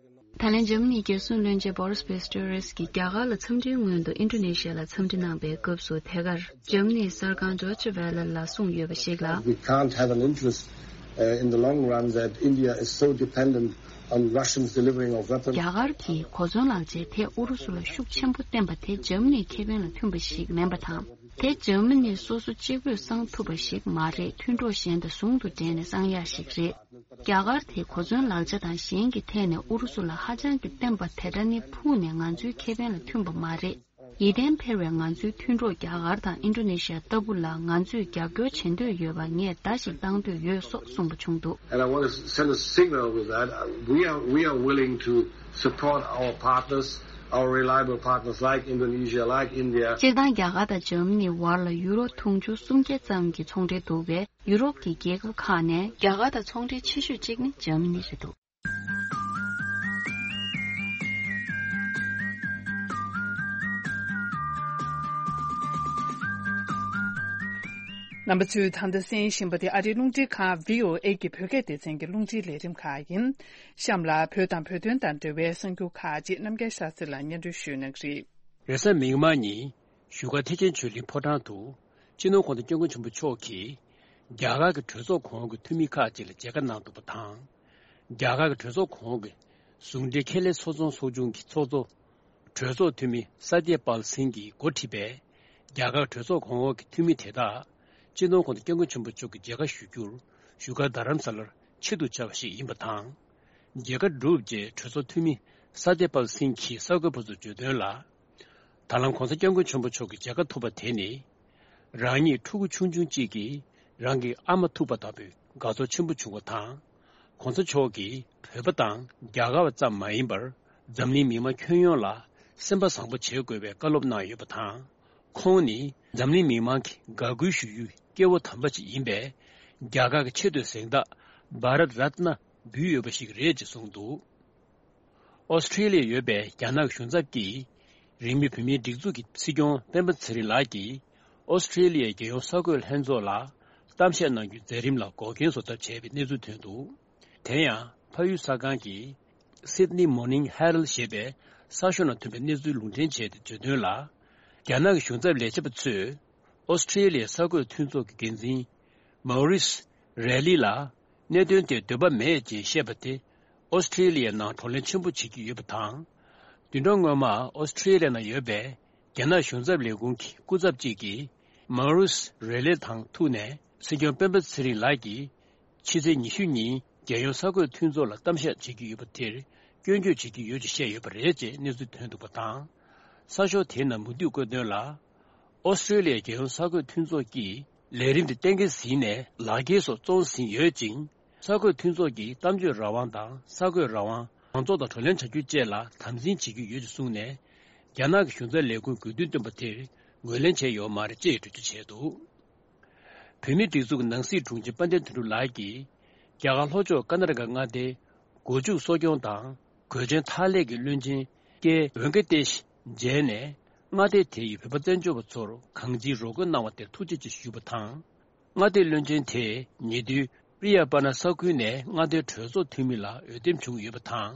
ད་ལན་འཇར་མ་ནིའི་རྒྱལ་སྲུང་བློན་ཆེན་Boris Pistorius གྱིས་རྒྱ་གར་ལ་འཚམས་འདྲིའི་སྔོན་དུ་ཨིན་ཌོ་ནེ་ཤི་ཡ་ལ་འཚམས་འདྲི་གནང་པའི་སྐབས་སུ། དེ་གར་འཇར་མ་ནིའི་གསར་ཁང་Deutsche Welle ལ་གསུངས་ཡོད་པ་ཞིག་ལ། We can't have an interest, uh, in the long run that India is so dependent on Russians delivering of weapons. རྒྱ་གར་གྱིས་གོ་མཚོན་ལག་ཆའི་ཐད་ཨུ་རུ་སུ་ལ་ཤུགས་ཆེན་པོ་བརྟེན་པ་དེ་འཇར་མ་ནིའི་ཁེ་ཕན་ལ་མཐུན་པ་ཞིག་མིན་པ་དང་། དེ་འཇར་མ་ནི་སོ་སོ་གཅིག་པུས་གསང་ཐུབ་པ་ཞིག་མ་རེད། མཐུན་གྲོགས་གཞན་དང་ཟུང་དུ་འབྲེལ་ནས་གསང་ཡག་ཞིག་རེད། རྒྱ་གར་དེ་གོ་མཚོན་ལག་ཆ་དང་གཞན་གྱི་ཐད་ནས་ཨུ་རུ་སུ་ལ་ཧ་ཅང་གི་བརྟེན་པ་དེ་འདྲ་ནི་ཕུགས་ནས་ང་ཚོའི་ཁེ་ཕན་ལ་མཐུན་པ་མ་རེད། ཡིད་བརྟན་འཕེར་བའི་ང་ཚོའི་མཐུན་གྲོགས་རྒྱ་གར་དང་ཨིན་ཌོ་ནེ་ཤི་ཡ་ལྟ་བུ་ལ་ང་ཚོས་རྒྱབ་སྐྱོར་བྱེད་འདོད་ཡོད་པ་ངས་བརྡ་ཞིག་བཏང་འདོད་ཡོད་སོགས་གསུངས་པ་བྱུང་འདུག། And I want to send a signal with that. Uh, we are, we are willing to support our partners, our reliable partners like Indonesia, like India. སྤྱིར་བཏང་རྒྱ་གར་དང་འཇར་མ་ནི་བར་ལ་ཡུ་རོ་དུང་ཕྱུར་སུམ་བརྒྱ་ཙམ་གྱི་ཚོང་འབྲེལ་འདུག་པས། ཡུ་རོབ་ཀྱི་རྒྱལ་ཁབ་ཁག་ནས་རྒྱ་གར་དང་ཚོང་འབྲེལ་ཆེ་ཤོས་གཅིག་ནི་འཇར་མ་ནི་རེད་འདུག། རྣམ་པ་ཚོས་ད་ལྟ་གསན་བཞིན་པ་དེ་ཨ་རིའི་རླུང་འཕྲིན་ཁང་VOA གི་བོད་སྐད་སྡེ་ཚན་གྱི་རླུང་འཕྲིན་ལས་རིམ་ཁག་ཡིན། གཤམ་ལ་བོད་དང་བོད་དོན་དང་འབྲེལ་བའི་གསར་འགྱུར་ཁག་ཅིག་རྣམ་རྒྱལ་ཤཱ་སྟྲི་ལ་སྙན་སྒྲོན་ཞུ་གནང་གི་རེད། རེས་གཟའ་མིག་དམར་ཉིན་བཞུགས་སྒར་ཐེག་ཆེན་ཆོས་གླིང་ཕོ་བྲང་དུ། སྤྱི་ནོར་༧གོང་ས་༧སྐྱབས་མགོན་ཆེན་པོ་མཆོག་གིས་རྒྱ་གར་གྱི་གྲོས་ཚོགས་གོང་འོག་གི་འཐུས་མི་ཁག་ཅིག་ལ་མཇལ་ཁ་གནང་འདུག་པ་དང་། རྒྱ་གར་གྱི་གྲོས་ཚོགས་གོང་འོག་གི་ཟུང་འབྲེལ་ཁེ་ལས་ཚོགས་ཚོང་ཚོགས་ཆུང་གི་ཚོགས་གཙོ། གྲོས་ཚོགས་འཐུས་མི་སཏྱ་པཱལ་སིང་གིས་འགོ་ཁྲིད་པའི་རྒྱ་གར་གྲོས་ཚོགས་གོང་འོག་གི་འཐུས་མི་དེ་དག་སྤྱི་ནོར་༧གོང་ས་༧སྐྱབས་མགོན་ཆེན་པོ་མཆོག་གི་མཇལ་ཁ་ཞུ་རྒྱུར་བཞུགས་སྒར་རྡ་རམ་ས་ལར་ཆེད་དུ་བཅར་བ་ཞིག་ཡིན་པ་དང་། མཇལ་ཁ་གྲུབ་རྗེས་གྲོས་ཚོགས་འཐུས་མི་སཏྱ་པཱལ་སིང་གིས་གསར་འགོད་པ་ཚོར་བརྗོད་དོན་ལ། ད་ལམ་༧གོང་ས་༧སྐྱབས་མགོན་ཆེན་པོ་མཆོག་གི་མཇལ་ཁ་ཐོབ་པ་དེ་ནི། རང་ཉིད་ཕྲུ་གུ་ཆུང་ཆུང་གཅིག་གིས་རང་གི་ཨ་མ་ཐུག་པ་ལྟ་བུའི་དགའ་ཚོར་ཆེན་པོ་བྱུང་བ་དང་། ༧གོང་ས་མཆོག་གིས་བོད་པ་དང་རྒྱ་གར་བ་ཙམ་མ་ཡིན་པར། འཛམ་གླིང་མི་མང་ཁྱོན་ཡོངས་ལ་སེམས་པ་བཟང་པོ་བྱེད་དགོས་པའི་བཀའ་སློབ་གནང་ཡོད་པ་དང་། ཁོང་ནི་འཛམ་གླིང་མི་མང་གི་དགའ་གུས་ཞུ་ཡུལ་སྐྱེ་བོ་དམ་པ་ཅིག་ཡིན་པས། རྒྱ་གར་གྱི་ཆེས་མཐོའི་གཟེངས་རྟགས་བྷ་རཏ་རཏ་ན་འབུལ་ཡོད་པ་ཞིག་རེད་ཅེས་གསུངས་འདུག། ཨོ་སི་ཁྲེ་ལི་ཡར་ཡོད་པའི་རྒྱ་ནག་གཞུང་ཚབ་ཀྱིས། རིང་མིན་བོད་མིའི་སྒྲིག་འཛུགས་ཀྱི་སྲིད་སྐྱོང་སྤེན་པ་ཚེ་རིང་ལགས་ཀྱིས། ཨོ་སི་ཁྲེ་ལི་ཡའི་རྒྱལ་ཡོངས་གསར་འགོད་ལྷན་ཚོགས་ལ་གཏམ་བཤད་གནང་རྒྱུའི་མཛད་རིམ་ལ་འགོག་རྐྱེན་བཟོ་ཐབས་བྱས་པའི་གནས་ཚུལ་ཐོན་འདུག། དེ་ཡང་། ཕ་ཡུལ་གསར་ཁང་གི་Sydney Morning Herald ཞེས་པའི་གསར་ཤོག་ནང་ཐོན་པའི་གནས་ཚུལ་ལུང་འདྲེན་བྱས་ཏེ་བརྗོད་དོན་ལ། རྒྱ་ནག་གི་གཞུང་ཚབ་ལས་བྱེད་པ་ཚོས། ཨོ་སི་ཁྲེ་ལི་ཡའི་གསར་འགོད་མཐུན་ཚོགས་ཀྱི་འགན་འཛིན། མའོ་རིས་རེ་ལི་ལ། གནད་དོན་དེར་འདོད་པ་མེད་ཅེས་བཤད་པ་དེ། ཨོ་སི་ཁྲེ་ལི་ཡའི་ནང་བགྲོ་གླེང་ཆེན་པོ་བྱེད་ཀྱི་ཡོད་པ་དང་། བདུན་ཕྲག་སྔོན་མ་ཨོ་སི་ཁྲེ་ལི་ཡའི་ནང་ཡོད་པའི་རྒྱ་ནག་གཞུང་ཚབ་ལས་ཁུངས་ཀྱི་སྐུ་ཚབ་ཅིག་གིས། མའོ་རིས་རེ་ལི་དང་ཐུག་ནས། སྲིད་སྐྱོང་སྤེན་པ་ཚེ་རིང་ལགས་ཀྱིས། ཕྱི་ཚེས་ཉི་ཤུ་ཉིན། རྒྱལ་ཡོངས་གསར་འགོད་མཐུན་ཚོགས་ལ་གཏམ་བཤད་བྱེད་ཀྱི་ཡོད་པ་དེར། སྐྱོན་བརྗོད་བྱེད་ཀྱི་ཡོད་ཅེས་བཤད་ཡོད་པ་རེད་ཅེས་གནས་ཚུལ་ཐོན་འདུག་པ་དང་། གསར་ཤོག་དེའི་ནང་མུ་མཐུད་བཀོད་དོན་ལ། ཨོ་སི་ཁྲེ་ལི་ཡའི་རྒྱལ་ཡོངས་གསར་འགོད་མཐུན་ཚོགས་ཀྱིས་ལས་རིམ་དེ་གཏན་འཁེལ་ཟིན་ནས་ལག་འཁྱེར་སོགས་བཙོང་ཟིན་ཡོད་ཅིང་། གསར་འགོད་མཐུན་ཚོགས་ཀྱིས་གཏམ་བརྗོད་རང་དབང་དང་གསར་འགོད་རང་དབང་། མང་ཚོགས་དང་བགྲོ་གླེང་བྱ་རྒྱུ་བཅས་ལ་དམ་འཛིན་བྱེད་ཀྱི་ཡོད་ཅེས་གསུངས་ནས། རྒྱ་ནག་གི་གཞུང་ཚབ་ལས་ཁུངས་དགོས་འདུན་བཏོན་པ་དེར་ངོས་ལེན་བྱས་ཡོད་མ་རེད་ཅེས་འགྲེལ་བརྗོད་བྱས་འདུག། བོད་མིའི་སྒྲིག་འཛུགས་ཀྱི་ནང་སྲིད་དྲུང་ཆེ་དཔལ་ལྡན་དོན་གྲུབ་ལགས་ཀྱིས། རྒྱ་གར་ལྷོ་ཕྱོགས་ཀར་ན་ཊ་ཀ་མངའ་སྡེའི་སྒོ་ཕྱུགས་གསོ་སྐྱོང་དང་གོས་ཆེན་འཐག་ལས་ཀྱི་བློན་ཆེན་ཀེ་ཝེང་ཀེ་ཏེཤ་མཇལ་ནས། མངའ་སྡེ་དེ་ཡི་བོད་པ་བཙན་བྱོལ་བ་ཚོར་གང་ཅིའི་རོགས་སྐྱོར་གནང་བ་དེར་ཐུགས་རྗེ་ཆེ་ཞུས་པ་དང་། མངའ་སྡེའི་བློན་ཆེན་དེས་ཉེ་དུས་པྲི་ཡ་པ་ན་ས་ཁུལ་ནས་མངའ་སྡེའི་གྲོས་ཚོགས་འཐུས་མི་ལ་འོས་འདེམས་བྱུང་ཡོད་པ་དང་།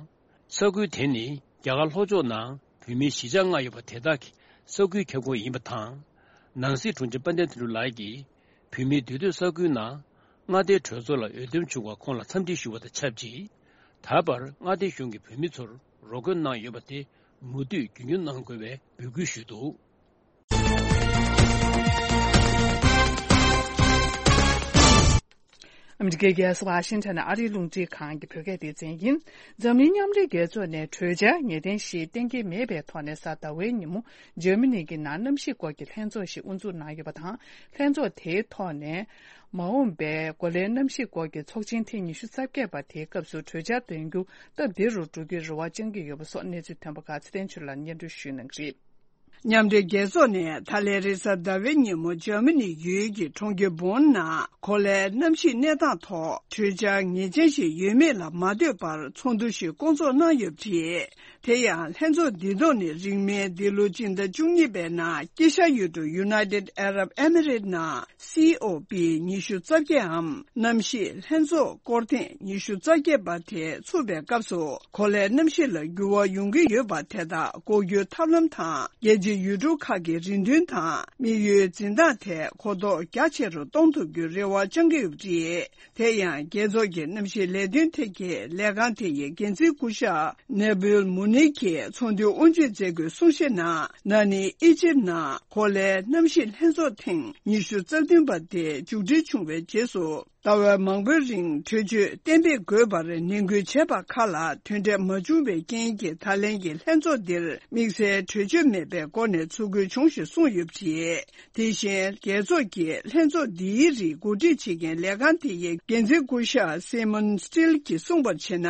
ས་ཁུལ་དེ་ནི་རྒྱ་གར་ལྷོ་ཕྱོགས་ནང་བོད་མིའི་གཞིས་ཆགས་ལྔ་ཡོད་པ་དེ་དག་གི་ས་ཁུལ་ཁྱབ་ཁོངས་ཡིན་པ་དང་། ནང་སྲིད་དྲུང་ཆེ་དཔལ་ལྡན་དོན་གྲུབ་ལགས་ཀྱིས་བོད་མིའི་འདུས་སྡོད་ས་ཁུལ་ནང་མངའ་སྡེའི་གྲོས་ཚོགས་ལ་འོས་འདེམས་བྱུང་བར་ཁོང་ལ་འཚམས་འདྲི་ཞུ་བ་དང་ཆབས་ཅིག། ད་བར་མངའ་སྡེའི་གཞུང་གིས་བོད་མི་ཚོར་རོགས་སྐྱོར་གནང་ཡོད་པ་དེ་མུ་མཐུད་རྒྱུན་འཁྱོངས་གནང་དགོས་པའི་འབོད་སྐུལ་ཞུས་འདུག། ཨ་མི་རི་ཀའི་རྒྱལ་ས་ཝ་ཤིང་ཊོན་ནས་ཨ་རིའི་རླུང་འཕྲིན་ཁང་གི་བོད་སྐད་སྡེ་ཚན་ཡིན། འཛམ་གླིང་མཉམ་འབྲེལ་རྒྱལ་ཚོགས་ནས་གྲོས་འཆར་ངེས་གཏན་ཞིག་གཏན་འཁེལ་མེད་པའི་ཐོག་ནས་གཟའ་ཟླ་བའི་ཉིན་མོ་འཇར་མ་ནི་གི་ནང་གནམ་གཤིས་སྐོར་གྱི་ལྷན་ཚོགས་ཤིག་དབུ་འཛུགས་གནང་ཡོད་པ་དང་། ལྷན་ཚོགས་དེའི་ཐོག་ནས་མ་འོངས་པའི་གོ་ལའི་གནམ་གཤིས་སྐོར་གྱི་ཚོགས་ཆེན་ཐེངས་ཉི་ཤུ་རྩ་བརྒྱད་པ་དེའི་སྐབས་སུ་གྲོས་འཆར་འདོན་རྒྱུ་སྟབས་བདེ་རུ་འགྲོ་རྒྱུའི་རེ་བ་བཅང་གི་ཡོད་པ་སོགས་གནས་ཚུལ་ཐོན་པ་ཁག་ཚེ་བརྟན་ཆོས་ལགས་སྙན་སྒྲོན་ཞུ་གནང་གི་རེད། མཉམ་འབྲེལ་རྒྱལ་ཚོགས་ནས་ད་ལན་རེས་གཟའ་ཟླ་བའི་ཉིན་མོ་འཇར་མ་ནི་ཡུལ་གྱི་གྲོང་ཁྱེར་བོན་ནང་གོ་ལའི་གནམ་གཤིས་གནས་སྟངས་ཐོག་གྲོས་འཆར་ངེས་ཅན་ཞིག་ཡོད་མེད་ལ་མ་ལྟོས་པར་ཚོགས་འདུ་ཞིག་བསྐོང་ཚོགས་གནང་ཡོད་པ་རེད། དེ་ཡང་ལྷན་ཚོགས་འདིའི་ཐོག་ནས་རིང་མིན་འདི་ལོ་སྤྱི་ཟླ་བཅུ་གཉིས་པའི་ནང་དཀྱིལ་ཤར་ཡུལ་གྲུ་United Arab Emirates ནང་སི་ཨོ་པི་ཉི་ཤུ་རྩ་བརྒྱད་འམ་གནམ་གཤིས་ལྷན་ཚོགས་སྐོར་ཐེངས་ཉི་ཤུ་རྩ་བརྒྱད་པ་དེ་ཚུགས་པའི་སྐབས་སུ་གོ་ལའི་གནམ་གཤིས་ལ་འགྱུར་བ་ཡོང་གི་ཡོད་པ་དེ་དག་འགོག་རྒྱུའི་ཐབས་ལམ་དང་རྒྱལ་སྤྱིའི་ཡུལ་གྲུ་ཁག་གི་རེ་འདུན་དང་དམིགས་ཡུལ་འཛིན་སྟངས་ཐད་གོ་རྟོགས་རྒྱ་ཆེ་རུ་གཏོང་ཐུབ་རྒྱུའི་རེ་བ་བཅང་གི་ཡོད་པ་རེད། དེ་ཡང་རྒྱལ་ཚོགས་ཀྱི་གནམ་གཤིས་ལས་དོན་ཐད་ཀྱི་ལས་ཁང་དེ་ཡི་འགན་འཛིན་སྐུ་ཞབས་ནེ་བུལ་མུ་ནི་གིས་ཚོགས་འདུའི་དབུ་འབྱེད་མཛད་སྒོའི་གསུང་བཤད་ནང་ན་ནིང་ཨི་ཇིབ་ནང་གོ་ལའི་གནམ་གཤིས་ལྷན་ཚོགས་ཐེངས་ཉི་ཤུ་རྩ་བདུན་པ་དེ་མཇུག་སྒྲིལ་བྱུང་བའི་རྗེས་སུ་ཟླ་བ་མང་པོའི་རིང་གྲོས་ཆོད་གཏན་འབེབས་དགོས་པར་ནན་སྐུལ་བྱས་པ་ཁག་ལ་དོན་འབྲས་མ་བྱུང་བའི་རྐྱེན་གྱིས་ད་ལན་གྱི་ལྷན་ཚོགས་འདིར་དམིགས་བསལ་གྲོས་ཆོད་མེད་པའི་སྒོ་ནས་ཚུགས་ཁུལ་བྱུང་ཞེས་གསུངས་ཡོད་པ་རེད། དེ་བཞིན་རྒྱལ་ཚོགས་ཀྱིས་ལྷན་ཚོགས་འདིའི་རིགས་གོ་སྒྲིག་བྱེད་མཁན་ལས་ཁང་དེ་ཡི་འགན་འཛིན་སྐུ་ཞབས་སི་མོན་སི་ཊིལ་གྱིས་གསུངས་པར་བྱས་ན།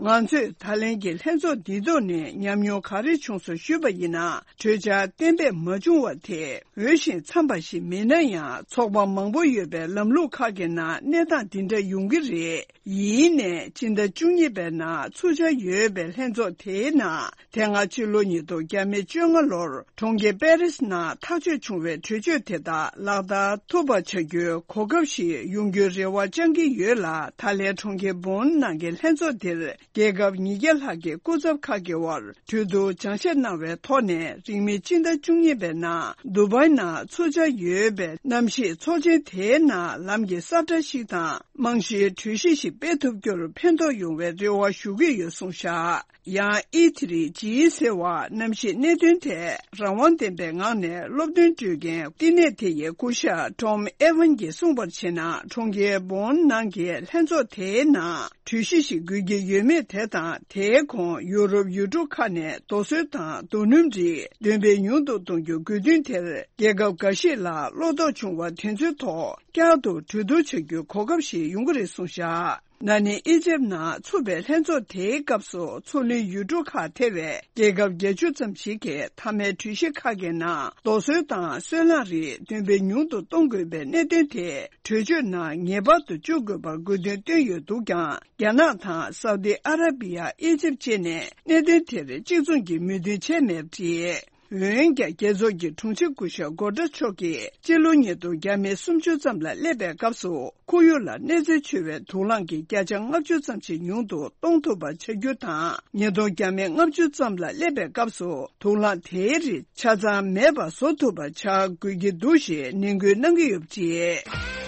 ང་ཚོས་ད་ལན་གྱི་ལྷན་ཚོགས་འདིའི་ཐོག་ནས་ཉམས་མྱོང་ག་རེ་བྱུང་སོང་ཞུས་པ་ཡིན་ན། གྲོས་འཆར་གཏན་འབེབས་མ་བྱུང་བ་དེ་འོས་ཤིང་འཚམས་པ་ཞིག་མིན་ན་ཡང་ཚོགས་པ་མང་པོ་ཡོད་པའི་ལམ་ལུགས་ཁག་གི་ནང་གནས་སྟངས་འདི་འདྲ་ཡོང་གི་རེད། ཡིན་ནའི་སྤྱི་ཟླ་བཅུ་གཉིས་པའི་ནང་ཚུགས་འཆར་ཡོད་པའི་ལྷན་ཚོགས་དེའི་ནང་དེ་སྔ་ཕྱི་ལོ་ཉིས་སྟོང་བརྒྱ་མེད་བཅོ་ལྔ་ལོར་གྲོང་ཁྱེར་པེ་རིས་ནང་ཐག་གཅོད་བྱུང་བའི་གྲོས་ཆོད་དེ་དག་ལག་བསྟར་ཐུབ་པ་བྱ་རྒྱུའི་གོ་སྐབས་ཤིག་ཡོང་རྒྱུའི་རེ་བ་བཅང་གི་ཡོད་ལ། ད་ལན་གྲོང་ཁྱེར་བོན་ནང་གི་ལྷན་ཚོགས་དེར་རྒྱལ་ཁབ་ཉིས་བརྒྱ་ལྷག་གི་སྐུ་ཚབ་ཁག་གི་དབར་གྲོས་བསྡུར་སྦྱང་བཤད་གནང་བའི་ཐོག་ནས། རིང་མིན་སྤྱི་ཟླ་བཅུ་གཉིས་པའི་ནང་དུ་བའི་ནང་ཚུགས་འཆར་ཡོད་པའི་གནམ་གཤིས་ཚོགས་ཆེན་དེའི་ནང་ལམ་གྱི་ས་བཀྲ་ཞིག་དང་རྨང་གཞིའི་གྲོས་གཞི་ཞིག་སྤེལ་ཐུབ་རྒྱུར་ཕན་ཐོགས་ཡོང་བའི་རེ་བ་ཞུ་གི་ཡོད་གསུངས་བཞག་ཡང་ཨི་ཐི་རི་ཇི་ཟེར་བ་གནམ་གཤིས་གནད་དོན་ཐད་རང་དབང་ལྡན་པའི་ངང་ནས་སློབ་སྟོན་སྤྲོད་མཁན་བསྟི་གནས་དེ་ཡི་སྐུ་ཞབས་ཊོམ་ཨེ་ཝན་གྱིས་གསུངས་པར་བྱས་ན། གྲོང་ཁྱེར་བོན་ནང་གི་ལྷན་ཚོགས་དེའི་ནང་གྲོས་གཞི་ཞིག་དགོས་ཀྱི་ཡོད་མེད་དེ་དང་། དེའི་གོང་ཡུ་རོབ་ཡུལ་གྲུ་ཁག་ནས་རྡོ་སོལ་དང་རྡོ་སྣུམ་རིགས་འདོན་སྤེལ་ཉུང་དུ་གཏོང་རྒྱུ་དགོས་འདུན་དེར་རྒྱལ་ཁབ་འགའ་ཞིག་ལ་བློ་དོགས་བྱུང་བ་དེ་ཚོའི་ཐོག་བསྐྱར་དུ་གྲོས་བསྡུར་བྱ་རྒྱུའི་གོ་སྐབས་ཤིག་ཡོང་གི་རེད་གསུངས་བཞག་ན་ནིང་ཨི་ཇེབ་ནང་ཚུགས་པའི་ལྷན་ཚོགས་དེའི་སྐབས་སུ་མཚོ་གླིང་ཡུལ་གྲུ་ཁག་ཐེ་བའི་རྒྱལ་ཁབ་བརྒྱད་ཅུ་ཙམ་ཞིག་གིས་མཐའ་མའི་གྲོས་གཞི་ཁག་གི་ནང་རྡོ་སོལ་དང་སོལ་རླངས་རིགས་འདོན་སྤེལ་ཉུང་དུ་གཏོང་དགོས་པའི་གནད་དོན་དེ་གྲོས་ཆོད་ནང་ངེས་པར་དུ་བཅུག་དགོས་པར་དགོས་འདུན་བཏོན་ཡོད་འདུག་ཀྱང་། རྒྱ་ནག་དང་སའུ་ཏི་ཨ་ར་བི་ཡ། ཨི་ཇེབ་བཅས་ནས་གནད་དོན་དེར་གཅིག་མཚུངས་ཀྱི་མོས་མཐུན་བྱས་མེད་པ་རེད། འོན་ཀྱང་རྒྱལ་ཚོགས་ཀྱི་དྲུང་ཆེ་སྐུ་ཞབས་སྒོ་ཊ་མཆོག་གིས་སྤྱི་ལོ་ཉིས་སྟོང་བརྒྱ་མེད་སུམ་ཅུ་ཙམ་ལ་སླེབས་པའི་སྐབས་སུ་ཁོར་ཡུག་ལ་གནོད་འཚེ་ཆེ་བའི་དུག་རླངས་ཀྱི་བརྒྱ་ཆ་ལྔ་བཅུ་ཙམ་ཞིག་ཉུང་དུ་གཏོང་ཐུབ་པ་བྱ་རྒྱུ་དང་། ཉིས་སྟོང་བརྒྱ་མེད་ལྔ་བཅུ་ཙམ་ལ་སླེབས་པའི་སྐབས་སུ་དུག་རླངས་དེའི་རིགས་ཆ་ཚང་མེད་པ་བཟོ་ཐུབ་པ་བྱ་དགོས་ཀྱི་འདུག་ཞེས་ནན་སྐུལ་གནང་གི་ཡོད་པ་རེད།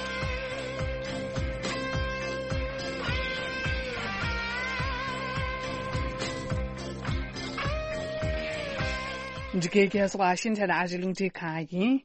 འདི་གའི་རྒྱལ་ས་ཝ་ཤིང་ཊོན་ཨ་རིའི་རླུང་འཕྲིན་ཁང་ཡིན།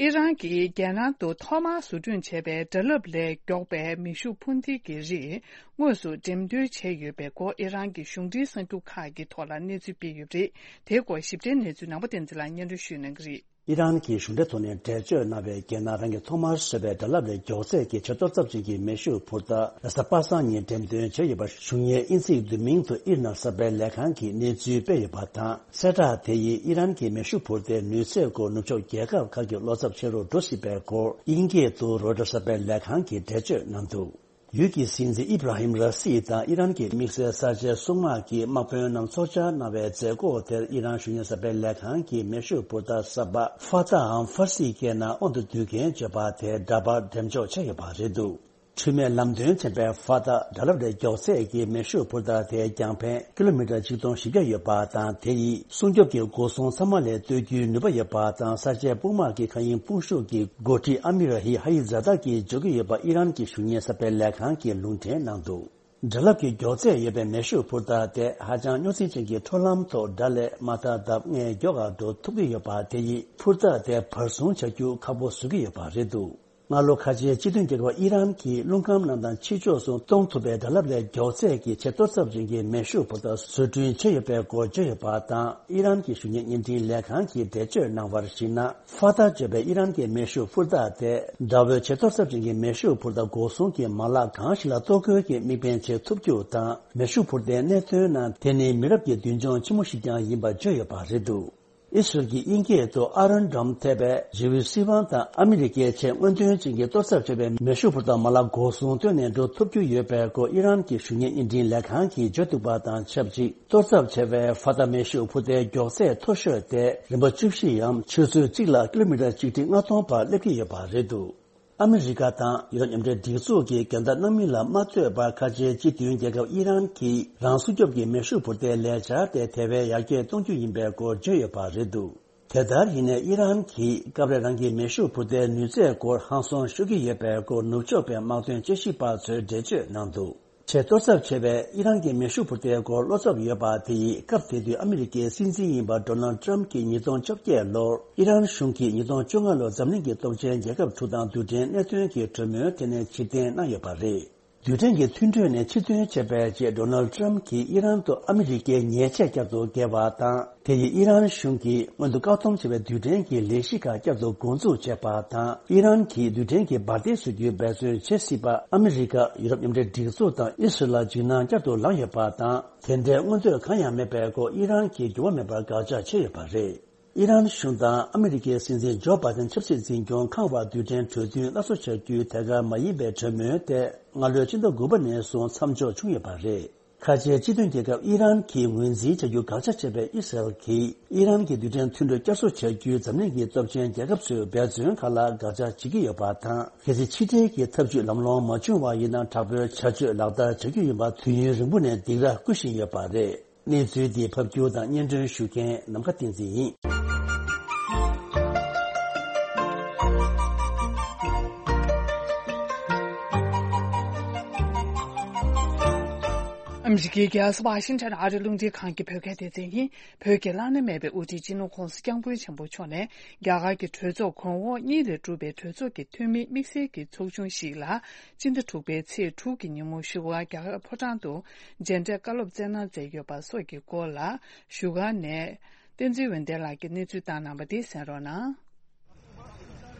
ཨི་རན་གྱིས་རྒྱལ་ནང་དུ་ཐོག་མར་བཟོ་སྐྲུན་བྱས་པའི་སྒྲ་རླབས་ལས་མགྱོགས་པའི་མེ་ཤུགས་འཕུར་མདེལ་གྱི་རིགས་དངོས་སུ་འགྲེམས་སྟོན་བྱས་ཡོད་པའི་སྐོར་ཨི་རན་གྱི་གཞུང་འབྲེལ་གསར་འགྱུར་ཁག་གི་ཐོག་ལ་གནས་ཚུལ་སྤེལ་ཡོད་པ་རེད། དེའི་སྐོར་ཞིབ་ཕྲའི་གནས་ཚུལ་ནང་པ་བསྟན་འཛིན་ལགས་སྙན་སྒྲོན་ཞུ་གནང་གི་རེད། ཨི་རན་གྱི་གཞུང་འབྲེལ་ཐོག་ནས་འགྲེལ་བརྗོད་གནང་བའི་རྒྱལ་ནང་རང་གིས་ཐོག་མར་བཟོས་པའི་སྒྲ་རླབས་ལས་མགྱོགས་ཚད་ཀྱི་ཆེ་གཏོར་ཚབས་ཆེན་གྱི་མེ་ཤུགས་འཕུར་མདའ་རེས་གཟའ་པ་སངས་ཉིན་འགྲེམས་སྟོན་བྱས་ཡོད་པ། གཞུང་གཉེར་ཨིན་ཚིག་བསྡུས་མིང་དུ་ཨིར་ན་གསར་སྤེལ་ལས་ཁང་གིས་གནས་ཚུལ་སྤེལ་ཡོད་པ་དང་། གསལ་བསྒྲགས་དེ་ཡིས་ཨི་རན་གྱི་མེ་ཤུགས་འཕུར་མདའི་ནུས་ཚད་སྐོར་ནུབ་ཕྱོགས་རྒྱལ་ཁབ་ཁག་གི་བློ་འཚབ་ཆེ་རུ་འགྲོ་སྲིད་པའི་སྐོར་དབྱིན་སྐད་དུ་རོའི་ཊར་གསར་སྤེལ་ལས་ཁང་གིས་འགྲེལ་བརྗོད་གནང་འདུག་ཡུལ་གྱི་སྲིད་འཛིན་ཨི་བྷ་ར་ཧིམ་ར་སི་དང་ཨི་རན་གྱི་དམིགས་བསལ་གསར་བརྗེའི་སྲུང་དམག་གི་དམག་དཔོན་རྣམས་ཚོགས་བཅར་གནང་བའི་མཛད་སྒོ་དེར་ཨི་རན་གཞུང་གཉེར་གསར་སྤེལ་ལས་ཁང་གིས་མེ་ཤུགས་འཕུར་མདའ་གསར་པ་ཧྥ་ཏཱ་འམ་ཧྥར་སིའི་སྐད་ནང་དབང་དུ་བསྡུ་མཁན་བརྗོད་པ་དེ་འདྲ་པར་འགྲེམས་འཇོག་བྱས་ཡོད་པ་རེད་འདུག་འཁྲུལ་མེད་ལམ་སྟོན་ཚན་པའི་ཧྥ་ཏཱ་སྒྲ་རླབས་ལས་མགྱོགས་ཚད་ཀྱི་མེ་ཤུགས་འཕུར་མདའ་དེ་རྒྱང་ཕན་ཀི་ལོ་མི་ཊར་ཆིག་སྟོང་བཞི་བརྒྱ་ཡོད་པ་དང་། དེ་ཡིས་སྲུང་སྐྱོབ་ཀྱི་སྒོ་སྲུང་ཚང་མ་ལས་གཏོར་རྒྱུའི་ནུས་པ་ཡོད་པ་དང་། གསར་བརྗེའི་དཔུང་དམག་གི་མཁའ་དབྱིངས་དཔུང་ཤུགས་ཀྱི་འགོ་ཁྲིད་ཨ་མི་ར་ཧི་ཧ་ཡི་ཛ་དཱ་གིས་བརྗོད་ཀྱི་ཡོད་པ་ཨི་རན་གྱི་གཞུང་གཉེར་གསར་སྤེལ་ལས་ཁང་གིས་ལུང་འདྲེན་གནང་འདུག་སྒྲ་རླབས་ཀྱི་མགྱོགས་ཚད་ཡོད་པའི་མེ་ཤུགས་འཕུར་མདའ་དེ་ཧ་ཅང་རྙོག་འཛིང་ཅན་གྱི་འཕྲུལ་ལམ་ཐོག་སྒྲ་ལས་མ་ཐག་ལྡབ་ལྔས་མགྱོགས་པར་འགྲོ་ཐུབ་ཀྱི་ཡོད་པ། དེ་ཡིས་འཕུར་མདའ་དེ་བར་སྲུང་བྱ་རྒྱུ་ཁག་པོ་བཟོ་གི་ཡོད་པ་རེད་འདུག་སྔ་ལོ་ཁ་ཆེའི་སྤྱི་མཐུན་རྒྱལ་ཁབ་ཨི་རན་གྱིས་རླུང་ཁམས་ནང་དང་ཕྱི་ཕྱོགས་སུ་གཏོང་ཐུབ་པའི་སྒྲ་རླབས་ལས་མགྱོགས་ཚད་ཀྱི་ཆེ་གཏོར་ཚབས་ཆེན་གྱི་མེ་ཤུགས་འཕུར་མདའ་བཟོ་སྐྲུན་བྱས་ཡོད་པའི་སྐོར་བརྗོད་ཡོད་པ་དང་། ཨི་རན་གྱི་གཞུང་གཉེར་བརྙན་འཕྲིན་ལས་ཁང་གིས་འགྲེལ་བརྗོད་གནང་བར་གཞིགས་ན། ཧྥ་ཏཱ་བརྗོད་པའི་ཨི་རན་གྱི་མེ་ཤུགས་འཕུར་མདའ་དེ་དགྲ་བོའི་ཆེ་གཏོར་ཚབས་ཆེན་གྱི་མེ་ཤུགས་འཕུར་མདའ་འགོག་སྲུང་གི་མ་ལག་གང་ཞིག་ལ་གཏོར་རྒོལ་གྱི་དམིགས་འབེན་བྱེད་ཐུབ་རྒྱུ་དང་། མེ་ཤུགས་འཕུར་མདའི་གནད་དོན་ནང་དེ་ནི་མི་རབས་ཀྱི་མདུན་ལྗོངས་ཆེན་མོ་ཞིག་ཀྱང་ཡིན་པ་བརྗོད་ཡོད་པ་རེད་འདུག་ཨི་སི་རལ་གྱིས་དབྱིན་སྐད་དུ་Iron Dome ཐེ་བའི་ཇིའུ་སྲིད་དབང་དང་ཨ་མི་རི་ཀའི་ཆེས་སྔོན་ཐོན་ཅན་གྱིས་གཏོར་ཚབ་བྱས་པའི་མེ་ཤུགས་འཕུར་མདའ་མ་ལག་འགོག་སྲུང་བཏོན་ནས་འགྲོ་ཐུབ་རྒྱུ་ཡོད་པའི་སྐོར་ཨི་རན་གྱི་ཞུ་སྙན་བརྙན་སྙན་སྒྲོན་ལས་ཁང་གིས་བརྗོད་འདུག་པ་དང་ཆབས་ཅིག་གཏོར་ཚབ་བྱས་པའི་ཧྥ་ཏ་མེ་ཤུགས་འཕུར་མདའི་མགྱོགས་ཚད་མཐོ་ཤོས་དེ་རིམ་པ་བཅུ་བཞི་ཡམ་ཆུ་ཚོད་གཅིག་ལ་ཀི་ལོ་མི་ཊར་ཆིག་ཁྲི་ལྔ་སྟོང་བར་སླེབས་ཀྱི་ཡོད་པ་རེད་འདུག་ཨ་མི་རི་ཀ་དང་ཡུ་རོབ་མཉམ་འབྲེལ་སྒྲིག་འཛུགས་ཀྱིས་འགལ་ཟླ་གནང་མིན་ལ་མ་ལྟོས་པར་ཁ་ཆེའི་སྤྱི་མཐུན་རྒྱལ་ཁབ་ཨི་རན་གྱིས་རང་སྲུང་སྐྱོབ་ཀྱི་མེ་ཤུགས་འཕུར་མདའི་ལས་འཆར་དེ་དེ་བས་ཡར་རྒྱས་གཏོང་རྒྱུ་ཡིན་པའི་སྐོར་བརྗོད་ཡོད་པ་རེད་འདུག་དེ་ལྟར་ཡིན་ནའི་ཨི་རན་གྱིས་སྐབས་རེ་རང་གི་མེ་ཤུགས་འཕུར་མདའི་ནུས་ཚད་སྐོར་ཧང་སང་ཤོར་གྱི་ཡོད་པའི་སྐོར་ནུབ་ཕྱོགས་པའི་དམག་དོན་དཔྱད་ཞིབ་པ་ཚོས་འགྲེལ་བརྗོད་གནང་འདུག་ཆེས་གཏོར་ཚབ་ཆེ་བའི་ཨི་རན་གྱི་མེ་ཤུགས་འཕུར་མདའི་སྐོར་བློ་འཚབ་ཡོད་པ་དེ་ཡིས་སྐབས་དེ་དུས་ཨ་མི་རི་ཀའི་སྲིད་འཛིན་ཡིན་པ་ཌོ་ནལ་ཏྲམ་གྱིས་ཉིས་སྟོང་བཅོ་བརྒྱད་ལོར་ཨི་རན་གཞུང་གིས་ཉིས་སྟོང་བཅོ་ལྔ་ལོར་འཛམ་གླིང་གི་སྟོབས་ཆེན་རྒྱལ་ཁབ་དྲུག་དང་རྡུལ་ཕྲན་གནད་དོན་གྱི་གྲོས་མོལ་དེ་ནས་ཕྱིར་འཐེན་གནང་ཡོད་པ་རེད། རྡུལ་ཕྲན་གྱི་མཐུན་གྲོས་ནས་ཕྱིར་ཐོན་བྱས་པའི་རྗེས་ཌོ་ནལ་ཏྲམ་གྱིས་ཨི་རན་དུ་ཨ་མི་རི་ཀའི་ཉེས་ཆད་བསྐྱར་དུ་བཀལ་བ་དང་། དེ་ཡིས་ཨི་རན་གཞུང་གིས་སྔོན་དུ་བཀག་སྡོམ་བྱས་པའི་རྡུལ་ཕྲན་གྱི་ལས་གཞི་ཁག་བསྐྱར་དུ་འགོ་འཛུགས་བྱས་པ་དང་། ཨི་རན་གྱིས་རྡུལ་ཕྲན་གྱི་འབར་མདེལ་བཟོ་རྒྱུའི་འབད་བརྩོན་བྱེད་སྲིད་པ་ཨ་མི་རི་ཀ། ཡུ་རོབ་མཉམ་འབྲེལ་སྒྲིག་འཛུགས་དང་ཨི་སི་རལ་ལ་འཇིགས་སྣང་བསྐྱར་དུ་ལངས་ཡོད་པ་དང་། དེ་འདྲའི་མངོན་འདོད་གང་ཡང་མེད་པའི་སྐོར་ཨི་རན་གྱིས་འགྱུར་བ་མེད་པར་དགག་བྱ་བྱས་ཡོད་པ་རེད། ཨི་རན་གཞུང་དང་ཨ་མི་རི་ཀའི་སྲིད་འཛིན་ཇོ་བྷའི་ཏན་ཆབ་སྲིད་འཛིན་སྐྱོང་ཁང་བར་རྡུལ་ཕྲན་གྲོས་མཐུན་སླར་གསོ་བྱ་རྒྱུའི་ཐད་ཀར་མ་ཡིན་པའི་གྲོས་མོལ་དེ་སྔ་ལོའི་ཕྱི་ཟླ་དགུ་པ་ནས་བཟུང་མཚམས་འཇོག་བྱུང་ཡོད་པ་རེད། ཁ་ཆེའི་སྤྱི་མཐུན་རྒྱལ་ཁབ་ཨི་རན་གྱིས་ངོས་འཛིན་བྱ་རྒྱུ་དགག་བྱ་བྱས་པའི་ཨི་སི་རལ་གྱིས་ཨི་རན་གྱི་རྡུལ་ཕྲན་མཐུན་གྲོས་བསྐྱར་གསོ་བྱ་རྒྱུའི་འཛམ་གླིང་གི་སྟོབས་ཆེན་རྒྱལ་ཁབ་ཚོའི་འབད་བརྩོན་ཁག་ལ་དགག་བྱ་བྱེད་ཀྱི་ཡོད་པ་དང་། གལ་སྲིད་ཕྱི་འབྲེལ་གྱི་ཐབས་ཇུས་ལམ་ལྷོང་མ་བྱུང་བ་ཡིན་ན། དྲག་པོའི་བྱ་སྤྱོད་ལག་བསྟར་བྱ་རྒྱུ་ཡིན་པ་དུས་ཡུན་རིང་པོ་ནས་སྡིགས་ར་བསྐུལ་བཞིན་ཡོད་པ་རེད། གནས་ཚུལ་འདི་ཕབ་སྒྱུར་དང་སྙན་སྒྲོན་ཞུ་མཁན་ནམ་མཁའ་བསྟན་འཛིན་ཡིན། ཨ་མི་རི་ཀའི་རྒྱལ་ས་ཝ་ཤིང་ཊོན་ཨ་རི་རླུང་འཕྲིན་ཁང་གི་བོད་སྐད་སྡེ་ཚན་ཡིན། བོད་ཀྱི་བླ་ན་མེད་པའི་དབུ་ཁྲིད་སྤྱི་ནོར་༸གོང་ས་༸སྐྱབས་མགོན་ཆེན་པོ་མཆོག་ནས་རྒྱ་གར་གྱི་གྲོས་ཚོགས་གོང་འོག་གཉིས་ལས་གྲུབ་པའི་གྲོས་ཚོགས་ཀྱི་འཐུས་མི་དམིགས་བསལ་གྱི་ཚོགས་ཆུང་ཞིག་ལ་སྤྱི་ཟླ་དྲུག་པའི་ཚེས་དྲུག་གི་ཉིན་མོ་བཞུགས་སྒར་རྒྱ་གར་ཕོ་བྲང་དུ་མཇལ་འཕྲད་བཀའ་སློབ་སྩལ་གནང་མཛད་ཡོད་པ་སོགས་ཀྱི་སྐོར་ལ་བཞུགས་སྒར་ནས་བསྟན་འཛིན་འོད་ལྡན་ལགས་ཀྱིས་གནས་ཚུལ་བཏང་གནང་བ་དེ་གསན་རོགས་གནང་།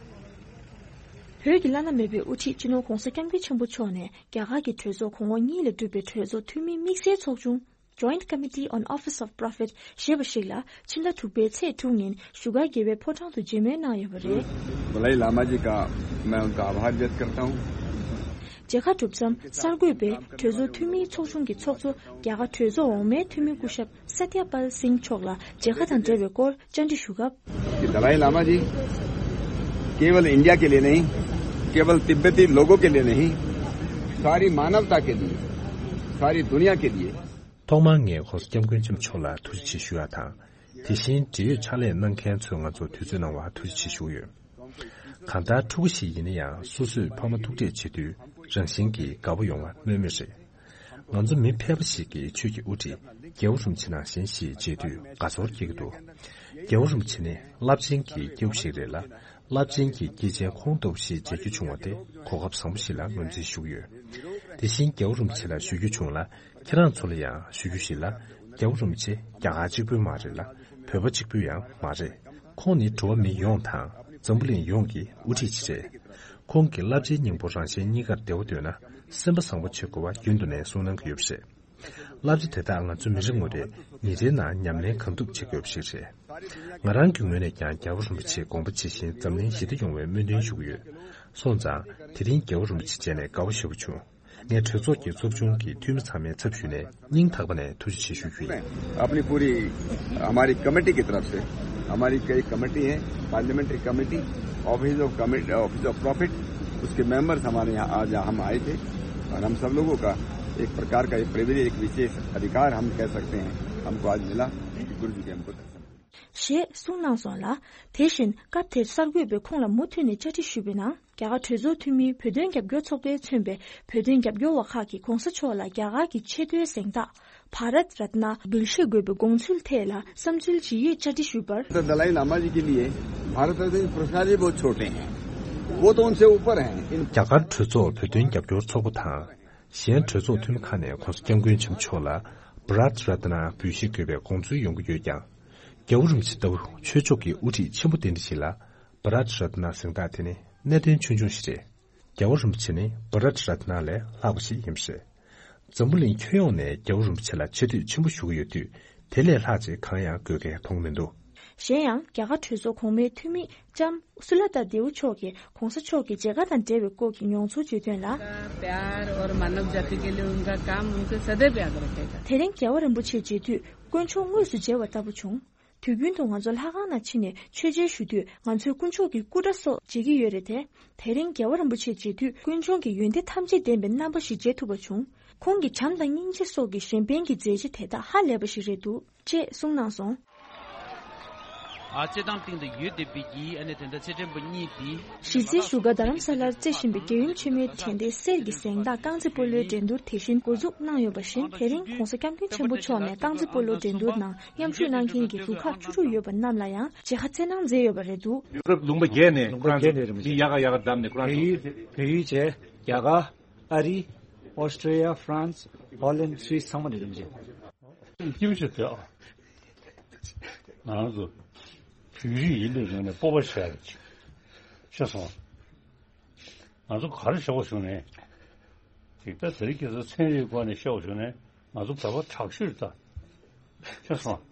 བོད་ཀྱི་བླ་ན་མེད་པའི་དབུ་ཁྲིད་སྤྱི་ནོར་༸གོང་ས་༸སྐྱབས་མགོན་ཆེན་པོ་མཆོག་ནས་རྒྱ་གར་གྱི་གྲོས་ཚོགས་གོང་འོག་གཉིས་ལས་གྲུབ་པའི་གྲོས་ཚོགས་འཐུས་མིའི་དམིགས་བསལ་ཚོགས་ཆུང་Joint Committee on Office of Prophet ཞེས་པ་ཞིག་ལ་ཕྱི་ཟླ་དྲུག་པའི་ཚེས་དྲུག་ཉིན་བཞུགས་སྒར་རྒྱལ་བའི་ཕོ་བྲང་དུ་མཇལ་མོལ་གནང་ཡོད་པ་རེད། दलाई लामा जी का मैं उनका आभार व्यक्त करता हूँ। མཇལ་ཁ་གྲུབ་མཚམས་གསར་འགོད་པས་གྲོས་ཚོགས་འཐུས་མིའི་ཚོགས་ཆུང་གི་ཚོགས་གཙོ་རྒྱ་གར་གྲོས་ཚོགས་འོག་མའི་འཐུས་མི་སྐུ་ཞབས་सत्य पाल सिंह མཆོག་ལ་མཇལ་ཁ་དང་འབྲེལ་བའི་སྐོར་བཅར་འདྲི་ཞུ་སྐབས། कि दलाई लामा जी केवल इंडिया के लिए नहीं, केवल तिब्बती लोगों के लिए नहीं, सारी मानवता के लिए, सारी दुनिया के लिए। ཐོག་མར་ངས་༸གོང་ས་༸སྐྱབས་མགོན་ཆེན་པོ་མཆོག་ལ་ཐུགས་རྗེ་ཆེ་ཞུ་ཡག་དང་། དེ་བཞིན་འབྲེལ་ཡོད་ཕྱག་ལས་གནང་མཁན་ཚོས་ང་ཚོར་དུས་ཚོད་གནང་བར་ཐུགས་རྗེ་ཆེ་ཞུ་གི་ཡོད། གང་ལྟར་ཕྲུ་གུ་ཞིག་ཡིན་ན་ཡང་སོ་སོས་ཕ་མ་ཐུག་འཕྲད་བྱེད་དུས་རང་བཞིན་གྱིས་དགའ་པོ་ཡོང་བ་སྨོས་མེད་རེད། ང་ཚོ་མི་ཕལ་པ་ཞིག་གིས་ཆོས་ཀྱི་དབུ་ཁྲིད་རྒྱལ་བ་རིན་པོ་ཆེ་ནང་བཞིན་ཞིག་མཇལ་དུས་དགའ་ཚོར་སྐྱེ་གི་འདུག་རྒྱལ་བ་རིན་པོ་ཆེ་ནི་རླབས་ཆེན་གྱི་སྐྱེས་བུ་ཞིག་རེད་ལ། རླབས་ཆེན་གྱི་སྐྱེས་ཆེན་ཁོང་ལྟ་བུ་ཞིག་མཇལ་རྒྱུ་བྱུང་བ་དེ་གོ་སྐབས་བཟང་པོ་ཞིག་ལ་ངོས་འཛིན་ཞུ་གི་ཡོད། དེ་བཞིན་རྒྱལ་བ་རིན་པོ་ཆེ་ལ་ཞུ་རྒྱུ་བྱུང་ལ། ཁྱེད་རང་ཚོ་ལ་ཡང་ཞུ་རྒྱུ་ཞིག་ལ། རྒྱལ་བ་རིན་པོ་ཆེ་རྒྱ་གར་གཅིག་པུའི་མ་རེད་ལ། བོད་པ་གཅིག་པུའི་ཡང་མ་རེད། ཁོང་ནི་འགྲོ་བ་མི་ཡོངས་དང་། འཛམ་བུ་གླིང་ཡོངས་ཀྱི་དབུ་ཁྲིད་ཅིག་རེད། ཁོང་གིས་རླབས་ཆེན་སྙིང་པོ་རང་གཞན་གཉིས་ཀར་བདེ་བོ་འདོད་ན། སེམས་པ་བཟང་པོ་བྱེད་དགོས་པ་རྒྱུན་དུ་ནས་གསུངས་གནང་གི་ཡོད་པ་རེད། རླབས་ཆེན་དེ་དག་ང་ཚོ་མི་རེ་ངོ་རེས་ཉིན་རེའི་ནང་ཉམས་ལེན་གང་ཐུབ་བྱེད་དགོས་པ་ཞིག་རེད། ང་རང་གི་ངོས་ནས་ཀྱང་རྒྱལ་བ་རིན་པོ་ཆེའི་དགོངས་པ་ཇི་བཞིན་འཛམ་གླིང་ཞི་བདེ་ཡོང་བའི་སྨོན་འདུན་ཞུ་གི་ཡོད། སོང་ཙང་དེ་རིང་རྒྱལ་བ་རིན་པོ་ཆེ་མཇལ་ནས་དགའ་བོ་ཞེ་པོ་བྱུང་། ངས་གྲོས་ཚོགས་ཀྱི་ཚོགས་ཆུང་གི་འཐུས་མི་ཚང་མའི་ཚབ་ཞུས་ནས་སྙིང་ཐག་པ་ནས་ཐུགས་རྗེ་ཆེ་ཞུ་རྒྱུ་ཡིན། अपनी पूरी हमारी कमेटी की तरफ से, हमारी कई कमेटी हैं, parliamentary committee, office of committee, office of profit, उसके मेंबर्स हमारे यहाँ आज हम आए थे और हम सब लोगों का एक प्रकार का ये प्रिविलेज, एक विशेष अधिकार हम कह सकते हैं, हमको आज मिला कि गुरु जी के हमको दर्शन ཞེས་གསུངས་གནང་སོང་ལ། དེ་བཞིན་སྐབས་དེར་གསར་འགོད་པས་ཁོང་ལ་མུ་མཐུད་ནས་བཅར་འདྲི་ཞུས་པའི་ནང་། རྒྱ་གར་གྲོས་ཚོགས་འཐུས་མིའི་བོད་དོན་རྒྱབ་སྐྱོར་ཚོགས་པས་མཚོན་པའི་བོད་དོན་རྒྱབ་སྐྱོར་བ་ཁག་གིས་༸གོང་ས་མཆོག་ལ་རྒྱ་གར་གྱི་ཆེས་མཐོའི་གཟེངས་རྟགས་བྷ་རཏ་རཏ་ན་འབུལ་བཞེས་དགོས་པའི་དགོངས་ཚུལ་ཐད་ལ་བསམ་ཚུལ་ཇི་ཡོད་བཅར་འདྲི་ཞུས་པར། तो दलाई लामा जी के लिए भारत रत्न पुरस्कार ही बहुत छोटे हैं, वो तो उनसे ऊपर हैं। इन རྒྱ་གར་གྲོས་ཚོགས་བོད་དོན་རྒྱབ་སྐྱོར་ཚོགས་པ་དང་། གཞན་གྲོས་ཚོགས་འཐུས་མི་ཁག་ནས་༸གོང་ས་༸སྐྱབས་མགོན་ཆེན་པོ་མཆོག་ལ་བྷ་རཏ་རཏ་ན་འབུལ་བཞེས་དགོས་པའི་དགོངས་ཚུལ་ཡོང་གི་ཡོད་ཀྱང་། རྒྱལ་བ་རིན་པོ་ཆེ་ལྟ་བུ་ཆོས་ཕྱོགས་ཀྱི་དབུ་ཁྲིད་ཆེན་པོ་དེ་འདྲ་ཞིག་ལ་བྷ་རཏ་རཏ་ན་གཟེངས་རྟགས་དེ་ནི་གནད་དོན་ཆུང་ཆུང་ཞིག་རེད། རྒྱལ་བ་རིན་པོ་ཆེ་ནི་བྷ་རཏ་རཏ་ན་ལས་ལྷག་པ་ཞིག་ཡིན་པ་རེད། འཛམ་བུ་གླིང་ཁྱོན་ཡོངས་ནས་རྒྱལ་བ་རིན་པོ་ཆེ་ལ་ཆེ་བསྟོད་ཆེན་པོ་ཞུ་གི་ཡོད་དུས། དེ་ལས་ལྷག་ཅིག་གང་ཡང་དགོས་གལ་མཐོང་མི་འདུག་གཞན་ཡང་རྒྱ་གར་གྲོས་ཚོགས་གོང་མའི་འཐུས་མི་ལྕམ་སུ་ལ་ཏཱ་དེའུ་མཆོག་གིས་གོང་ས་མཆོག་གི་མཇལ་ཁ་དང་འབྲེལ་བའི་སྐོར་གྱི་མྱོང་ཚོར་བརྗོད་དོན་ལ། प्यार और मानव जाति के लिए उनका काम उनको सदैव याद रखेगा। དེ་རིང་རྒྱལ་བ་རིན་པོ་ཆེ་མཇལ་དུས་དཀོན་མཆོག་དངོས་སུ་མཇལ་བ་ལྟ་བུ་བྱུང་། དུས་རྒྱུན་དུ་ང་ཚོ་ལྷ་ཁང་ནང་ཕྱིན་ནས་མཆོད་མཇལ་ཞུ་དུས་ང་ཚོས་དཀོན་མཆོག་གི་སྐུ་འདྲ་སོགས་མཇལ་གྱི་ཡོད་རེད་དེ། དེ་རིང་རྒྱལ་བ་རིན་པོ་ཆེ་མཇལ་དུས་དཀོན་མཆོག་གི་ཡོན་ཏན་ཐམས་ཅད་ལྡན་པའི་རྣམ་པ་ཞིག་མཇལ་ཐུབ་པ་བྱུང་། ཁོང་གི་བྱམས་དང་སྙིང་རྗེ་སོགས་ཀྱི་གཞན་ཕན་གྱི་མཛད་རྗེས་དེ་དག་ཧ་ལས་པ་ཞིག་རེད་འདུག་ཅེས་གསུངས་གནང་སོང་། ཨ་ཅེ་དང་སྟེང་དུ་ཡོད་བསྡད་པའི་གི་ཨ་ནེ་དེ་འདྲ་ཚེ་བརྟན་པ་གཉིས་དེ། གཞིས་རྩེའི་བཞུགས་སྒར་རྡ་རམ་ས་ལར་རྩེ་བཞིན་པའི་རྒྱལ་ཡུམ་ཆེན་མོའི་དྲན་རྟེན་གསེར་གྱི་གཟེངས་རྟགས་རྐང་རྩེད་སྤོ་ལོའི་འགྲན་བསྡུར་དེ་བཞིན་འགོ་འཛུགས་གནང་ཡོད་པ་བཞིན། དེ་རིང་༸གོང་ས་༸སྐྱབས་མགོན་ཆེན་པོ་མཆོག་ནས་རྐང་རྩེད་སྤོ་ལོའི་འགྲན་བསྡུར་ནང་མཉམ་ཞུགས་གནང་མཁན་གྱི་རུ་ཁག་བཅུ་དྲུག་ཡོད་པ་རྣམས་ལ་ཡང་མཇལ་ཁ་སྩལ་གནང་མཛད་ཡོད་པ་རེད་འདུག་ལུང་པ་བརྒྱད་ནས་ཁོ་རང་ཚོ་མི་ཡག་ག་ཡག་ག་བདམས་ནས་ཁོ་རང་ཚོ། བལ་ཡུལ་བྱས། རྒྱ་གར། ཨ་རི། ཨོ་སི་ཀྲི་ཡ། ཧྥ་རན་སི། ཧོ་ལན། སུད་སི་ཚང་མ་ནས་རིམ་བཞིན། སྐྱིད་པོ་ཞིག་རེད་ཨ། ང་རང་ཚོ་བོད་རིགས་ཡིན་པའི་ངོས་ནས་སྤོབས་པ་བྱས་ཤེས་སོང་། ང་ཚོ་ག་རེ་བྱེད་དགོས་བྱུང་ནས། ཅིག་ད་ཟེར་གྱི་ཚོ་ཚན་རིག་སྒོ་ནས་བཤད་དགོས་བྱུང་ནས་ང་ཚོ་བོད་པ་དྲག་ཤོས་རེད་ད། ཤེས་སོང་།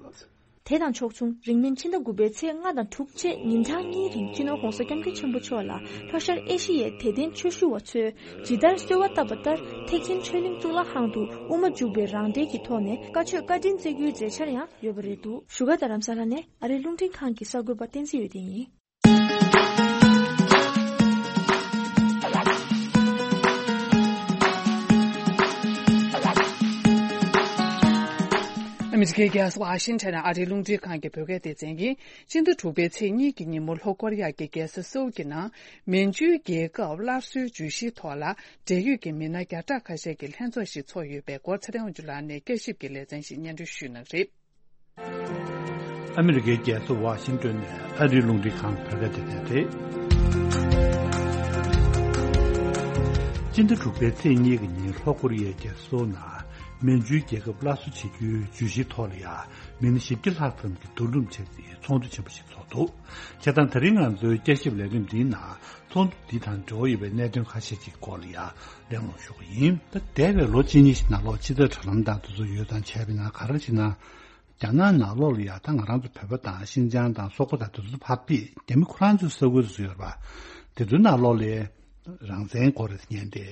དེ་དང་ཕྱོགས་མཚུངས་རིང་མིན་ཕྱི་ཟླ་དགུ་པའི་ཚེས་ལྔ་དང་དྲུག་བཅས་ཉིན་གྲངས་གཉིས་རིང་སྤྱི་ནོར་༸གོང་ས་༸སྐྱབས་མགོན་ཆེན་པོ་མཆོག་ལ་ལྷོ་ཤར་ཨེ་ཤི་ཡའི་དད་ལྡན་ཆོས་ཞུ་བ་ཚོས་ཇི་ལྟར་གསོལ་བ་བཏབ་པ་ལྟར་ཐེག་ཆེན་ཆོས་གླིང་གཙུག་ལག་ཁང་དུ་དབུ་མ་འཇུག་པའི་རང་འགྲེལ་གྱི་ཐོག་ནས་བཀའ་ཆོས་བཀའ་དྲིན་སྩལ་རྒྱུའི་མཛད་འཆར་ཡང་ཡོད་པ་རེད་འདུག་བཞུགས་སྒར་རྡ་རམ་ས་ལ་ནས་ཨ་རིའི་རླུང་འཕྲིན་ཁང་གི་གསར་འགོད་པ་བསྟན་འཛིན་འོད་ལྡན་ཡིན། ཨ་མི་རི་ཀའི་རྒྱལ་ས་ཝ་ཤིང་ཊོན་ནས་ཨ་རིའི་རླུང་འཕྲིན་ཁང་གི་བོད་སྐད་སྡེ་ཚན་གྱིས། སྤྱི་ཟླ་དྲུག་པའི་ཚེས་གཉིས་ཀྱི་ཉིན་མོ་ལྷོ་ཀོ་རི་ཡ་གི་རྒྱལ་ས་སེའུལ་གྱི་ནང་མན་ཇུའི་རྒྱལ་ཁབ་སླར་གསོའི་བརྗོད་གཞིའི་ཐོག་ལ་འབྲེལ་ཡོད་ཀྱི་མི་སྣ་བརྒྱ་ཕྲག་ཁ་ཤས་ཀྱི་ལྷན་ཚོགས་ཤིག་ཚོགས་ཡོད་པའི་སྐོར་ཚེ་རིང་དབང་ཕྱུག་ལགས་ནས་བསྐྱར་ཞིབ་ཀྱི་ལེ་ཚན་ཞིག་སྙན་སྒྲོན་ཞུས་གནང་གི་རེད། ཨ་མི་རི་ཀའི་རྒྱལ་ས་ཝ་ཤིང་ཏོན་ནས་ཨ་རིའི་རླུང་འཕྲིན་ཁང་བོད་སྐད་སྡེ་ཚན་རེད། སྤྱི་ཟླ་དྲུག་པའི་ཚེས་གཉིས་ཀྱི་ཉིན་ལྷོ་ཀོ་རི་ཡའི་རྒྱལ་ས་སོལ་ནང་མན་ཇུའི་རྒྱལ་ཁབ་སླར་གསོ་བྱེད་རྒྱུའི་བརྗོད་གཞིའི་ཐོག་ལ་ཡང་མི་སྣ་བཞི་བརྒྱ་ལྷག་ཙམ་གྱིས་བསྡུ་རུབ་བྱས་ཏེ་ཚོགས་འདུ་ཆེན་པོ་ཞིག་ཚོགས་འདུག་བྱས་ཙང་ད་རིང་ང་ཚོའི་བསྐྱར་ཞིབ་ལས་རིམ་འདིའི་ནང་ཚོགས་འདུ་འདི་དང་འབྲེལ་བ་ཡོད་པའི་གནད་དོན་ཁ་ཤས་ཀྱི་སྐོར་ལ་ཡང་གླེང་སློང་ཞུ་གི་ཡིན། ད་འདས་པའི་ལོ་གཅིག་གཉིས་ཤིག་ནང་ལོགས་ཕྱི་དྲིལ་དྲ་ལམ་དང་དེ་ཚོ་ཡོད་ཙང་བྱས་པ་ཡིན་ན་ག་རེ་ཟེར་ན། རྒྱ་ནག་ནང་ལོགས་ལ་ཡ་ད་ང་རང་ཚོ་བོད་པ་དང་ཤིན་ཅང་དང་སོག་པོ་དང་དེ་ཚོ་ཕར་ཕུད་རྒྱ་མི་ཁོ་རང་ཚོའི་ས་ཁུལ་དུ་ཡོད་པ། དེ་ཚོའི་ནང་ལོགས་ལ་རང་བཙན་དགོས་རེད་ཟེར་མཁན་དེ་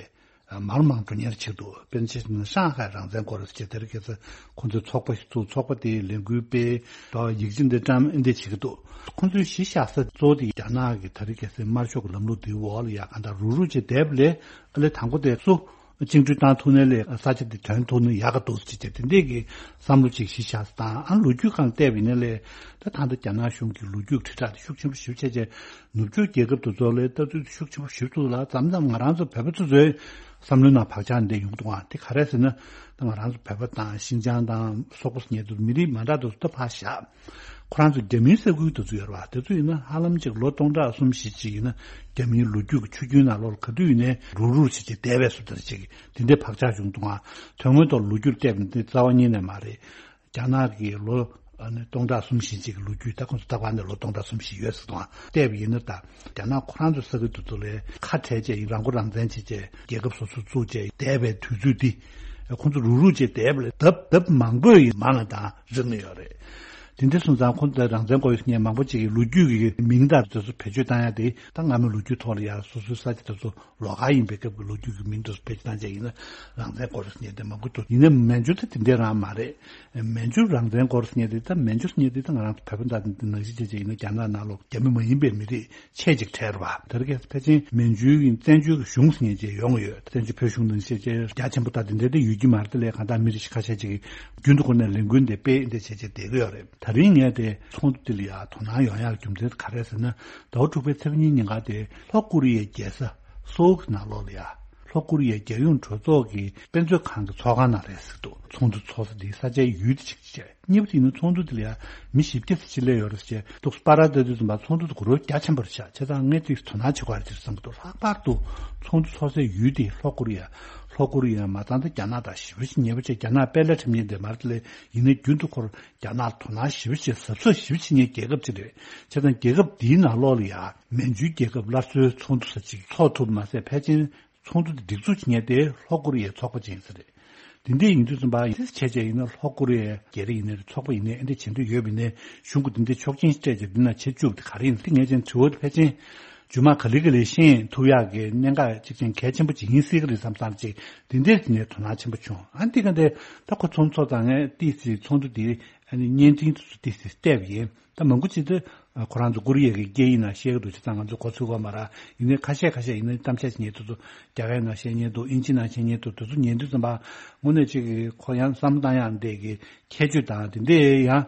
མང་རུ་མང་རུ་འགྲོ་མཁན་ཅིག་འདུག་དཔེར་ན་ཆ་བཞག་ན་ཧྲང་ཧའེ་རང་བཙན་དགོས་རེད་ཟེར་དེ་རིང་ཁ་སང་ཁོང་ཚོས་ཚོགས་པ་ཞིག་བཙུགས། ཚོགས་པ་དེའི་ལས་འགུལ་སྤེལ་དང་ཡིག་ཆ་འདི་བཀྲམ་འདི་བྱེད་ཀྱི་འདུག་ཁོང་ཚོའི་གཞི་བཞག་ས་གཙོ་བོ་དེ་རྒྱ་ནག་གི་དེ་རིང་ཁ་སང་དམར་ཤོག་གི་ལམ་ལུགས་འདིའི་འོག་ལ་ཡ་གང་ལྟར་རུག་རུག་བྱས་བསྡད་པ་ལས་ཨ་ལས་དང་པོ་དེ་སུ། བཅིངས་འགྲོལ་བཏང་ཐུབ་ན་ལས་ས་ཆ་འདི་ཐོན་ཐུབ་ན་ཡག་ག་འདུག་ཅེས་བྱས་དེ་འདྲས་ཀྱི་བསམ་བློ་ཅིག་གཞི་བཞག་ས་དང་ཨ་ལོ་རྒྱུས་སྒང་བལྟས་པ་ཡིན་ན་ལས་ད་ད་ལྟ་རྒྱ་ནག་གཞུང་གི་ལོ་རྒྱུས་དྲིལ་བསྒྲགས་དེ་ཤུགས་ཆེན་པོ་ཞེ་པོ་བྱས་རྗེས་ནུབ་ཕྱོགས་རྒྱལ་ཁབ་དེ་ཚོ་ལས་ལྟ་ཚུལ་དེ་ཤུགས་ཆེན་པོ་ཞེ་པོ་འདུག་ལ་མཚམས་མཚམས་ང་རང་ཚོ་བོད་པ་ཚོ་ཚོའི་བསམ་བློའི་ནང་བག་ཆགས་འདི་ཡོང་གི་འདུག་ཨ་དེ་ག་རེ་ཟེར་ན་ད་ང་རང་ཚོ་བོད་པ་དང་ཤིན་ཅང་དང་སོག་པོ་ཟེར་མཁན་དེ་ཚོ་མི་རིགས་མ་འདྲ་དེ་ཚོ་ད་ཕར་བཞག་ཁོ་རང་ཚོ་རྒྱ་མིའི་ས་ཁུལ་དུ་ཚུད་ཡོད་རེད་བ། དེ་ཚོ་ཡིན་ན་ཧ་ལམ་ཅིག་ལོ་སྟོང་ཕྲག་གསུམ་བཞི་ཅིག་ཡིན་ན་རྒྱ་མིའི་ལོ་རྒྱུས་ཀྱི་ཆུ་རྒྱུན་ནང་ལོགས་ལ་ག་དུས་ཡིན་ནའི་རུག་རུག་བྱེད་ཅིག་བསྡད་པའི་བཟོ་ལྟ་ཅིག་དེ་འདྲའི་བག་ཆགས་བྱུང་འདུག་ཨ། དོན་དངོས་ཐོག་ལོ་རྒྱུས་བལྟས་པ་ཡིན་ན་དེ་རྩ་བ་ཉིད་ནས་མ་རེད། རྒྱ་ནག་གི་ལོ་ཨ་ནི་སྟོང་ཕྲག་གསུམ་བཞི་ཅིག་གི་ལོ་རྒྱུས་ད་ཁོང་ཚོ་ད་བར་ནས་ལོ་སྟོང་ཕྲག་གསུམ་བཞི་ཡོད་ཟེར་འདུག་ཨ། བལྟས་པ་ཡིན་ན་ད་རྒྱ་ནག་ཁོ་རང་ཚོའི་ས་ཁུལ་དེ་ཚོ་ལས་ཁ་བྲལ་བྱས་ཡིན་རང་མགོ་རང་བཙན་བྱས་བྱས་རྒྱལ་ཁབ་སོ་སོ་བཙུགས་བྱས་བསྡད་པའི་དུས་ཚོད་འདི་ཁོང་ཚོ་རུག་རུག་བྱས་བསྡད་པ་ལས་ལྡབ་ལྡབ་མང་པོ་ཡིན་མང་ལ་དང་རིག་ནས་ཡོད་རེད། དེ་འདྲ་སོང་ཙང་ཁོང་ཚོས་རང་བཙན་དགོས་ཡོད་མཁན་མང་པོ་ཅིག་གིས་ལོ་རྒྱུས་ཀྱི་མིང་དང་དེ་ཚོ་བེད་སྤྱོད་བཏང་ཡ་དེ་ད་སྔ་མོའི་ལོ་རྒྱུས་ཐོག་ལ་ཡ་སོ་སོའི་ས་ཆ་དེ་ཚོ་ལོགས་ཀ་ཡིན་པའི་སྐབས་ཀྱི་ལོ་རྒྱུས་ཀྱི་མིང་དེ་ཚོ་བེད་སྤྱོད་བཏང་བྱས་ཡིན་ན་རང་བཙན་དགོས་རེད་ཟེར་མཁན་དེ་མང་པོ་འདུག་ཡིན་ནའི་མན་ཇུ་དེ་དེ་འདྲ་རང་མ་རེད། མན་ཇུ་རང་བཙན་དགོས་རེད་ཟེར་མཁན་དེ་ད་མན་ཇུ་ཟེར་མཁན་དེ་ད་ང་རང་ཚོ་བོད་པ་འདྲ་དེ་ནང་བཞིན་བྱས་བྱས་ཡིན་ན་རྒྱ་ནག་ནང་ལོགས་རྒྱ་མི་མ་ཡིན་པའི་མི་རིགས་ཆེ་ཅིག་གྲས་རེད་བ། དེ་རིང་ཕལ་ཆེར་མན་ཇུའི་བཙན་བྱོལ་གྱི་གཞུང་ཟེར་མཁན་ཅིག་ཡོང་གི་ཡོད། བཙན་བྱོལ་བོད་གཞུང་ནང་བཞིན་བྱས་རྒྱ་ཆེན་པོ་དང་དེ་འདྲ་དེ་ཡོད་ཀྱི་མ་རེད། དེ་ལས་གང་ལྟར་མི་རིགས་ཁ་ཤས་ཅིག་གིས་རྒྱུན་དུ་ཁོ་ནས་ལས་འགུལ་འདི་སྤེལ་འདི་བྱས་བྱས་བསྡད་ཀྱི་ཡོད་རེད། ད་རིང་ངས་དེ་ཚོགས་འདུ་འདི་ལ་ཡང་དོ་སྣང་ཡོང་ཡག་རྒྱུ་མཚན་ག་རེ་ཟེར་ན། ཟླ་བ་དྲུག་པའི་ཚེས་པ་གཉིས་ཉིན་ཀ་དེ་ལྷོ་ཀོ་རི་ཡའི་རྒྱལ་ས་སོའུ་གི་ནང་ལོགས་ལ་ཡ་ལྷོ་ཀོ་རི་ཡའི་རྒྱལ་ཡོངས་གྲོས་ཚོགས་ཀྱི་དཔེ་མཛོད་ཁང་གི་ཚོགས་ཁང་ནང་རེད་ཟེར་གྱི་འདུག་ཚོགས་འདུ་ཚོགས་ས་དེའི་ས་ཆའི་ཡུལ་དེ་ཅིག་བྱས། གཉིས་པ་དེ་ཡིན་ན་ཚོགས་འདུ་དེ་ལ་ཡང་མི་བཞི་བརྒྱ་ཙམ་ཅིག་སླེབས་ཡོད་རེད་ཟེར་བྱས་འདུག་སྤ་ར་ལྟ་དུས་ཙམ་པ་ཚོགས་འདུ་དེ་དགོས་རོགས་རྒྱ་ཆེན་པོ་རེད་ཤག་བྱས་ཙང་ངས་དེ་དོ་སྣང་བྱེད་དགོས་རེད་ཅེས་བསམ་གྱི་འདུག་ལྷག་པར་དུ་ཚོགས་འདུ་ཚོགས་སའི་ཡུལ་དེ་ལྷོ་ཀོ་རི་ཡ། ལྷོ་ཀོ་རི་ཡ་མ་ཚང་ད་རྒྱ་ནག་དང་ཞེ་པོ་ཅིག་ཉེ་པོ་བྱས། རྒྱ་ནག་དཔེ་ལ་ཁྲིམས་ཉེས་འདི་མར་དེ་ལས་ཡིན་ན་རྒྱུན་དུ་ཁོར་རྒྱ་ནག་དོ་སྣང་ཞེ་པོ་ཅིག་གཟབ་གཟབ་ཞེ་པོ་བྱེད་མཁན་རྒྱལ་ཁབ་ཅིག་རེད། བྱས་ཙང་རྒྱལ་ཁབ་འདིའི་ནང་ལོགས་ལ་ཡ་མན་ཇུའི་རྒྱལ་ཁབ་སླར་གསོའི་ཚོགས་འདུ་ས་ཅིག་ཚོགས་ཐུབ་མ་ཟད་ཕལ་ཆེར་ཚོགས་འདུ་འདི་སྒྲིག་འཛུགས་བྱེད་མཁན་དེ་ལྷོ་ཀོ་རི་ཡའི་ཚོགས་པ་ཅིག་ཡིན་ས་རེད། དེ་འདྲ་ཡིན་དུས་ཙམ་པ་ཡིན་བྱས་བྱས་ཡིན་ན་ལྷོ་ཀོ་རི་ཡའི་རྒྱ་རིགས་ཡིན་ནའི་ཚོགས་པ་ཡིན་ནའི་ཨེ་འདྲ་བྱེད་འདོད་ཡོད་པ་ཡིན་ནའི་གཞུང་གི་དེ་འདྲའི་ཆོག་མཆན་སྤྲད་བྱས་འདི་ན་བྱེད་བཅུག་དེ་ག་རེ་ཡིན་དེ་ངས་ཀྱང་དྲི་བ་དེ་ཕལ་ཆེར་རྗེས་མ་ག་ལེ་ག་ལེ་ཤེས་ཐུབ་ཡག་གི་གནད་འགག་ཅིག་ཅན་གལ་ཆེན་པོ་ཅིག་ཡིན་སྲིད་ཀྱི་རེད་བསམ་བསམ་ཅིག་དེ་འདྲའི་དེ་ནས་དོ་སྣང་ཆེན་པོ་བྱུང་ཨ་འདི་ག་འདྲ་ད་ཁོ་ཚོང་ཚོགས་དང་ངས་ཏིས་སི་ཚོགས་འདུ་དེ་ཨ་ནི་བརྙན་འཕྲིན་དུ་ཏིས་སི་བལྟས་པ་ཡིན། ད་མང་པོ་ཅིག་ཏུ་ཁོ་རང་ཚོ་ཀོ་རི་ཡ་གི་སྐད་ཡིག་ནང་བཤད་ཀྱི་འདུག་བྱས་ཙང་ང་ཚོ་གོ་ཚོད་གོ་མ་ར་ཡིན་ནའི་ཁ་ཤས་ཁ་ཤས་ཡིན་ནའི་གཏམ་བཤད་ཉན་དུ་ཚོ་རྒྱ་སྐད་ནང་བཤད་ཉན་འདུག་ཨིན་ཇི་ནང་བཤད་ཉན་འདུག་དེ་ཚོ་ཉན་དུས་ཙམ་པ་དངོས་གནས་ཅིག་གི་ཁོ་ཡང་བསམ་བློ་བཏང་ཡག་འདྲ་གི་ཁྱད་ཆོས་དང་དེ་འདྲ་ཡང་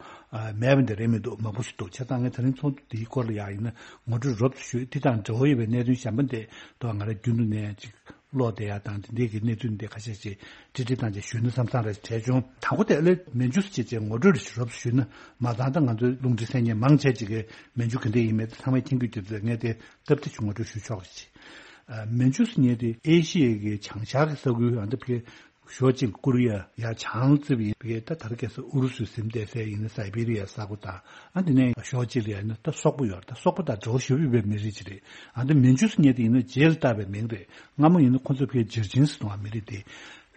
མེད་པ་འདི་རེད་མི་འདུག་མང་པོ་ཞིག་འདུག་བྱས་ཙང་ངས་དེ་རིང་ཚོགས་འདུ་འདིའི་སྐོར་ལ་ཡང་ཡིན་ན་ངོ་སྤྲོད་རོབ་ཙམ་ཞུས་དེ་དང་འབྲེལ་བ་ཡོད་པའི་གནད་དོན་གཞན་པ་འདི་ཐོག་ང་རང་རྒྱུན་དུ་ནས་ཅིག་ཀློག་བསྡད་ཡག་དང་དེ་འདྲའི་གི་གནས་ཚུལ་འདི་ཁ་ཤས་ཤིག་ཀྲིག་ཀྲིག་བཏང་བྱས་ཞུས་ན་བསམ་བསམ་རེ་བྲལ་བྱུང་། དང་པོ་དེ་ཨ་ལེ་མན་ཇུ་ཟེར་བྱས་བྱས་ངོ་སྤྲོད་རེ་ཞུ་རོབ་ཞུས་ན་མ་ཚང་ད་ང་ཚོའི་རླུང་འཕྲིན་གསན་མཁན་མང་ཆེ་ཅིག་གིས་མན་ཇུ་ག་འདྲ་ཡིན་མེད་དེ་ཚང་མས་མཁྱེན་གྱི་ཡོད་ཙང་ངས་དེ་སྟབས་བདེ་ཞུ་ངོ་སྤྲོད་ཞུ་ཆོག་ཅིག་ཨ་མན་ཇུ་ཟེར་མཁན་དེ་ཨེ་ཤི་ཡའི་གི་བྱང་ཤར་གྱི་ས་ཁུལ་ཨ་འདི་ཕ་གི་ཕྱོགས་གཅིག་ལ་ཀོ་རི་ཡ་ཡ་བྱང་ལ་བརྩིས་པ་ཡིན་པས་ད་ད་རེས་ཁ་སང་ཨུ་རུ་སུའི་ཟིན་བྲིས་ཟེར་ཡིན་ན་སའི་བེ་རི་ཡ་ས་ཁུལ་དང་ཨ་འདི་ནས་ཕྱོགས་གཅིག་ལ་ཡ་ཡིན་ན་ད་སོག་པོ་ཡོད་རེད། ད་སོག་པོ་དང་འབྲེལ་བ་ཞེ་པོ་ཡོད་པའི་མི་རིགས་ཅིག་རེད། ཨ་འདི་མན་ཇུ་ཟེར་མཁན་དེ་ཡིན་ན་རྗེས་ལ་བཏགས་པའི་མིང་རེད། སྔ་མོ་ཡིན་ན་ཁོ་ཚོ་ཕ་གི་ཇར་ཇིན་ཟེར་གཏོང་བ་མི་རིགས་དེ་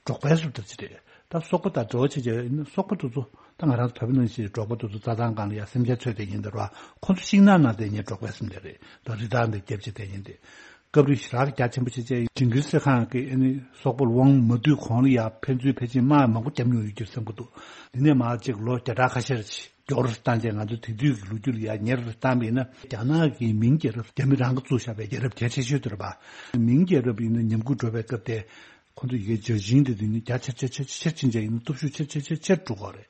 འབྲོག་པའི་སུ་དར་ཅིག་རེད། ད་སོག་པོ་དང་འབྲེལ་བ་བྱེད་བྱས་ཡིན་ན་སོག་པོ་དེ་ཚོ་ད་ང་རང་ཚོ་བོད་པ་ནང་བཞིན་འབྲོག་པ་དེ་ཚོ་རྩྭ་ཐང་སྒང་ལ་ཡ་སེམས་ཅན་འཚོལ་བསྡད་མཁན་དེ་རེད་བ། ཁོ་ཚོ་ཤིང་ནགས་ནང་བསྡད་མཁན་འབྲོག་པའི་སེམས་ཅན་རེད། ད་རི་དྭགས་འདི་རྒྱབ་བྱས་བསྡད་མཁན་དེ། སྐབས་རེ་ཞེ་དྲག་རྒྱ་ཆེན་པོ་བྱས་བྱས་ཇིང་གིར་སི་ཁཱན་གྱི་ཨ་ནི་སོག་པོ་ལ་དབང་མ་བསྡུས་གོང་ལ་ཡ་ཕན་ཚུན་ཕལ་ཆེར་དམག་མང་པོ་བརྒྱབ་མྱོང་ཡོད་རྒྱུ་བསམ་གྱི་འདུག་དེ་ནས་མར་ཅིག་ལོ་བརྒྱ་ཕྲག་ཁ་ཤས་ཅིག་མགྱོགས་རུ་བཏང་བྱས་ང་ཚོ་དེ་དུས་ཀྱི་ལོ་རྒྱུས་ལ་ཡ་ཉེ་རུ་བཏང་བ་ཡིན་ན་རྒྱ་ནག་གི་མིང་རྒྱལ་རབས་རྒྱ་མི་རང་གིས་བཙུགས་བཞག་པའི་རྒྱལ་རབས་གལ་ཆེ་ཤོས་དེ་རེད་པ། མིང་རྒྱལ་རབས་ཡིན་ན་ཉམས་རྒུད་འགྲོ་བའི་སྐབས་དེ། ཁོ་ཚོ་ཡི་གེ་ཇར་ཇིན་དེ་དུས་ནི་རྒྱ་ཆེར་ཆེར་ཆེར་ཆེར་ཕྱིན་བྱས་ཡིན་ན་སྟོབས་ཤུགས་ཆེར་ཆེར་ཆེར་ཆེར་འགྲོ་གི་རེད།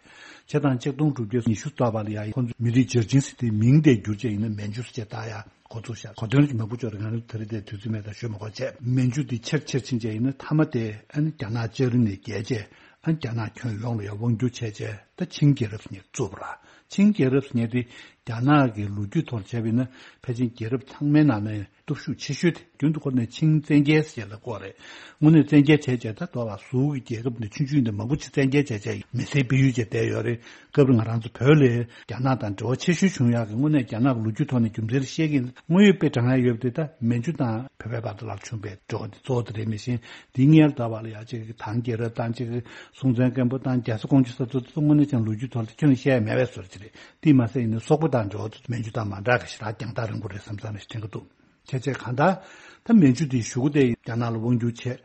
བྱས་ཙང་ཆིག་སྟོང་དྲུག་བརྒྱ་ཉི་ཤུ་ལྟ་བ་ལ་ཡ་ཁོ་ཚོ་མི་རིགས་ཇར་ཇིན་ཟེར་དེ་མིང་དེ་བསྒྱུར་བྱས་ཡིན་ན་མན་ཇུ་ཟེར་བྱས་བཏགས་ཡ་འགོ་ཚུགས་ཤག་གོ་དོན་མང་པོ་ཅིག་རེད། ང་རང་ད་རེས་དེ་དུས་ཚོད་མེད་དང་ཞུ་མ་དགོས་བྱས་མན་ཇུ་དེ་ཆེར་ཆེར་ཕྱིན་བྱས་ཡིན་ན་མཐའ་མ་དེ་ཨ་ནི་རྒྱ་ནག་ལྕགས་རི་ནས་བརྒལ་བྱས་ཨ་ནི་རྒྱ་ནག་ཁྱོན་ཡོངས་ལ་ཡ་དབང་བསྒྱུར་བྱས་བྱས་ད་ཆིང་རྒྱལ་རབས་ཟེར་མཁན་བཙུགས་པ་རེད། ཆིང་རྒྱལ་རབས་ཟེར་མཁན་དེ་རྒྱ་ནག་གི་ལོ་རྒྱུས་ཐོག་བྱས་པ་ཡིན་ན་ཕལ་ཆེར་རྒྱལ་རབས་ཚང་མའི་ནང་ནས་སྟོབས་ཤུགས་ཆེ་ཤོས་དེ་རྒྱུན་དུ་ཁོ་ནས་ཆིང་བཙན་རྒྱལ་ཟེར་ལ་བསྐོར་རེད། དངོས་གནས་བཙན་རྒྱལ་བྱས་བྱས་ད་ལྟ་བ་ཟུར་གྱི་རྒྱལ་ཁབ་འདི་ཆུང་ཆུང་འདི་མང་པོ་ཅིག་བཙན་རྒྱལ་བྱས་བྱས་མི་སེར་སྤེལ་ཡུལ་བྱས་བསྡད་ཡོད་རེད། སྐབས་རེ་ང་རང་ཚོ་བོད་ལས་རྒྱ་ནག་དང་འབྲེལ་བ་ཆེ་ཤོས་བྱུང་ཡག་གི་དངོས་གནས་རྒྱ་ནག་གི་ལོ་རྒྱུས་ཐོག་ནས་རྒྱུ་མཚན་བཤད་ཀྱི་ཡིན། དངོས་ཡོད་དཔེ་དྲངས་ཡག་ཡོད་པ་དེ་ད་མན་ཇུ་དང་བོད་པའི་བར་དུ་ལ་བྱུང་བའི་འབྲེལ་བ་འདི་གཙོ་བོ་དེ་རེད། མི་ཤེས་འདིའི་སྔོན་ལ་ད་བར་ལ་ཡ་གཅིག་གི་ཐང་རྒྱལ་རབས་དང་གཅིག་གི་སྲོང་བཙན་སྒམ་པོ་དང་རྒྱ་བཟའ་ཀོང་ཇོ་ས་ཚོ་དངོས་གནས་ཀྱང་ལོ་རྒྱུས་ཐོག་ལ་ཁྱོན་བཤད་ཡ་མེད་པའི་བཟོ་འདྲ་ཅིག་རེད། དེས་མ་ཟད་ཡིན་ན་སོག་པོ་དང་འབྲེལ་བ་མན་ཇུ་དང་མ་འདྲ་གི་ཞེ་དྲག་རྒྱང་ཐག་རིང་པོ་རེད་བསམ་བསམ་ཞིག་དྲན་གྱི་འདུག་བྱས་བྱས་གང་ལྟར་ད་མན་ཇུ་དེའི་གཞུག་གུ་དེ་རྒྱ་ནག་ལ་དབང་བསྒྱུར་བྱས།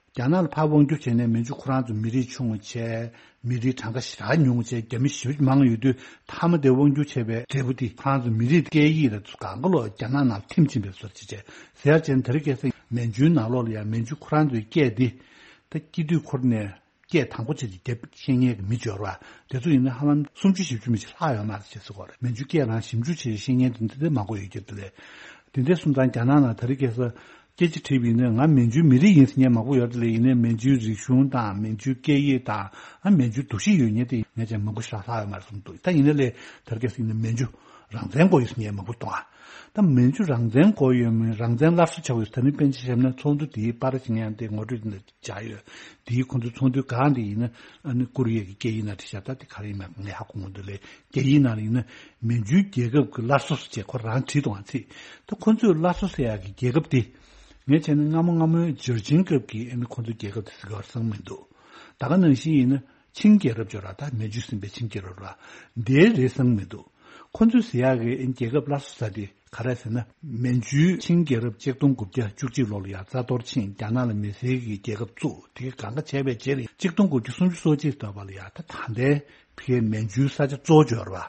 རྒྱ་ནག་ལ་ཕར་དབང་བསྒྱུར་བྱས་ནས་མན་ཇུ་ཁོ་རང་ཚོ་མི་རིགས་ཆུང་བ་བྱས། མི་རིགས་གྲངས་ཀ་ཞེ་དྲག་ཉུང་བ་བྱས། རྒྱ་མི་ཞེ་པོ་མང་ཡོད་དུས་མཐའ་མ་དེ་དབང་བསྒྱུར་བྱས་པའི་འབྲས་བུ་དེ་ཁོ་རང་ཚོ་མི་རིགས་སྐད་ཡིག་ལ་གང་ག་ལོག་རྒྱ་ནག་ནང་ཐིམ་ཕྱིན་པའི་བཟོ་འདྲ་ཅིག་བྱས། ཟེར་ཡག་བྱས་ན་དེ་རིང་ཁ་སང་མན་ཇུའི་ནང་ལོགས་ལ་ཡང་མན་ཇུ་ཁོ་རང་ཚོའི་སྐད་འདི་ད་སྐྱེ་དུས་ཁོ་རང་ནས། སྐད་དང་པོ་བྱས་ཏེ་རྒྱབ་ཤེས་མཁན་གྱི་མི་འབྱོར་བ་དེ་ཚོ་ཡིན་ན་ཧ་ལམ་སུམ་ཅུ་བཞི་བཅུ་མི་ཞིག་ལྷག་ཡོད་མ་རེད་ཅེས་ཟེར་གོ་རེད། མན་ཇུ་སྐད་རང་ཞིབ་འཇུག་བྱས་ཤེས་མཁན་དེ་འདི་འདྲ་མང་པོ་ཡོད་ཀྱི་འདུག་ལས། དེ་འདྲ་སོང་ཙང་རྒྱ་ནག་ནང་ད་རེས་ཁ་སང་སྐད་ཆ་དྲིས་པ་ཡིན་ན་ང་མན་ཇུའི་མི་རིགས་ཡིན་ཟེར་མཁན་མང་པོ་ཡོད་རེད་ལས། ཡིན་ནའི་མན་ཇུའི་རིག་གཞུང་དང་མན་ཇུའི་སྐད་ཡིག་དང་ཨ་མན་ཇུའི་འདུ་ཤེས་ཡོད་མཁན་དེ་ངས་ཀྱང་མང་པོ་ཞེ་དྲག་ལྷག་ཡོད་མ་རེད་བསམ་འདུག་ད་ཡིན་ན་ལས་ད་རེས་ཁ་སང་ཡིན་ན་མན་ཇུ་རང་བཙན་དགོས་ཡོད་ཟེར་མཁན་མང་པོ་གཏོང་ཨ། ད་མན་ཇུ་རང་བཙན་དགོས་ཡོད་མིན་རང་བཙན་སླར་གསོ་བྱ་དགོས་ཡོད་ད་ནི་པཎ་ཆེན་བཞུགས་ན་ཚོགས་འདུ་དེའི་པར་ཞིག་ཡང་དེ་ངོ་སྤྲོད་འདི་བྱ་ཡོད། དེའི་ཁོང་ཚོའི་ཚོགས་འདུའི་སྒང་དེ་ཡིན་ན་ཨ་ནི་ཀོ་རི་ཡ་གི་སྐད་ཡིག་ནང་བྲིས་ཤག་ད་དེ་ག་རེ་ཡིན་མིན་ངས་ཧ་གོ་མི་འདུག་ལས། སྐད་ཡིག་ནང་ལ་ཡིན་ན་མན་ཇུའི་རྒྱལ་ཁབ་ཀྱི་སླར་གསོ་ཟེར་བྱས་ཁོ་རང་བྲིས་འདུག་ཨང་ཚིག་ད་ཁོ་ཚོས་སླར་གསོ་ཟེར་ཡག་གི་རྒྱལ་ཁབ་དེ་ངས་བྱས་ན་སྔ་མོ་སྔ་མོའི་ཇར་ཇིན་སྐབས་ཀྱི་ཨ་ནི་ཁོ་ཚོའི་རྒྱལ་ཁབ་དེ་ཟེར་ག་བར་སང་མི་འདུག་ད་ག་ནང་བཞིན་ཡིན་ན་ཆིང་རྒྱལ་རབས་ཅོ་ར་ད་མན་ཇུས་ཟིན་པའི་ཆིང་རྒྱལ་རབས་ར་འདིའི་རེ་བསང་མི་འདུག་ཁོ་ཚོས་ཟེར་ཡག་གི་རྒྱལ་ཁབ་སླར་གསོ་ཟེར་དེ་ག་རེ་ཟེར་ན། མན་ཇུའི་ཆིང་རྒྱལ་རབས་གཅིག་སྟོང་དགུ་བརྒྱ་བཅུ་གཅིག་ལོ་ལ་ཡང་རྩ་གཏོར་ཕྱིན། རྒྱ་ནག་ལ་མི་སེར་གྱི་རྒྱལ་ཁབ་བཙུགས། དེ་གང་ག་བྱས་པའི་རྗེས་ལ་གཅིག་སྟོང་དགུ་བརྒྱ་སུམ་ཅུ་སོ་གཅིག་ལྟ་བ་ལ་ཡང་ད་ད་ལྟའི་ཕ་གིའི་མན་ཇུའི་ས་ཆ་གཙོ་བོ་འབྱོར་བ།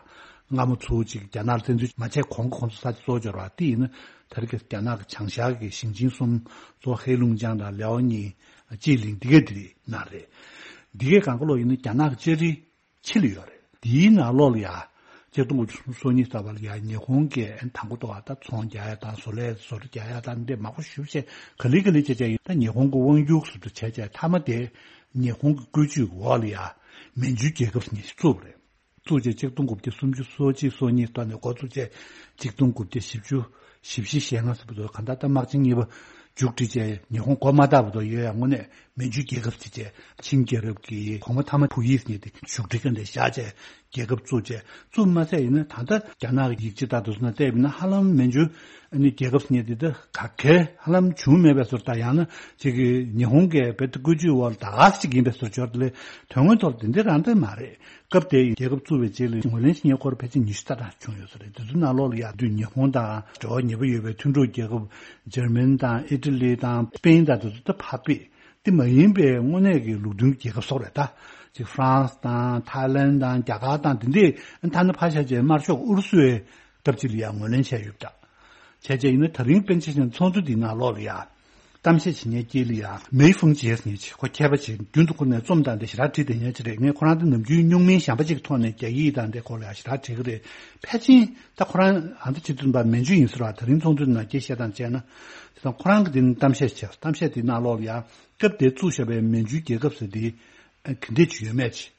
སྔ་མོ་ཚུར་གཅིག་རྒྱ་ནག་ལ་བཙན་འཛུལ་མ་བྱས་གོང་གི་ཁོང་ཚོ་ས་ཆ་གཙོ་བོ་འབྱོར་བ་དེ་ཡིན་ན་ད་རེས་ཀྱི་རྒྱ་ནག་གི་བྱང་ཤར་གྱི་ཞིང་ཆེན་གསུམ་གཙོ་བོ་ཧེ་ལུང་ཅང་དང་ལེའོ་ཉིང་། ཅི་ལིང་འདི་ག་འདི་ནང་རེད། འདི་གའི་གང་ག་ལོག་ཡིན་ན་རྒྱ་ནག་གི་ལྕགས་རི་ཕྱི་ལ་ཡོད་རེད། འདིའི་ནང་ལོགས་ལ་ཡ། གཅིག་སྟོང་དགུ་བརྒྱ་སུམ་ཅུ་སོ་གཉིས་ལྟ་བ་ལ་ཡ་ཉི་ཧོང་གིས་དང་པོ་ལྟ་བ་ད་ཚོང་རྒྱག་ཡ་དང་བཟོ་ལས་བཟོ་གྲྭ་རྒྱག་ཡ་དང་འདི་མང་པོ་ཞེ་པོ་ཅིག་ག་ལེ་ག་ལེ་བྱས་བྱས་ཡོད། ད་ཉི་ཧོང་གི་དབང་སྒྱུར་ཟེར་དུ་བྱས་བྱས་མཐའ་མ་དེ་ཉི་ཧོང་གི་བཀོད་ཇུས་ཀྱི་འོག་ལ་ཡ་མན་ཇུའི་རྒྱལ་ཁབ་ཟེར་མཁན་ཞིག་བཙུགས་པ་རེད། བཙུགས་རྗེས་གཅིག་སྟོང་དགུ་བརྒྱ་སུམ་ཅུ་སོ་གཅིག་སོ་གཉིས་ལྟ་ནས་འགོ་བཙུགས་རྗེས་གཅིག་སྟོང་དགུ་བརྒྱ་བཞི་བཅུ་ཞེ་བཞི་ཞེ་ལྔ་ཟེར་བ་དེ་གང་ལྟར་ད་དམག་ཆེན་གཉིས་པ་ མཇུག་སྒྲིལ་བྱས། ཉི་ཧོང་མགོ་མ་བཏགས་བར་དུ་ཡོད་ཡ། དངོས་གནས་མན་ཇུའི་རྒྱལ་ཁབ་ཅིག་བྱས། ཆིང་རྒྱལ་རབས་ཀྱི་གོང་མ་ཐ་མ་ཕུ་ཡིས་ནི་དེ་བཞུགས་ཁྲི་ཀ་འདྲ་བཞག་བྱས་རྒྱལ་ཁབ་བཙུགས་བྱས། བཙུགས་མ་ཟད་ཡིན་ན་ད་ལྟ་རྒྱ་ནག་གི་ཡིག་ཆ་ལྟར་དུ་སོང་ན་བལྟས་པ་ཡིན་ན་ཧ་ལམ་མན་ཇུ་ནི་རྒྱལ་ཁབ་ཟེར་མཁན་དེ་ད་ག་གེ་ཧ་ལམ་བྱུང་མེད་པའི་བཟོ་འདྲ། ཡང་ན་ཅིག་གི་ཉི་ཧོང་གི་བོད་བཀོད་ཇུས་འོག་ལ་ད་ག་ཟེ་ཅིག་ཡིན་པའི་བཟོ་འདྲ་ཅིག་ཡོད་རེད། དོན་དངོས་ཐོག་དེ་འདྲ་རང་དེ་མ་རེད། སྐབས་དེའི་རྒྱལ་ཁབ་བཙུགས་པའི་རྗེས་ལ་ངོས་ལེན་བྱེད་མཁན་སྐོར་ཕལ་ཆེར་ཉི་ཤུ་རྩ་གྲངས་བྱུང་ཡོད་ས་རེད། དེ་ཚོའི་ནང་ལོགས་ལ་ཡ་དུས་ཉི་ཧོང་དང་འབྲེལ་བ་ཉེ་པོ་ཡོད་པའི་མཐུན་གྲོགས་རྒྱལ་ཁབ་འཇར་མན་དང་ཨི་ཊ་ལི་དང་སི་པེན་དང་དེ་ཚོ་ད་ཕར་ཕུད། དེ་མ་ཡིན་པའི་དངོས་གནས་ཀྱི་ལུགས་མཐུན་རྒྱལ་ཁབ་སོགས་རེད་ད། ཅིག་ཧྥ་རན་སི་དང་ཐའི་ལན་དང་རྒྱ་གར་དང་དེ་འདྲས་ཐ་ན་ཕར་བཞག་བྱས་དམར་ཤོག་ཨུ་རུ་སུའི་སྐབས་ཅིག་ལ་ཡང་ངོས་ལེན་བྱས་ཡོད་པ་འདྲ། བྱས་རྗེས་ཡིན་ན་ད་རིང་པཎ་ཆེན་ཚོགས་འདུ་འདིའི་ནང་ལོགས་ལ་ཡང་གཏམ་བཤད་བྱེད་མཁན་དཀྱིལ་ལ་ཡང་མེའི་ཧྥུང་ཅེས་ཟེར་མཁན་ཅིག་ཁོ་མཁས་པ་ཅིག་རྒྱུན་དུ་ཁོ་ནས་རྩོམ་དང་དེ་ཞེ་དྲག་བྲིས་བསྡད་མཁན་ཅིག་རེད། ངས་ཁོ་རང་དེ་ནམ་རྒྱུན་སྨྱུག་མིང་གཞན་པ་ཅིག་གི་ཐོག་ནས་རྒྱ་ཡིག་དང་དེ་སྐོར་ལ་ཡང་ཞེ་དྲག་བྲིས་ཀྱི་རེད། ཕལ་ཆེར་ད་ཁོ་རང་ཨ་མདོ་སྤྱི་འཐུས་ཚོགས་པ་མན་ཇུ་ཡིན་ཟེར་བ། ད་རིང་ཚོགས་འདུའི་ནང་སྐད་བཤད་སྟངས་བྱས་ན། དེ་དང་ཁོ་རང་གིས་དེ་ནི་གཏམ་བཤད་བྱས། གཏམ་བཤད་དེའི་ནང་ལོགས་ལ་ཡང་སྐབས་དེ་བཙུགས་བཞག་པའི་མན་ཇུའི་རྒྱལ་ཁབ་ཟེར་དེ་ག་འདྲས་ཅིག་ཡོད་མེད་ཅིག་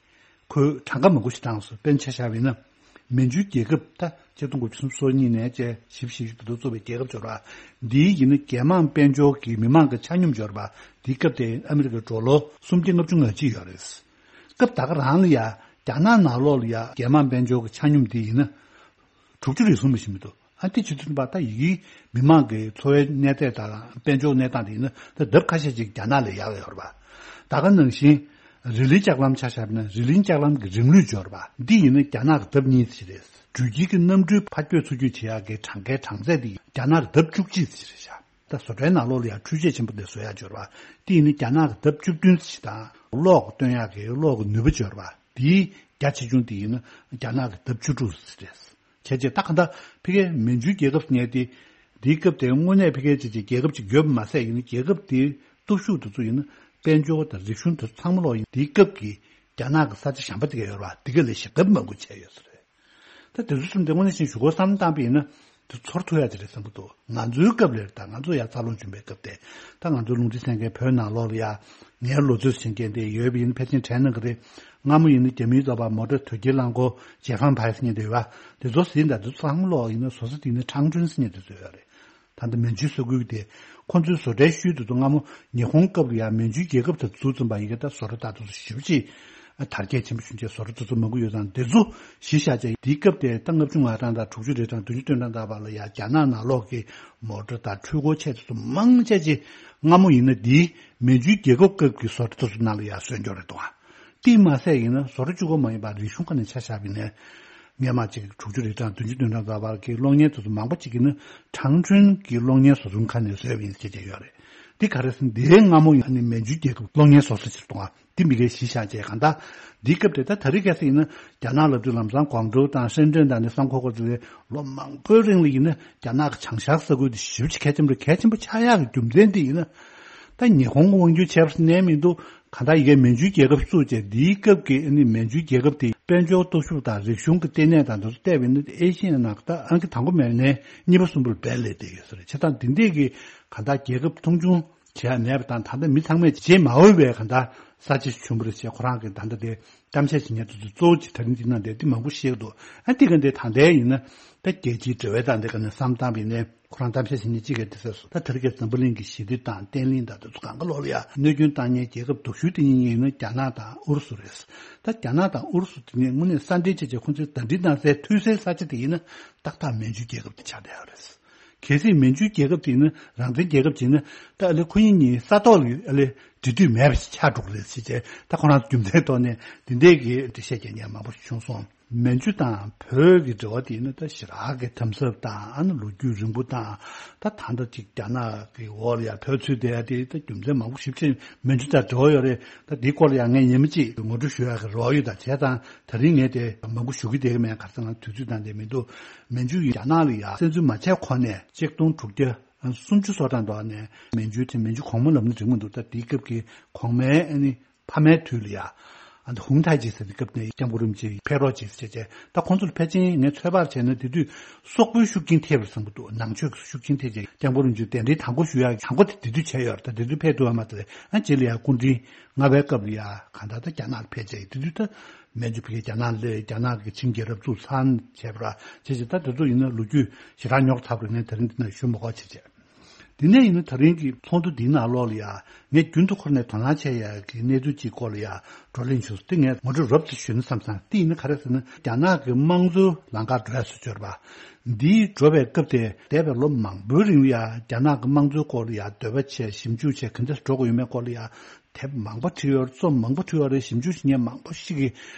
ཁོས་གྲངས་ཀ་མང་པོ་ཞིག་བཏང་སོང་། དཔེར་ན་ཆ་བཞག་པ་ཡིན་ན། མན་ཇུའི་རྒྱལ་ཁབ་ད་ཆིག་སྟོང་དགུ་བརྒྱ་སུམ་ཅུ་སོ་གཉིས་ནས་བཅས་བཞི་བཅུ་ཞེ་བཞི་བར་དུ་བཙུགས་པའི་རྒྱལ་ཁབ་ཅིག་ཡོད་རེད་པ། འདིའི་ཡིན་ན་རྒྱལ་དམངས་དཔལ་འབྱོར་གྱི་མི་མང་གི་ཆ་སྙོམས་ཅིག་ཡོད་རེད་པ། འདིའི་སྐབས་དེ་ཨ་མི་རི་ཀའི་ཌོ་ལར་སུམ་བརྒྱ་ལྔ་བཅུ་ང་གཅིག་ཡོད་རེད། སྐབས་ད་ག་རང་ལ་ཡ་རྒྱ་ནག་ནང་ལོགས་ལ་ཡ་རྒྱལ་དམངས་དཔལ་འབྱོར་གྱི་ཆ་སྙོམས་འདི་ཡིན་ན་དྲུག་ཅུ་རེ་ཟུང་མི་ཞིག་མི་འདུག་ཨ་དེ་བྱེད་དུས་ཙམ་པ་ད་ཡི་གེའི་མི་མང་གི་འཚོ་བའི་གནས་སྟངས་དང་དཔལ་འབྱོར་གནས་སྟངས་དེ་ཡིན་ན་ད་ལྡབ་ཁ་ཤས་ཅིག་རྒྱ་ནག་ལས་ཡག་ཡོད་རེད་པ། ད་ག་ནང་བཞིན་རི་ལིའི་ལྕགས་ལམ་ཆ་བཞག་ན་རི་ལིའི་ལྕགས་ལམ་གྱི་རིམ་ལུགས་ཅིག་ཡོད་རེད་པ། འདི་ཡིན་ན་རྒྱ་ནག་གི་ལྡབ་གཉིས་ཙམ་རེད། འགྲུལ་སྐྱེལ་གྱི་གནམ་གྲུའི་ཕར་སྐྱོད་ཚུར་སྐྱོད་བྱེད་ཡག་གི་གྲངས་ཀའི་གྲངས་ཚད་དེ་རྒྱ་ནག་གི་ལྡབ་བཅུ་གཅིག་ཙམ་རེད་ཤག་ད་བཟོ་གྲྭའི་ནང་ལོགས་ལ་ཡང་འཕྲུལ་ཆས་ཆེན་པོ་དེ་བཟོ་ཡག་ཅིག་ཡོད་རེད་པ། འདི་ཡིན་ན་རྒྱ་ནག་གི་ལྡབ་བཅུ་བདུན་ཙམ་དང་། གློག་སྟོན་ཡག་གི་གློག་གི་ནུས་པ་ཅིག་ཡོད་རེད་པ། དེའི་རྒྱ་ཆེ་ཆུང་དེ་ཡིན་ན་རྒྱ་ནག་གི་ལྡབ་བཅུ་དྲུག་ཙམ་རེད། བྱས་རྗེས་ད་ག་འདྲ་ཕ་གིའི་མན་ཇུའི་རྒྱལ་ཁབ་ཟེར་མཁན་དེ། འདིའི་སྐབས་དེ་དངོས་གནས་ཕ་གིའི་ཅིག་ཅིག་རྒྱལ་ཁབ་ཅིག་ཡོད་པ་མ་ཟད་ཡིན་ན་རྒྱལ་ཁབ་དེའི་སྟོབས་ཤུགས་དེ་ཚོ་ཡིན་ན་དཔལ་འབྱོར་དང་རིག་གཞུང་དེ་ཚོ་ཚང་མ་ལོག་ཡིན་འདིའི་སྐབས་ཀྱི་རྒྱ་ནག་གི་ས་ཆ་གཞན་པ་དེ་ག་ཡོད་རེད་པ། འདི་ག་ལས་ཞེ་དྲག་མང་པོ་བྱས་ཡོད་ས་རེད། ད་དེ་ཚོ་གསུམ་དེ་དངོས་གནས་བཞིན་ཞུ་སྒོ་བསམ་བཏང་པ་ཡིན་ན་དེ་ཚོར་ཐུབ་ཡག་ཅིག་རེད་བསམ་གྱི་འདུག་ང་ཚོའི་སྐབས་ལ་ད་ང་ཚོ་ཡར་འཚར་ལོངས་བྱུང་བའི་སྐབས་དེ། ད་ང་ཚོ་རླུང་འཕྲིན་གསན་མཁན་བོད་ནང་ལོགས་ལ་ཡ་ངའི་ལོ་ཚོད་ཟིན་མཁན་དེ་ཡོད་པ་ཡིན་ན་ཕལ་ཆེར་དྲན་གནང་གི་རེད། སྔ་མོ་ཡིན་ན་རྒྱ་མིའི་ཚོགས་པ་མོ་ཊ་དོས་སྐྱེལ་རླངས་འཁོར་ཇེ་ཧྥན་ཕའེ་ཟེར་མཁན་དེ་ཡོད་པ། དེ་ཚོ་ཟིན་ད་དེ་ཚོ་ཚང་མ་ལོག་ཡིན་ན་བཟོ་ས་དེ་ཡིན་ན་ཁྲང་ཀྲུན་ཟེར་མཁན་དེ་ཚོ་ཡོད་རེད། ད་ལྟ་མན་ཇུའི་ས་ཁུལ་དེ་ཁོང་ཚོའི་བཟོ་གྲྭའི་ཤུལ་དེ་ཚོ་སྔ་མོ་ཉི་ཧོང་སྐབས་ལ་ཡང་མན་ཇུའི་རྒྱལ་ཁབ་དེ་ཚུགས་ཙམ་པ་ཡི་གེ་ད་བཟོ་གྲྭ་ད་དེ་ཚོ་ཞེ་པོ་ཅིག་དར་རྒྱས་ཆེན་པོ་བྱུང་རྗེས་བཟོ་གྲྭ་དེ་ཚོ་མང་པོ་ཡོད་ཙང་དེ་ཚོ་གཞི་བཞག་བྱས་དེའི་སྐབས་དེ་ད་ལྔ་བཅུ་ང་གྲངས་དང་དྲུག་ཅུ་རེ་གྲངས་བདུན་ཅུ་དོན་གྲངས་ད་བར་ལ་ཡང་རྒྱ་ནག་ནང་ལོགས་ཀྱི་མོ་ཊ་དང་འཕྲུལ་འཁོར་ཆེ་དེ་ཚོ་མང་ཆེ་ཅིག་སྔ་མོ་ཡིན་ན་དེའི་མན་ཇུའི་རྒྱལ་ཁབ་སྐབས་ཀྱི་བཟོ་གྲྭ་དེ་ཚོ་ནང་ལ་ཡང་བཟོས་འཇོག་རེད་འདུག་ཨ། དེ་མ་ཟད་ཡིན་ན་བཟོ་གྲྭ་གཅིག་པོ་མ་ཡིན་པར་རིག་གཞུང་ཁ་ནས་ཆ་བཞག་པ་ཡིན་ན། སྔོན་མ་གཅིག་དྲུག་ཅུ་རེ་གྲངས་བདུན་ཅུ་དོན་གྲངས་བར་གྱི་གློག་བརྙན་དེ་ཚོ་མང་པོ་གཅིག་ཡིན་ན་ཁྲང་ཀྲུན་གྱི་གློག་བརྙན་བཟོ་སྐྲུན་ཁང་ནས་བཟོས་པ་ཡིན་ཟེར་བྱས་ཡོད་རེད། འདི་ག་རེ་ཟེར་ན་འདིའི་སྔ་མོ་ཡང་ནི་མན་ཇུའི་རྒྱལ་ཁབ་གློག་བརྙན་བཟོ་ས་ཕྱིར་གཏོང་བ་འདི་མི་སྒེར་གཞི་བཞག་བྱས་གང་ལྟར་འདིའི་སྐབས་དེ་ད་ད་རེས་གལ་སྲིད་ཡིན་ན་རྒྱ་ནག་ལབ་དུས་ལམ་སང་ཀོང་ཀྲོའུ་དང་ཧྲེན་ཀྲེན་དང་ནི་བསམ་ཁོ་ཁོ་ཚོ་ལས་ལོ་མང་པོའི་རིང་ལ་ཡིན་ན་རྒྱ་ནག་གི་བྱང་ཤར་ས་ཁུལ་དེ་ཞེ་པོ་ཅིག་གལ་ཆེན་པོ་རེད། གལ་ཆེན་པོ་ཆགས་ཡག་གི་རྒྱུ་མཚན་དེ་ཡིན་ན་ད་ཉི་ཧོང་གི་དབང་སྒྱུར་བྱས་པ་ཟེར་ནས་མི་འདུག་གང་ལྟར་ཡི་གེ་མན་ཇུའི་རྒྱལ་ཁབ་བཙུགས་རྗེས་འདིའི་སྐབས་ཀྱི་ཨ་ནི་མན་ཇུའི་རྒྱལ་ཁབ་དེ་དཔལ་འབྱོར་སྟོབས་ཤུགས་དང་རིག་གཞུང་གི་ལྟེ་གནས་དང་དེ་ཚོ་བལྟས་པ་ཡིན་ན་ཨེ་ཤི་ཡའི་ནང་ད་ཨང་ཀི་དང་པོ་མེད་ནས་གཉིས་པ་གསུམ་པ་ལ་སྦས་སླེབས་བསྡད་ཡོད་ས་རེད། བྱས་ཙང་འདི་འདྲས་ཀྱི་གང་ལྟར་རྒྱལ་ཁབ་མཐོང་ཆུང་བྱེད་ཡ་མེད་པ་དང་ད་ལྟ་མི་ཚང་མས་བརྗེད་མ་འོས་པའི་གང་ལྟར་ས་ཆ་ཞིག་བྱུང་བ་རེད་ཅེས་ཁོ་རང་གིས་ད་ལྟ་དེ་གཏམ་བཤད་བྱེད་མཁན་དེ་ཚོ་གཙོ་བོ་ཅིག་ད་རིང་འདི་ནང་བསྡད་དེ་མང་པོ་བཤད་ཀྱི་འདུག་ཨ་འདི་ག་འདི་ད་ལྟའི་ཡིན་ན་ད་རྒྱལ་སྤྱིའི་འབྲེལ་བའི་ད་འདི་ག་ནས་བསམ་བཏང་བ་ཡིན་ནའི། ཁོ་རང་གཏམ་བཤད་བྱེད་མཁན་གཅིག་གིས་དེ་ཟེར་སོང་། ད་དེ་རིང་ཁ་སང་འཛམ་བུ་གླིང་གི་ཞི་བདེ་དང་བརྟན་ལྷིང་དང་དེ་ཚོ་གང་ག་ལོག་ལ་ཡ་གནོད་སྐྱོན་བཏང་མཁན་རྒྱལ་ཁབ་སྡུག་ཤོས་དེ་གཉིས་ཡིན་ན་རྒྱ་ནག་དང་ཨུ་རུ་སུ་རེད། ད་རྒྱ་ནག་དང་ཨུ་རུ་སུ་དེ་གཉིས་དངོས་གནས་ས་འབྲེལ་བྱས་བྱས་ཁོང་ཚོའི་ཟླ་སྒྲིལ་གནང་སའི་མཐུད་སའི་ས་ཆ་དེ་ཡིན་ན་ཏག་ཏག་མན་ཇུའི་རྒྱལ་ཁབ་དེ་ཆགས་བསྡད་ཡོད་རེད། གལ་སྲིད་མན་ཇུའི་རྒྱལ་ཁབ་དེ་ཡིན་ན་རང་བཙན་རྒྱལ་ཁབ་ཅིག་ཡིན་ན་ད་ཨ་ལེ་ཁོ་གཉིས་གཉིས་ས་ཐོག་ལ་ཨ་ལེ་འབྲེལ་མཐུད་མེད་པ་ཞིག་ཆགས་འགྲོ་གི་རེད་ཟེར་བྱས་ད་ཁོ་རང་ཚོ་རྒྱུ་མཚན་ཐོག་ནས་དེ་འདྲས་ཀྱི་འགྲེལ་བཤད་རྒྱག་མཁན་མང་པོ་ཞིག་བྱུང་སོང་། མན་ཇུ་དང་བོད་ཀྱི་འབྲེལ་བ་དེ་ཡིན་ན་ད་ཞེ་དྲག་གི་དམ་ཟབ་དང་ཨ་ནི་ལོ་རྒྱུས་རིང་པོ་དང་ད་ད་ལྟ་ཅིག་རྒྱ་ནག་གི་འོག་ལ་ཡང་བོད་ཚུད་བསྡད་ཡ་དེ་ད་རྒྱུ་མཚན་མང་པོ་ཞིབ་ཕྲ་མན་ཇུ་དང་འབྲེལ་བ་ཡོད་རེད། ད་འདིའི་སྐོར་ལ་ཡང་ངས་ཉི་མ་གཅིག་ངོ་སྤྲོད་ཞུ་ཡག་གི་རེ་བ་ཡོད། ད་བྱས་ཙང་ད་རིང་ངས་དེ་མང་པོ་ཞུ་གི་བསྡད་ཀྱི་མེད། ག་རེ་ཟེར་ན་དུས་ཚོད་དང་ལྡན་མི་འདུག་མན་ཇུ་ཡིས་རྒྱ་ནག་ལ་ཡང་བཙན་འཛུལ་མ་བྱས་གོང་ནས་ཆིག་སྟོང་དྲུག་བརྒྱ་སུམ་ཅུ་སོ་གྲངས་འདྲ་ནས་མན་ཇུ་དེ་མན་ཇུ་གོང་མ་ལབ་ན་འགྲིག་མི་འདུག་ད་དེའི་སྐབས་ཀྱི་གོང་མའི་ཨ་ནི། ཕ་མའི་དུས་ལ་ཡ། ཨ་ནི་ཧུང་ཐའི་ཇི་ཟེར་དུས་སྐབས་ནས་སྐྱབས་མགོན་རིན་པོ་ཆེ་ཕེབས་རོགས་བྱེད་ཟེར་བྱས། ད་ཁོང་ཚོར་ཕལ་ཆེར་ངས་ཚོད་དཔག་བྱས་ན་དེ་དུས་སོག་པོའི་ཤུགས་རྐྱེན་ཐེབས་པར་བསམ་གྱི་འདུག་ནང་ཆོས་ཀྱི་ཤུགས་རྐྱེན་ཐེབས་བྱས་སྐྱབས་མགོན་རིན་པོ་ཆེ་གདན་འདྲེན་དང་པོ་ཞུ་ཡག་གི་གྲངས་འབོར་དེ་དེ་དུས་བྱས་ཡོད་རེད། ད་དེ་དུས་ཕེབས་ཐུབ་པ་མ་རེད། ཨ་རྗེས་ལ་ཡ་སྐུ་ཕྲེང་ལྔ་པའི་སྐབས་ལ་ཡ་གང་ལྟར་ད་རྒྱ་ནག་ལ་ཕེབས་བྱས་དེ་དུས་ད་མན་ཇུ་ཕ་གིར་རྒྱ་ནག་ལ་རྒྱ་ནག་གི་ཆིང་རྒྱལ་རབས་བཙུགས་ཚར་བྱས་པ་ར་བྱས་བྱས། ད་དེ་ཚོ་ཡིན་ན་ལོ་རྒྱུས་ཞེ་དྲག་རྙོག་ཚ་པོ་རེད། ངས་དེ་རིང་འདི་ན་ཞུ་མ་དགོས་བྱས་བྱས། དེ་ནས་ཡིན་ན་ད་རིང་གི་ཚོགས་འདུ་འདིའི་ནང་ལོགས་ལ་ཡ་ངས་རྒྱུན་དུ་ཁོ་ནས་དོ་སྣང་བྱས་ཡ་གི་གནས་ཚུལ་གཅིག་སྐོར་ལ་ཡ་བགྲོ་གླེང་བྱུང་སོང་། དེ་ངས་ངོ་སྤྲོད་རོབ་ཙམ་ཞུས་ན་བསམ་སོང་། དེ་ཡིན་ན་ག་རེ་ཟེར་ན། རྒྱ་ནག་གི་དམངས་གཙོའི་ལམ་ཁར་འགྲོ་ཡ་སུ་འབྱོར་བ་འདིའི་འགྲོ་བའི་སྐབས་དེ་འདས་པའི་ལོ་མང་པོའི་རིང་ལ་ཡ་རྒྱ་ནག་གི་དམངས་གཙོའི་སྐོར་ལ་ཡ་འདོད་པ་བྱས་ཞིབ་འཇུག་བྱས་ག་འདྲ་འགྲོ་དགོས་ཡོད་མེད་སྐོར་ལ་ཡ་དེབ་མང་པོ་བྲིས་ཡོད་རེད། རྩོམ་མང་པོ་བྲིས་ཡོད་རེད། ཞིབ་འཇུག་བྱེད་མཁན་མང་པོ་ཞིག་གིས་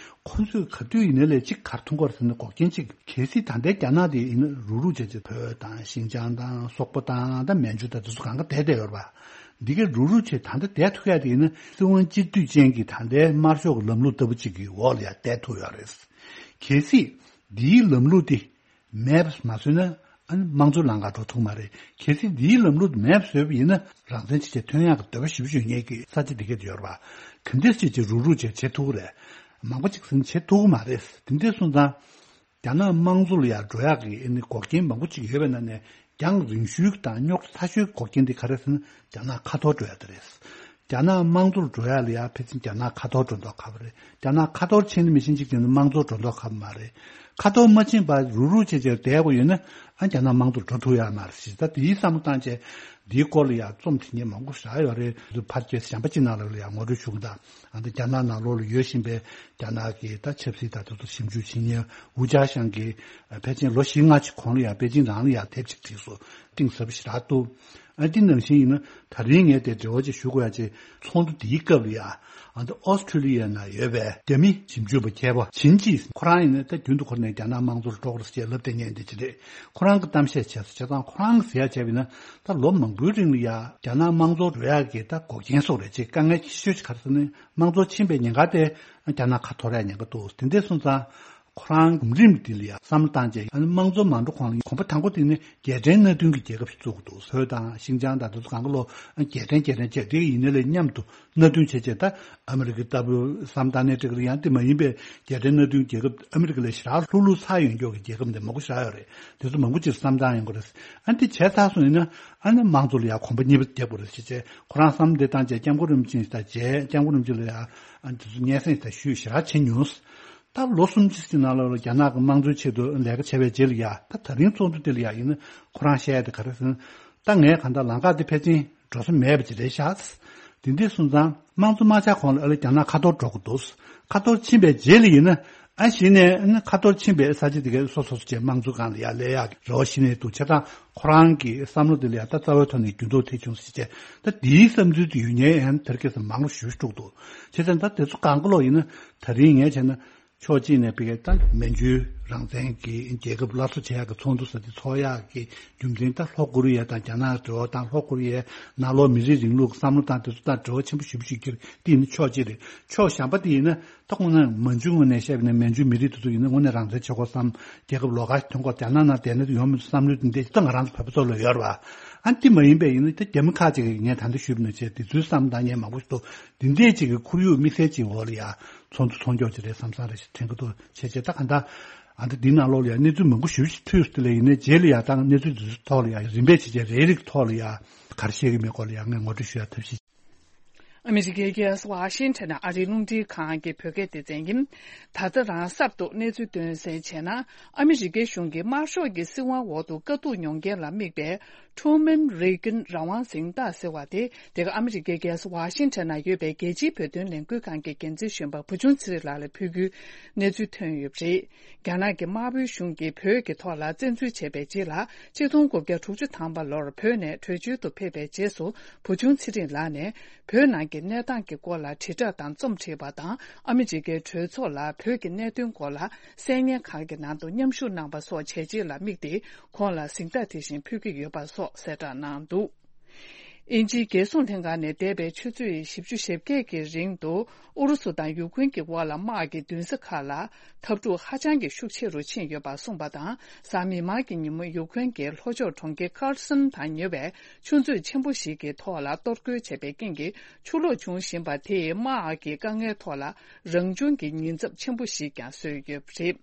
ཁོ་ཚོས་ག་དུས་ཡིན་ནའི་ལས་གཅིག་ག་རེ་མཐོང་གི་ཡོད་རེད་ཟེར་ན། འགོག་རྐྱེན་གཅིག་གལ་སྲིད་ད་ལྟའི་རྒྱ་ནག་དེ་ཡིན་ན་རུག་རུག་བྱས་བྱས་བོད་དང་ཤིན་ཅང་དང་སོག་པོ་དང་ད་མན་ཇུ་དང་དེ་ཚོ་གང་ག་བསྡད་བསྡད་ཡོད་རེད་པ། འདི་གའི་རུག་རུག་བྱས་ད་ལྟ་བསྡད་ཐུབ་ཡ་དེ་ཡིན་ན་སྲིད་དབང་གཅིག་སྡུད་ཅན་གྱི་ད་ལྟའི་དམར་ཤོག་གི་ལམ་ལུགས་ལྟ་བུ་གཅིག་གི་འོག་ལ་ཡ་བསྡད་ཐུབ་ཡོད་རེད། གལ་སྲིད་འདིའི་ལམ་ལུགས་དེ་མེད་པ་མ་བཟོས་ན་ཨ་ནི་དམངས་གཙོའི་ལམ་ཁ་འགྲོ་ཐུབ་མ་རེད། གལ་སྲིད་འདིའི་ལམ་ལུགས་མེད་པ་བཟོས་པ་ཡིན་ན་རང་བཙན་ཆེ་ཆེ་ཐོན་ཡག་གི་འདོད་པ་ཞེ་པོ་ཅིག་ཡོད་མཁན་གྱི་ས་ཆ་འདི་ག་དེ་ཡོད་རེད་པ། ག་འདྲས་ཅིག་ཅིག་རུག་རུག་བྱས་བྱེད་ཐུབ་ཀྱི་རེད། མང་པོ་ཅིག་ཟིན་བྱེད་ཐུབ་ཀྱི་མ་རེད། དེ་འདྲས་སོང་ཙང་རྒྱ་ནག་དམངས་གཙོ་ལ་ཡར་འགྲོ་ཡག་གི་ཨ་ནི་འགོག་རྐྱེན་མང་པོ་ཅིག་ཡོད་པའི་ནང་ནས་རྒྱང་རིང་ཤོས་དང་རྙོག་ཚ་ཤོས་འགོག་རྐྱེན་འདི་ག་རེ་ཟེར་ན་རྒྱ་ནག་ཁ་ཐོར་འགྲོ་ཡག་དེ་རེད། རྒྱ་ནག་དམངས་གཙོར་འགྲོ་ཡག་ལ་ཡ་ཕལ་ཆེར་རྒྱ་ནག་ཁ་ཐོར་འགྲོ་མདོག་ཁ་པོ་རེད། རྒྱ་ནག་ཁ་ཐོར་ཕྱིན་ནི་མི་ཤེས་གཅིག་དེ་ནི་དམངས་གཙོར་འགྲོ་མདོག་ཁ་པོ་མ་རེད། ཁ་ཐོར་མ་ཕྱིན་པར་རུག་རུག་བྱས་བྱས་བསྡད་དགོས་ཡོད་ན་ཨ་རྒྱ་ནག་དམངས་གཙོར་འགྲོ་ཐུབ་ཡག་མ་རེད་ཞེས། ད་དེའི་བསམ་བློ་བཏང་བྱས་འདིའི་སྐོར་ལ་ཡ་རྩོམ་བྲིས་མཁན་མང་པོ་ཞིག་ཡོད་རེད། ཕར་རྒྱལ་གཞན་པ་ཅིག་ནང་ལ་ལ་ཡ་ངོ་སྤྲོད་ཞུ་གི་འདུག་ཨ་འདི་རྒྱ་ནག་ནང་ལོགས་ལ་ཡོད་བཞིན་པའི་རྒྱ་ནག་གི་ད་ཆབ་སྲིད་དང་དེ་ཚོ་ཞིབ་འཇུག་བྱེད་མཁན་ཝུ་ཅཱ་ཞང་གིས་ཕལ་ཆེར་ལོ་བཞི་ལྔ་ཅིག་གོང་ལ་ཡ་པེ་ཅིང་རང་ལ་ཡ་དེབ་ཅིག་བྲིས་སོང་། གཏིང་ཟབ་པོ་ཞེ་དྲག་འདུག་ཨ་འདི་ནང་བཞིན་ཡིན་ན་ད་རིང་ངས་དེ་འབྲེལ་བ་ཅིག་ཞུ་དགོས་ཡ་ཅིག་ཚོགས་འདུ་འདིའི་སྐབས་ལ་ཡ་ཨ་འདི་ཨོ་སི་ཁྲུ་ལི་ཡ་ན་ཡོད་པའི་རྒྱ་མི་ཞིབ་འཇུག་པ་མཁས་པ་ཆིན་ཅི། ཁོ་རང་ཡིན་ན་ད་རྒྱུན་དུ་ཁོ་ནས་རྒྱ་ནག་དམངས་གཙོར་འགྲོ་དགོས་རེད་ཅེས་ལབ་བསྡད་མཁན་འདི་ཅི་རེད། ཁོ་རང་གི་གཏམ་བཤད་བྱས་སོང་། བྱས་ཙང་ཁོ་རང་གིས་ཟེར་ཡ་བྱས་པ་ཡིན་ན་ད་ལོ་མང་པོའི་རིང་ལ་ཡ་རྒྱ་ནག་དམངས་གཙོར་འགྲོ་ཡ་གི་ད་འགོག་རྐྱེན་སོགས་རེད་ཅེས། དཀའ་ངལ་ཆེ་ཤོས་ཅིག་ག་རེ་ཟེར་ན་དམངས་གཙོ་ཕྱིན་པའི་ཉེན་ཁ་དེ་རྒྱ་ནག་ཁ་འཐོར་ཡ་ཉེན་ཁ་འདུག་དེ་འདྲ་སོང་ཙང་ཁོ་རང་གོམ་རིམ་འདི་ལ་ཡ་བསམ་བློ་བཏང་རྗེས་ཨ་ནི་དམངས་གཙོ་མ་འགྲོ་གོང་ལ་གོམ་པ་དང་པོ་དེ་ནི་རྒྱལ་ཕྲན་མནའ་མཐུན་གྱི་རྒྱལ་ཁབ་ཞིག་བཙུགས་འདུག་བོད་དང་ཤིན་ཅང་དང་དེ་ཚོ་གང་ག་ལོ་རྒྱལ་ཕྲན་རྒྱལ་ཕྲན་བྱས་དེ་ཡིན་ནའི་ལས་མཉམ་དུ་མནའ་མཐུན་བྱས་བྱས་ད་ཨ་མི་རི་ཀའི་ལྟ་བུ་བསམ་བཏང་ནའི་འགྲིག་གི་རེད། ཡང་དེ་མ་ཡིན་པའི་རྒྱལ་ཕྲན་མནའ་མཐུན་རྒྱལ་ཁབ་ཨ་མི་རི་ཀ་ལས་ཞེ་དྲག་ལྷུག་ལྷུག་ཚ་ཡོད་མཁན་གྱི་རྒྱལ་ཁབ་འདི་མང་པོ་ཞེ་དྲག་ཡོད་རེད། དེ་ཚོ་མང་པོ་ཅིག་བསམ་བཏང་ཡོང་གི་རེད། ཨ་འདི་བྱས་ཚར་སོང་ཡིན་ན་ཨ་ནི་དམངས་གཙོ་ལ་ཡ་གོམ་པ་གཉིས་པ་རྒྱབ་དགོས་རེད་ཅེས་བྱས་ཁོ་རང་བསམ་བློ་དེ་བཏང་བྱས་སྐྱབས་མགོན་རིན་པོ་ཆེ་དང་མཇལ། སྐྱབས་མགོན་རིན་པོ་ཆེ་ལ་ཡ་ཨ་འདི་ཚོ་སྙན་སེང་དང་ཞུས་ཞེ་དྲག་བྱས་མྱོང་། ད་ལོ་གསུམ་ཅིག་ཅིག་ནང་ལ་རྒྱ་ནག་གི་དམངས་གཙོའི་ཆེད་དུ་ལས་ཀ་བྱས་པའི་རྗེས་ལ་ཡ་ད་ད་རིང་ཚོགས་འདུ་དེ་ལ་ཡ་ཡིན་ན་ཁོ་རང་བཤད་ཡ་དེ་ག་རེ་ཟེར་ན། ད་ངས་གང་ལྟར་ལམ་ཁ་དེ་ཕལ་ཆེར་འགྲོ་ས་མེད་པ་ཅིག་རེད་ཤག་དེ་འདྲ་སོང་ཙང་དམངས་གཙོ་མ་ཆགས་གོང་ལ་ཨ་ལེ་རྒྱ་ནག་ཁ་ཐོར་འགྲོ་གི་འདུག་ཁ་ཐོར་ཕྱིན་པའི་རྗེས་ལ་ཡིན་ན་ཨ་གཞི་ནས་ཨ་ནི་ཁ་ཐོར་ཕྱིན་པའི་ས་ཆ་དེ་གའི་སོ་སོ་སོ་བྱས་དམངས་གཙོ་སྒང་ལ་ཡ་སླེབས་ཡག་གི་རེ་བ་ཞིག་ནས་འདུག་བྱས་ཙང་ཁོ་རང་གི་བསམ་བློ་དེ་ལ་ཡ་ད་རྩ་བའི་ཐོག་ནས་འགྱུར་ལྡོག་ཐེབས་བྱུང་ཟེར་བྱས་ད་འདིའི་བསམ་ཚུལ་དེ་ཡོད་མཁན་ཡང་དེར་སྐད་ཆ་མང་རུ་ཞུ་འགྲོ་གི་འདུག་བྱས་ཙང་ད་དེ་ཚོ་གང་ག་ལོག་ཡིན་ན་ད་རིང་ངས་བྱས་ན། ཕྱོགས་གཅིག་ནས་ཕ་གིའི་ད་མན་ཇུའི་རང་བཙན་གྱི་རྒྱལ་ཁབ་སླར་གསོ་བྱེད་ཡག་གི་ཚོགས་འདུ་ཟེར་དེ་ཚོགས་ཡག་གི་རྒྱུ་མཚན་ད་ལྷོ་ཀོ་རི་ཡ་དང་རྒྱ་ནག་འབྲེལ་བ་དང་ལྷོ་ཀོ་རི་ཡའི་ནང་ལོགས་མི་རིགས་རིང་ལུགས་བསམ་བློ་དང་དེ་ཚོ་དང་འབྲེལ་བ་ཆེན་པོ་ཞེ་པོ་ཞིག་གྱུར། དེ་ཡིན་ན་ཕྱོགས་གཅིག་རེད། ཕྱོགས་གཞན་པ་དེ་ཡིན་ན་ད་དངོས་གནས་མན་ཇུའི་ངོས་ནས་བཤད་པ་ཡིན་ན་མན་ཇུའི་མི་རིགས་དེ་ཚོ་ཡིན་ན་དངོས་གནས་རང་བཙན་ཆེ་དགོས་བསམ། རྒྱལ་ཁབ་ལོགས་ཀ་ཐོན་ཁོ་རྒྱ་ནག་ནང་བསྡད་ན་ཡོང་མི་འདུག་བསམ་བློ་དེ་འདྲ་ད་ང་རང་ཚོ་བོད་པ་ཚོ་ལ་ཡོད་རེད་བ། ཨ་དེ་མ་ཡིན་པའི་ཡིན་ན་ད་རྒྱ་མི་ཁག་ཅིག་གིས་ངས་ད་ལྟ་ཞུས་པ་ནང་བཞིན་དེ་ཚོའི་བསམ་བཏང་མཁན་མང་པོ་ཞིག་འདུག་དེ་འདྲས་ཅིག་གི་ཁོར་ཡུག་དམིགས་བསལ་ཅིག་འོག་ལ་ཡ་ཚོགས་འདུ་ཚོགས་མགྱོགས་ཅིག་རེད་བསམ་བསམ་རེ་ཞིག་དྲན་གྱི་འདུག་བྱས་རྗེས་ད་ག་འདྲ་ཨ་འདྲ་འདི་ནང་ལོགས་ལ་ཡ་གནས་ཚུལ་མང་པོ་ཞེ་པོ་ཞིག་ཐོས་སོང་། དེ་ལ་ཡིན་ནའི་རྗེས་ལ་ཡ་ད་གནས་ཚུལ་འདི་ཚོའི་ཐོག་ལ་ཡ་རིམ་པས་བྱས་རྗེས་རེ་རེ་གི་ཐོག་ལ་ཡ་ག་རེ་བཤད་ཀྱི་མེད་སྐོར་ལ་ཡ་ངས་ངོ་སྤྲོད་ཞུ་ཡ་ཐབས་ཤེས། ཨ་མི་རི་ཀའི་རྒྱལ་ས་ཝ་ཤིང་ཊོན་ནས་ཨ་རིའི་རླུང་འཕྲིན་ཁང་གི་བོད་སྐད་སྡེ་ཚན་ཡིན། ད་ལྟ་རང་གསར་དུ་གནས་ཚུལ་སྟོན་གསལ་བྱས་ན། ཨ་མི་རི་ཀའི་གཞུང་གིས་དམར་ཤོག་གི་སྲིད་དབང་འོག་ཏུ་དཀའ་སྡུག་མྱོང་མཁན་ལ་དམིགས་པའི་Truman Reagan རང་དབང་གཟེངས་རྟགས་ཟེར་བ་དེ། དེ་ག་ཨ་མི་རི་ཀའི་རྒྱལ་ས་ཝ་ཤིང་ཊོན་ན་ཡོད་པའི་རྒྱལ་སྤྱིའི་བོད་དོན་ལས་འགུལ་ཁང་གི་འགན་འཛིན་གཞོན་པ་བུ་ཆུང་ཚེ་རིང་ལགས་ལ་ཕུལ་རྒྱུའི་གནས་ཚུལ་ཐོན་ཡོད་པ་རེད། རྒྱ་ནག་གི་དམར་པོའི་གཞུང་གིས་བོད་ཀྱི་ཐོག་ལ་བཙན་འཛུལ་བྱས་པའི་རྗེས་ལ། ཆིག་སྟོང་དགུ་བརྒྱ་དྲུག་ཅུ་ཐམ་པ་ལོར་བོད་ནས་བྲོས་བྱོལ་དུ་ཕེབས་པའི་རྗེས་སུ། བུ་ཆུང་ཚེ་རིང་ལགས་ནས། བོད་ནང་གི་གནས་སྟངས་ཀྱི་སྐོར་ལ་དྲིལ་བསྒྲགས་དང་རྩོམ་བྲིས་པ་དང་། ཨ་མི་རི་ཀའི་གྲོས་ཚོགས་ལ་བོད་ཀྱི་གནད་དོན་སྐོར་ལ་གསན་ཉན་ཁག་གི་ནང་དུ་མཉམ་ཞུགས་གནང་པ་སོགས་བྱས་རྗེས་ལ་དམིགས་ཏེ། ཁོང་ལ་གཟེངས་རྟགས་དེ་བཞིན་ཕུལ་གྱི་ཡོད་པ་སོགས་གསལ་བསྒྲགས་གནང་འདུག་དབྱིན་ཇིའི་རྒྱལ་སྲུང་ལྷན་ཁང་ནས་འདས་པའི་ཆུ་ཚོད་བཞི་བཅུ་ཞེ་བརྒྱད་ཀྱི་རིང་དུ། ཨུ་རུ་སུ་དང་ཡུ་ཀེ་རེན་གྱི་དབར་ལ་དམག་གི་མདུན་ས་ཁག་ལ་འཐབ་འཁྲུག་ཧ་ཅང་གི་ཤུགས་ཆེ་རུ་ཕྱིན་ཡོད་པ་གསུངས་པ་དང་། གཟའ་མིག་དམར་གྱི་ཉིན་མོ་ཡུ་ཀེ་རེན་གྱི་ལྷོ་ཕྱོགས་གྲོང་ཁྱེར་ཁར་སན་དང་ཉེ་བའི་ཆུ་མཛོད་ཆེན་པོ་ཞིག་གི་ཐོག་ལ་གཏོར་རྒོལ་བྱས་པའི་རྐྱེན་གྱིས་ཆུ་ལོག་བྱུང་བཞིན་པ་དེས་དམག་གི་དཀའ་ངལ་ཐོག་ལ་རང་བྱུང་གི་ཉེན་ཚབས་ཆེན་པོ་ཞིག་ཀྱང་བཟོས་ཡོད་པ་རེད།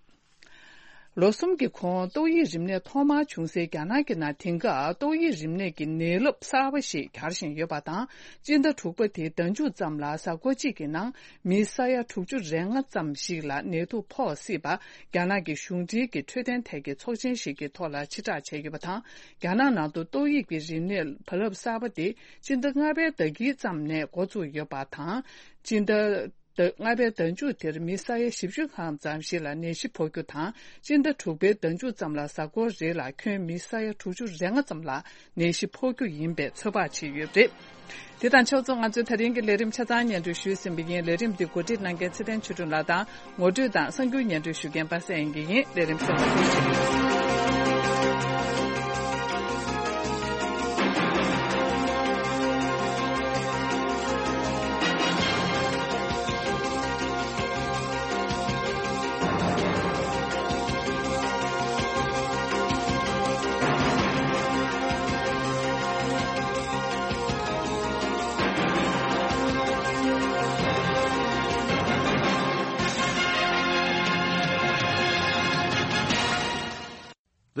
ལོ་གསུམ་གྱི་གོང་ཏོག་དབྱིབས་རིམས་ནད་ཐོག་མར་བྱུང་སའི་རྒྱ་ནག་གི་ནང་དེང་སྐབས་ཏོག་དབྱིབས་རིམས་ནད་ཀྱི་ནད་རླབས་གསར་པ་ཞིག་གྱར་བཞིན་ཡོད་པ་དང་། སྤྱི་ཟླ་དྲུག་པ་དེའི་ཟླ་མཇུག་ཙམ་ལ་གཟའ་འཁོར་གཅིག་གི་ནང་མི་ས་ཡ་དྲུག་ཅུ་རེ་ལྔ་ཙམ་ཞིག་ལ་ནད་དུག་ཕོག་སྲིད་པ་རྒྱ་ནག་གི་གཞུང་འབྲེལ་གྱི་འཕྲོད་བསྟེན་ཐད་ཀྱི་ཚོགས་ཆེན་ཞིག་གི་ཐོག་ལ་ཕྱིར་བསྒྲགས་བྱས་ཡོད་པ་དང་། རྒྱ་ནག་ནང་དུ་ཏོག་དབྱིབས་ཀྱི་རིམས་ནད་བར་ལམ་གསར་པ་དེ་སྤྱི་ཟླ་ལྔ་པའི་ཟླ་དཀྱིལ་ཙམ་ནས་འགོ་བཙུགས་ཡོད་པ་དང་། སྤྱི་ཟླ་ལྔ་པའི་ཟླ་མཇུག་དེར་མི་ས་ཡ་བཞི་བཅུ་ལྷག་ཙམ་ཞིག་ལ་ནད་གཞི་ཕོག་རྒྱུ་དང་། སྤྱི་ཟླ་དྲུག་པའི་ཟླ་མཇུག་ཙམ་ལ་གཟའ་འཁོར་རེ་ལ་ཁྱོན་མི་ས་ཡ་དྲུག་ཅུ་རེ་ལྔ་ཙམ་ལ་ནད་གཞི་ཕོག་རྒྱུ་ཡིན་པའི་ཚོད་དཔག་བྱས་ཡོད་པ་རེད། དེ་དང་ཕྱོགས་མཚུངས་ང་ཚོའི་ད་རིང་གི་ལས་རིམ་ཆ་ཚང་སྙན་སྒྲོན་ཞུས་ཟིན་པ་ཡིན། ལས་རིམ་འདི་གོ་སྒྲིག་གནང་མཁན་ཚེ་བརྟན་ཆོས་སྒྲོན་ལགས་དང་། ངོ་སྤྲོད་དང་གསར་འགྱུར་སྙན་སྒྲོན་ཞུ་མཁན་པ་སངས་དབྱངས་སྐྱིད་ཡིན། ལས་རིམ་གསན་པར་ཐུགས་རྗེ་ཆེ།